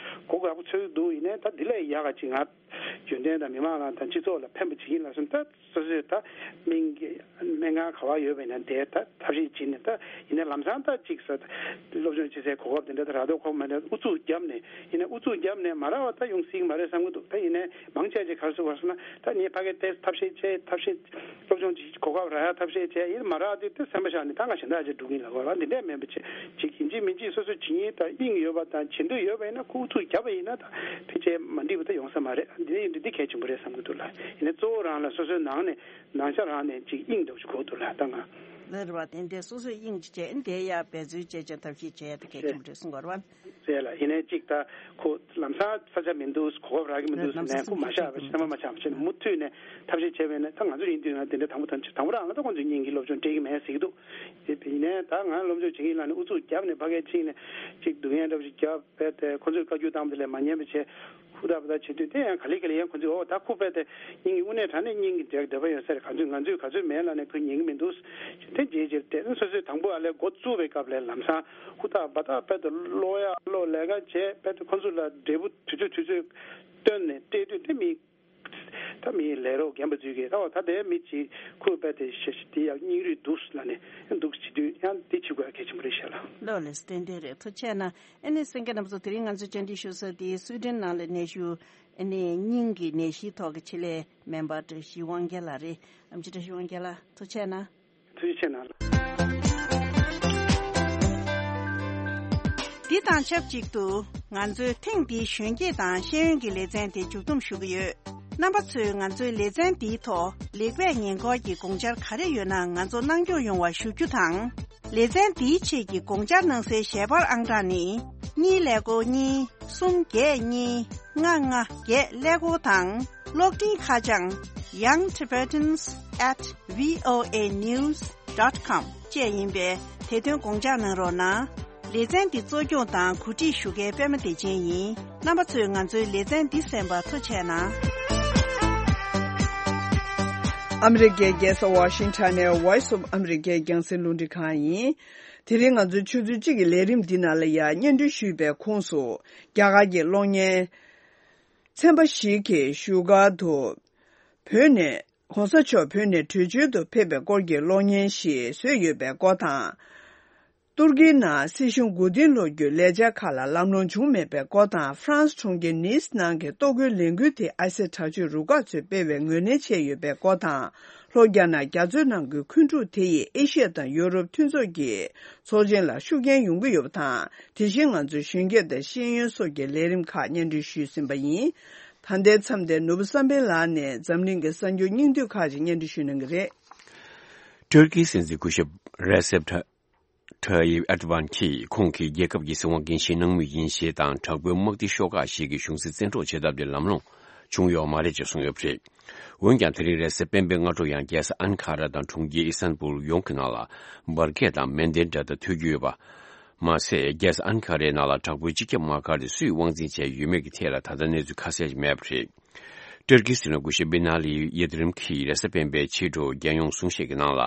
གོ་ཡག་པོ་ཚོད་འདུག། ཡིན་ནའི་ད་འདི་ལས་ཡག་ག་ཅིག་ང་རྒྱུན་ལྡན་དང་མི་མང་ལ་དང་སྤྱི་ཚོགས་ལ་ཕན་པ་བྱེད་ཀྱི་ཡིན་ལབ་སོང་། ད་སོ་སོས་ད་སྨན་གྱི་སྨན་ཁང་ག་བ་ཡོད་པ་ཡིན་ན་དེ་ད་ཐབས་ཤེས་བྱེད་ནས། ད་ཡིན་ན་ལམ་སང་ད་ཅིག་ས་སློབ་སྦྱོང་བྱེད་སའི་གོ་སྐབས་དེ་འདྲ་ད་རག་མདོག་ཁོག་མ་འདྲ་ཨུ་ཚུགས་བརྒྱབ་ནས། ཡིན་ན་ཨུ་ཚུགས་བརྒྱབ་ནས་མ་རག་པ་ད་ཡོང་སྲིད་ཀྱི་མ་རེད་བསམ་གྱི་འདུག། ད་ཡིན་ནའི་མང་ཆེ་ཅིག་ག་རེ་ཟེར་བ་ཟེར་ན། ད་ངས་ཕ་གི་ཏོག་ཙམ་ཐབས་ཤེས་བྱས། ཐབས་ཤེས་སློབ་སྦྱོང་གི་གོ་སྐབས་རག་ཡ་ཐབས་ཤེས་བྱས། ཡིན་མ་རག་དུས་ད་སེམས་པ་བཞག་ནས་ད་ང་གཞན་དག་ཅིག་སྒྲུབ་ཀྱི་ཡིན་ལབ་དགོས་པ་འདི་འདྲས་མིན་པ་བྱས། ཅིག་ཡིན་གཅིག་མིན་གཅིག་སོ་སོ་བྱེད་སྙིང་དང་དབྱིངས་ཡོད་པ་དང་བྱེད་འདོད་ཡོད་པ་ཡིན་ན། ཁོ་ཨུ་ཚུགས་བརྒྱབ་པ་ཡིན་ན་ད་ཕལ་ཆེར་མ་འགྲིག་པ་ད་ཡོང་ས་མ་རེད། འདི་ཡིན་དུས་འདི་གལ་ཆེན་པོ་རེད་བསམ་གྱི་འདུག་ལ། ཡིན་ནའི་གཙོ་བོ་རང་ལ་སོ་སོའི་ནང་ནས་ནང་ཆ་རང་ནས་ཅིག་དབྱིངས་འདྲ་བོ་ཅིག་དགོས་འདུག་ལ། ད་ང་ ལ་རེད་བ། དེ་འདྲའི་སོ་སོས་དབྱིངས་ཅིག་བྱས་ཨ་ནི་དེ་ཡར་འབད་རྩོལ་བྱས་ཀྱང་ཐབས་ཤེས་བྱས་ཡ་དེ་གལ་ཆེན་པོ་རེད་གསུང་གི་རེད་བ། རེད་ལ། ཡིན་ནའི་གཅིག་ད་ཁོ་ལམ་སང་ས་ཆ་མི་འདུག་གོ་སྐབས་རག་གི་མི་འདུག་ཟེར་ནས་ཁོ་མ་བཞག་པ་བྱས་ཐ་མ་མ་ཆགས་པ་བྱས་ནས་མུ་མཐུད་ནས་ཐབས་ཤེས་བྱས་པས་ན། ད་ང་ཚོ་ཡིན་དུས་ན་དེ་འདྲ་དང་པོ་དང་དང་པོ་རང་ལ་ད་ཁོང་ཚོའི་སྙིང་གི་སློབ་སྦྱོང་སྤྲད་ཀྱི་མེད་ཟེར་གྱི་འདུག་དེ་ཡིན་ནའི་ད་ང་སློབ་སྦྱོང་བྱེད་ཀྱི་ཡིན་ལབ་ནས་ཨུ་ཚུགས་བརྒྱབ་ནས་ཕ་གིར་ཕྱིན་ནས་གཅིག་སྡུག་བསྔལ་འདྲ་པོ་ཞིག་བརྒྱབ་པས། དེ་ཁོ་ཚོས་བཀའ་བཀྱོན་བཏང་བ་དེ་ལས་མ་ཉན་པ་བྱས། ཧུར་ཐག་པ་ཐག་བྱེད་དུས་དེ་ཡང་ག་ལེ་ག་ལེ་ཡང་ཁོ་ཚོས་ཨོ་ད་ཁོ་དཔེ་དེ་སྙིང་གི་དངོས་གནས་དྲང་གནས་སྙིང་གི་འདོད་པ་ཡོད་ས་རེད། ང་ཚོས་ང་ཚོས་ག་ཚོད་མེད་ལབ་ནས་ཁོས་ཉན་གི་མི་འདུག་དེ་རྗེས་རྗེས་དེ་སོ་སོས་དང་པོ་ཨ་ལས་འགོ་བཙུགས་པའི་སྐབས་ལས་ལམ་སང་ཧུར་ཐག་པ་ཐག་དཔེ་དེ་ཀློག་ཡག་ཀློག་ལས་ཀ་བྱས། དཔེ་དེ་ཁོ་ཚོ་ལ་འབྲས་བུ་དུས་ཚོད་དུས་ཚོད་བཏོན་ནས་སྤྲད་དུས་དེ་མི་ད་མི་ལས་རོགས་རྒན་པ་ཚོས་ཀྱིས་ད་འོ་ད་དེ་མི་གཅིག་ཁོས་དཔེ་དེ་ཤེས་ཤེས་དེ་ཡང་སྙིང་རུས་འདུག་ལབ་ནས་འདུག་བྱེད་དུས་ཡང་དེ་བྱེད་དགོས་ཡ་གལ་ཆེན་པོ་རེད་ཤག་ལ། ལོ་ལེ་སི་ཏན་ཏན་རེད། ཐུགས་རྗེ་ཆེ་གནང་། ཨ་ནི་གསན་མཁན་རྣམ་ཚོ། དེ་རིང་ང་ཚོས་བཅར་འདྲི་ཞུ་ས་དེ་སུའི་ཌེན་ནང་ལ་གནས་བཞུགས་ཨ་ནི་སྙིང་གི་ནད་གཞིའི་ཐོག་གི་ཆེད་ལས་སྨན་པ་བཀྲ་ཤིས་དབང་རྒྱལ་ལགས་རེད། ཨེམ་ཆི་བཀྲ་ཤིས་དབང་རྒྱལ་ལགས་ཐུགས་རྗེ་ཆེ་གནང་། ཐུགས་རྗེ་ཆེ་གནང་། འདི་དང་ཆབས་ཅིག་ཏུ་ང་ཚོའི་ཐེངས་འདིའི་གཞོན་སྐྱེས་དང་ཤེས་ཡོན་གྱི་ལེ་ཚན་དེ་མཇུག་བསྡོམས་ཞུ་གི་ཡོད། རྣམ་པ་ཚོས་ང་ཚོའི་ལེ་ཚན་འདིའི་ཐོག་ལེགས་སྤེལ་ཉེས་འཁོར་གྱི་དགོངས་འཆར་ག་རེ་ཡོད་ན་ང་ཚོར་གནང་སྐྱོང་ཡོང་བ་ཞུ་རྒྱུ་དང་། ལེ་ཚན་འདིའི་ཆེད་ཀྱི་དགོངས་འཆར་གནང་སའི་ཞལ་པར་ཨང་གྲངས་ནི། གཉིས་ཀླད་ཀོར་གཉིས། གསུམ་བརྒྱད་གཉིས། ལྔ་ལྔ་བརྒྱད་ཀླད་ཀོར་དང་། གློག་འཕྲིན་ཁ་བྱང་young tibetans at voa news dot com བཅས་ཡིན་པས་དེ་དོན་དགོངས་འཇགས་གནང་རོགས་གནང་། ལེ་ཚན་འདི་གཙོ་སྐྱོང་དང་གོ་སྒྲིག་ཞུ་མཁན་པད་མ་བདེ་ཆེན་ཡིན། རྣམ་པ་ཚོས་ང་ཚོའི་ལེ་ཚན་འདི་གསན་པར་ཐུགས་རྗེ་གནང་། ཨ་མི་རི་ཀའི་རྒྱལ་ས་ཝ་ཤིང་ཊོན་ནས་Voice of America རྒྱང་སྲིང་རླུང་འཕྲིན་ཁང་ཡིན། དེ་རིང་ང་ཚོའི་ཆུ་ཚོད་གཅིག་གི་ལས་རིམ་འདི་ནང་ལ་ཡང་སྙན་སྒྲོན་ཞུས་པའི་ཁོངས་སུ། རྒྱ་གར་གྱི་གློག་བརྙན་ཚན་པ་ཞིག་གིས་བཞུགས་སྒར་དུ་བོད་ནས་༸གོང་ས་མཆོག་བོད་ནས་བྲོས་བྱོལ་དུ་ཕེབས་པའི་སྐོར་གྱི་གློག་བརྙན་ཞིག་བཟོས་ཡོད་པའི་སྐོར་དང་། ཏུར་ཀིའི་ནང་སྲིད་གཞུང་མགོ་རྟིང་སློག་རྒྱུའི་ལས་འཆར་ཁག་ལ་ལམ་ལྷོང་བྱུང་མེད་པའི་སྐོར་དང་། ཧྥ་རན་སི་གྲོང་ཁྱེར་ནིས་ནང་གི་ལྟོ་གོས་ལས་འགུལ་དེ་ཨ་སེ་དྲག་སྤྱོད་རུ་ཁག་ཚོས་སྤེལ་བའི་ངོས་ལེན་བྱས་ཡོད་པའི་སྐོར་དང་། ལྷོ་རྒྱ་ནག་རྒྱ་མཚོའི་ནང་གི་འཁོན་འཁྲུག་དེ་ཡིས་ཨེ་ཤི་ཡ་དང་ཡོ་རོབ་མཐུན་ཚོགས་ཀྱི་ཚོགས་ཆེན་ལ་ཤུགས་རྐྱེན་ཡོང་གི་ཡོད་པ་དང་། དེ་བཞིན་ང་ཚོའི་གཞོན་སྐྱེས་དང་ཤེས་ཡོན་སོགས་ཀྱི་ལས་རིམ་ཁག་སྙན་སྒྲོན་ཞུས་ཟིན་པ་ཡིན། ད་ལྟའི་མཚམས་དེར་ནོར་བུ་བསམ་འཕེལ་ལགས་ནས་འཛམ་གླིང་གི་གསར་འགྱུར་སྙིང་བསྡུས་ཁག་ཅིག་སྙན་སྒྲོན་ཞུ་གནང་གི་རེད། ཏུར་ཀིའི་སྲིད་འཛིན་སྐུ་ཞབས་རེ་སེབ་ཐ་ཐ་ཡིབ་ཨེར་ཏོ་ཝན་གྱིས་ཁོང་གིས་རྒྱལ་ཁབ་ཀྱི་སྲིད་དབང་འགན་བཞེས་གནང་མུས་ཡིན་ཞེས་དང་། དྲག་པོའི་དམག་སྡེ་ཤོག་ཁག་ཞིག་གིས་གཞུང་སྲིད་བཙན་འཕྲོག་བྱེད་ཐབས་དེ་ལམ་ལྷོང་བྱུང་ཡོད་མ་རེད་ཅེས་གསུངས་ཡོད་པ་རེད། འོན་ཀྱང་དེ་རིང་རེས་གཟའ་སྤེན་པའི་སྔ་དྲོ་ཡང་རྒྱལ་ས་ཨན་ཁ་ར་དང་གྲོང་ཁྱེར་ཨི་སན་པུར་ཡོངས་ཀྱི་ནང་ལ་འབར་གས་དང་མེ་མདའི་སྒྲ་ཐག་ཐོས་རྒྱུ་ཡོད་པ་མ་ཟད། རྒྱལ་ས་ཨན་ཁ་རའི་ནང་ལ་དྲག་པོའི་སྤྱི་ཁྱབ་དམག་སྒར་དེ་སུས་དབང་འཛིན་བྱས་ཡོད་མེད་ཀྱི་ཐད་ལ་ད་ལྟ་གནས་ཚུལ་ཁ་གསལ་ཞིག་མེད་པ་རེད། ཏུར་ཀིའི་སྲིད་བློན་སྐུ་ཞབས་བི་ན་ལི་ཡིལ་དི་རིམ་གྱིས་རེས་གཟའ་སྤེན་པའི་ཕྱི་དྲོ་རྒྱལ་ཡོངས་གསུང་བཤད་ཀྱི་ནང་ལ།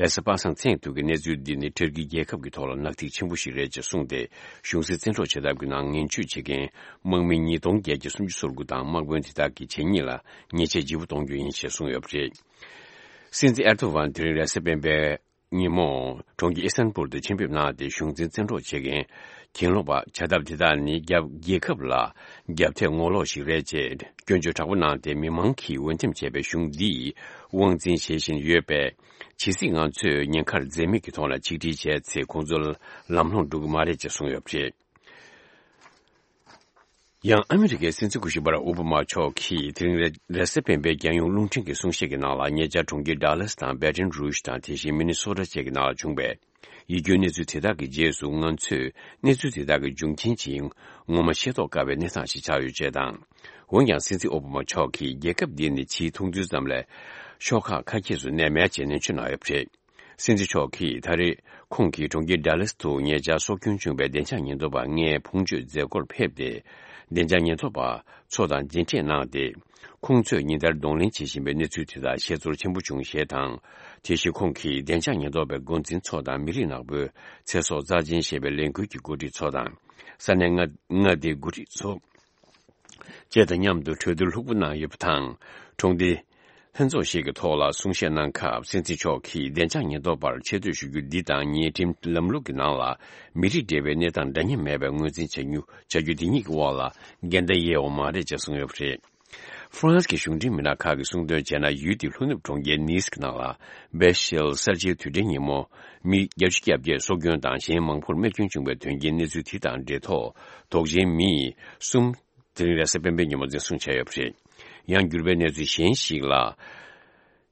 རེས་གཟའ་པ་སངས་མཚན་ཐོག་གི་གནས་ཚུལ་འདི་ནི་ཏུར་ཀི་རྒྱལ་ཁབ་ཀྱི་ཐོག་ལ་ནག་ཐིག་ཆེན་པོ་ཞིག་རེད་ཅེས་གསུངས་ཏེ། གཞུང་སྲིད་བཙན་འཕྲོག་བྱེད་ཐབས་ཀྱི་ནང་ངན་ཇུས་བྱེད་མཁན་དམག་མི་ཉིས་སྟོང་བརྒྱད་བརྒྱ་སུམ་ཅུ་སོ་དགུ་དང་དམག་དཔོན་དེ་དག་གི་བྱས་ཉེས་ལ་ཉེས་ཆད་ལྗིད་པོ་གཏོང་རྒྱུ་ཡིན་ཞེས་གསུངས་ཡོད་པ་རེད། སྲིད་འཛིན་ཨེར་ཏོ་ཝན་དེ་རིང་རེས་གཟའ་སྤེན་པའི་ཉིན་མོ་གྲོང་ཁྱེར་ཨི་སན་པུར་དུ་ཆེད་ཕེབས་གནང་སྟེ། གཞུང་འཛིན་བཙན་འཕྲོག་བྱེད་མཁན་གྱེན་ལོག་པ་བྱ་ཐབས་དེ་དག་ནི་རྒྱ་རྒྱལ་ཁབ་ལ་རྒྱབ་ཐེབས་ངོ་ལོག་ཞིག་རེད་ཅེས་སྐྱོན་བརྗོད་དྲག་པོ་གནང་སྟེ། མི་མང་གིས་འོས་འདེམས་བྱས་པའི་གཞུང་འདིས་དབང་འཛིན་བྱེད་བཞིན་ཡོད་པས། ཇི་སྲིད་ང་ཚོས་ཉེན་ཁར་འཛེམ་མེད་ཀྱི་ཐོག་ལ་ཆིག་སྒྲིལ་བྱས་ཚེ། ཁོང་ཚོ་ལམ་ལྷོང་འགྲོ་གི་མ་རེད་ཅེས་གསུངས་ཡོད་པ་རེད། ཡང་ཨ་མི་རི་ཀའི་སྲིད་འཛིན་སྐུ་ཞབས་བྷ་རག་ཨོ་བྷ་མ་མཆོག་གིས་དེ་རིང་རེས་རེས་གཟའ་སྤེན་པའི་རྒྱལ་ཡོངས་རླུང་འཕྲིན་གྱི་གསུང་བཤད་ཀྱི་ནང་ལ། ཉེ་ཆར་གྲོང་ཁྱེར་ཌ་ལཱས་དང་བྷེ་ཏོན་རུཇ་དང་། དེ་བཞིན་མི་ནི་སོ་ཊ་བཅས་ཀྱི་ནང་ལ་བྱུང་བའི་ཡིད་སྐྱོའི་གནས་ཚུལ་དེ་དག་གི་རྗེས་སུ། ང་ཚོས་གནས་ཚུལ་དེ་དག་གི་འབྱུང་རྐྱེན་ཇི་ཡིན་ངོ་མ་ཤེས་རྟོགས་དཀའ་བའི་གནས་སྟངས་ཤིག་ཆགས་ཡོད་ཅེས་དང་། འོན་ཀྱང་སྲིད་འཛིན་ཨོ་བྷ་མ་མཆོག་གིས་རྒྱལ་ཁབ་འདི་ནི་ཕྱིའི་མཐོང་ཚུལ་ཙམ་ལས་ཤོག་ཁག་ཁ་གྱེས་སུ་གནས་མེད་ཅེས་ནན་བརྗོད་གནང་ཡོད་པ་རེད། སྲིད་འཛིན་མཆོག་གིས་ད་རེས་ཁོང་གིས་གྲོང་ཁྱེར་ཌ་ལཱས་དུ་ཉེ་ཆར་སྲོག་སྐྱོན་བྱུང་བའི་བདེ་འཇགས་ཉེན་རྟོག་པ་ལྔའི་ཕུང་མཆོད་མཛད་སྒོར་ཕེབས་ཏེ། བདེ་འཇགས་ཉེན་རྟོག་པ་ཚོ་དང་མཇལ་འཕྲད་གནང་སྟེ། ཁོང་ཚོས་ཉིན་ལྟར་གདོང་ལེན་བྱེད་བཞིན་པའི་གནས་ཚུལ་དེ་དག་ཤེས་ཚོར་ཆེན་པོ་བྱུང་ཞེས་དང་། དེ་བཞིན་ཁོང་གིས་བདེ་འཇགས་ཉེན་རྟོག་པའི་འགོ་འཛིན་ཚོ་དང་། མི་རིགས་ནག་པོའི་ཚེ་སྲོག་རྩ་ཆེན་ཞེས་པའི་ལས་འགུལ་གྱི་འགོ་ཁྲིད་ཚོ་དང་། ས་གནས་མངའ་མངའ་སྡེའི་འགོ་ཁྲིད་ཚོ་བཅས་དང་མཉམ་དུ་གྲོས་བསྡུར་ལྷུག་པོ་གནང་ཡོད་པ་དང་། གྲོང་སྡེ་ལྷན་ཚོགས་ཤིག་གི་ཐོག་ལ་གསུང་བཤད་གནང་སྐབས། སྲིད་འཛིན་མཆོག་གིས་བདེ་འཇགས་ཉེན་རྟོག་པར་ཆེ་བསྟོད་ཞུ་རྒྱུ་འདི་དང་། ཉེས་ཁྲིམས་ལམ་ལུགས་ཀྱི་ནང་ལ་མི་རིགས་འབྲེལ་བའི་གནས་སྟངས་འདྲ་མཉམ་མེད་པའི་ངོས་འཛིན་བྱ་རྒྱུ་བྱ་རྒྱུ་འདི་གཉིས་ཀྱི་དབང་ལ་འགལ་ཟླ་ཡོད་པ་མ་རེད་ཅེས་གསུངས་ཡོད་པ་རེད། ཧྥ་རན་སི་གི་གཞུང་འབྲེལ་མི་སྣ་ཁག་གིས་གསུངས་དོན་བྱས་ན། ཡུལ་དེའི་ལྷོ་ནུབ་གྲོང་ཁྱེར་ནིས་ཀྱི་ནང་ལ་བྷེ་ཤེལ་གསར་བརྗེའི་དུས་དྲན་ཉིན་མོ་མི་བརྒྱད་ཅུ་གྱ་བརྒྱད་སྲོག་སྐྱོན་དང་གཞན་མང་པོར་རྨས་སྐྱོན་བྱུང་བའི་དོན་རྐྱེན་གནས་ཚུལ་དེ་དང་འབྲེལ་ཐོག་དོགས་ཅན་མི་གསུམ་དེ་རིང་རེས་གཟའ་སྤེན་པའི་ཉིན་མོ་འཛིན་བཟུང་བྱས་ཡོད་པ་རེད། ཡང་འགྱུར་བའི་གནས་ཚུལ་གཞན་ཞིག་ལ།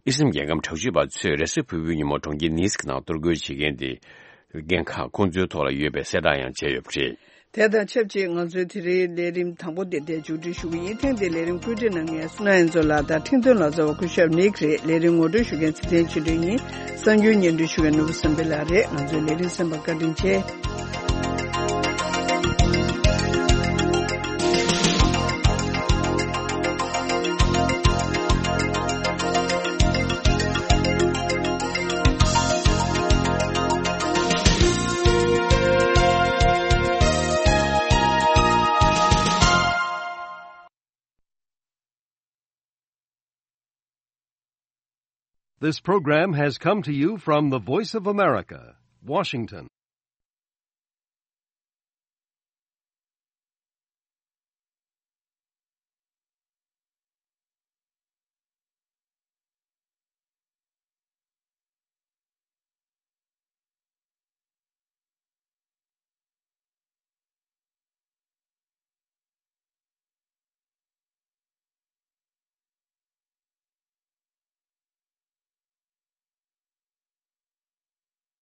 དབྱི་སིམ་རྒྱལ་ཁམས་དྲག་སྤྱོད་པ་ཚོས་རེས་གཟའ་ཕུར་བུའི་ཉིན་མོ་གྲོང་ཁྱེར་ནིས་ཀྱི་ནང་གཏོར་རྒོལ་བྱེད་མཁན་དེ་འགན་ཁག་ཁོང་ཚོའི་ཐོག་ལ་ཡོད་པའི་གསལ་བསྒྲགས་ཡང་བྱས་ཡོད་པ་རེད། དེ་དང་ཆབས་ཅིག་ང་ཚོའི་དེ་རིང་ལས་རིམ་དང་པོ་དེ་འདིར་མཇུག་སྒྲིལ་ཞུ་གི་ཡིན། ཐེངས་འདིའི་ལས་རིམ་བཀོད་སྒྲིག་གནང་མཁན་སུ་ན་ཡན་ཚོ་ལགས་དང་ཁྲིན་ཏོན་ལགས་གཙོས་པ་སྐུ་ཞབས་ནིག་རེད། ལས་རིམ་ངོ་སྤྲོད་ཞུ་མཁན་ཚེ་བརྟན་ཆོས་སྒྲོན་ཡིན། གསར་འགྱུར་སྙན་སྒྲོན་ཞུ་མཁན་ནོར་བུ་བསམ་འཕེལ་ལགས་རེད། ང་ཚོའི་ལས་རིམ་གསན་པར་བཀའ་དྲིན་ཆེ། This program has come to you from the Voice of America, Washington.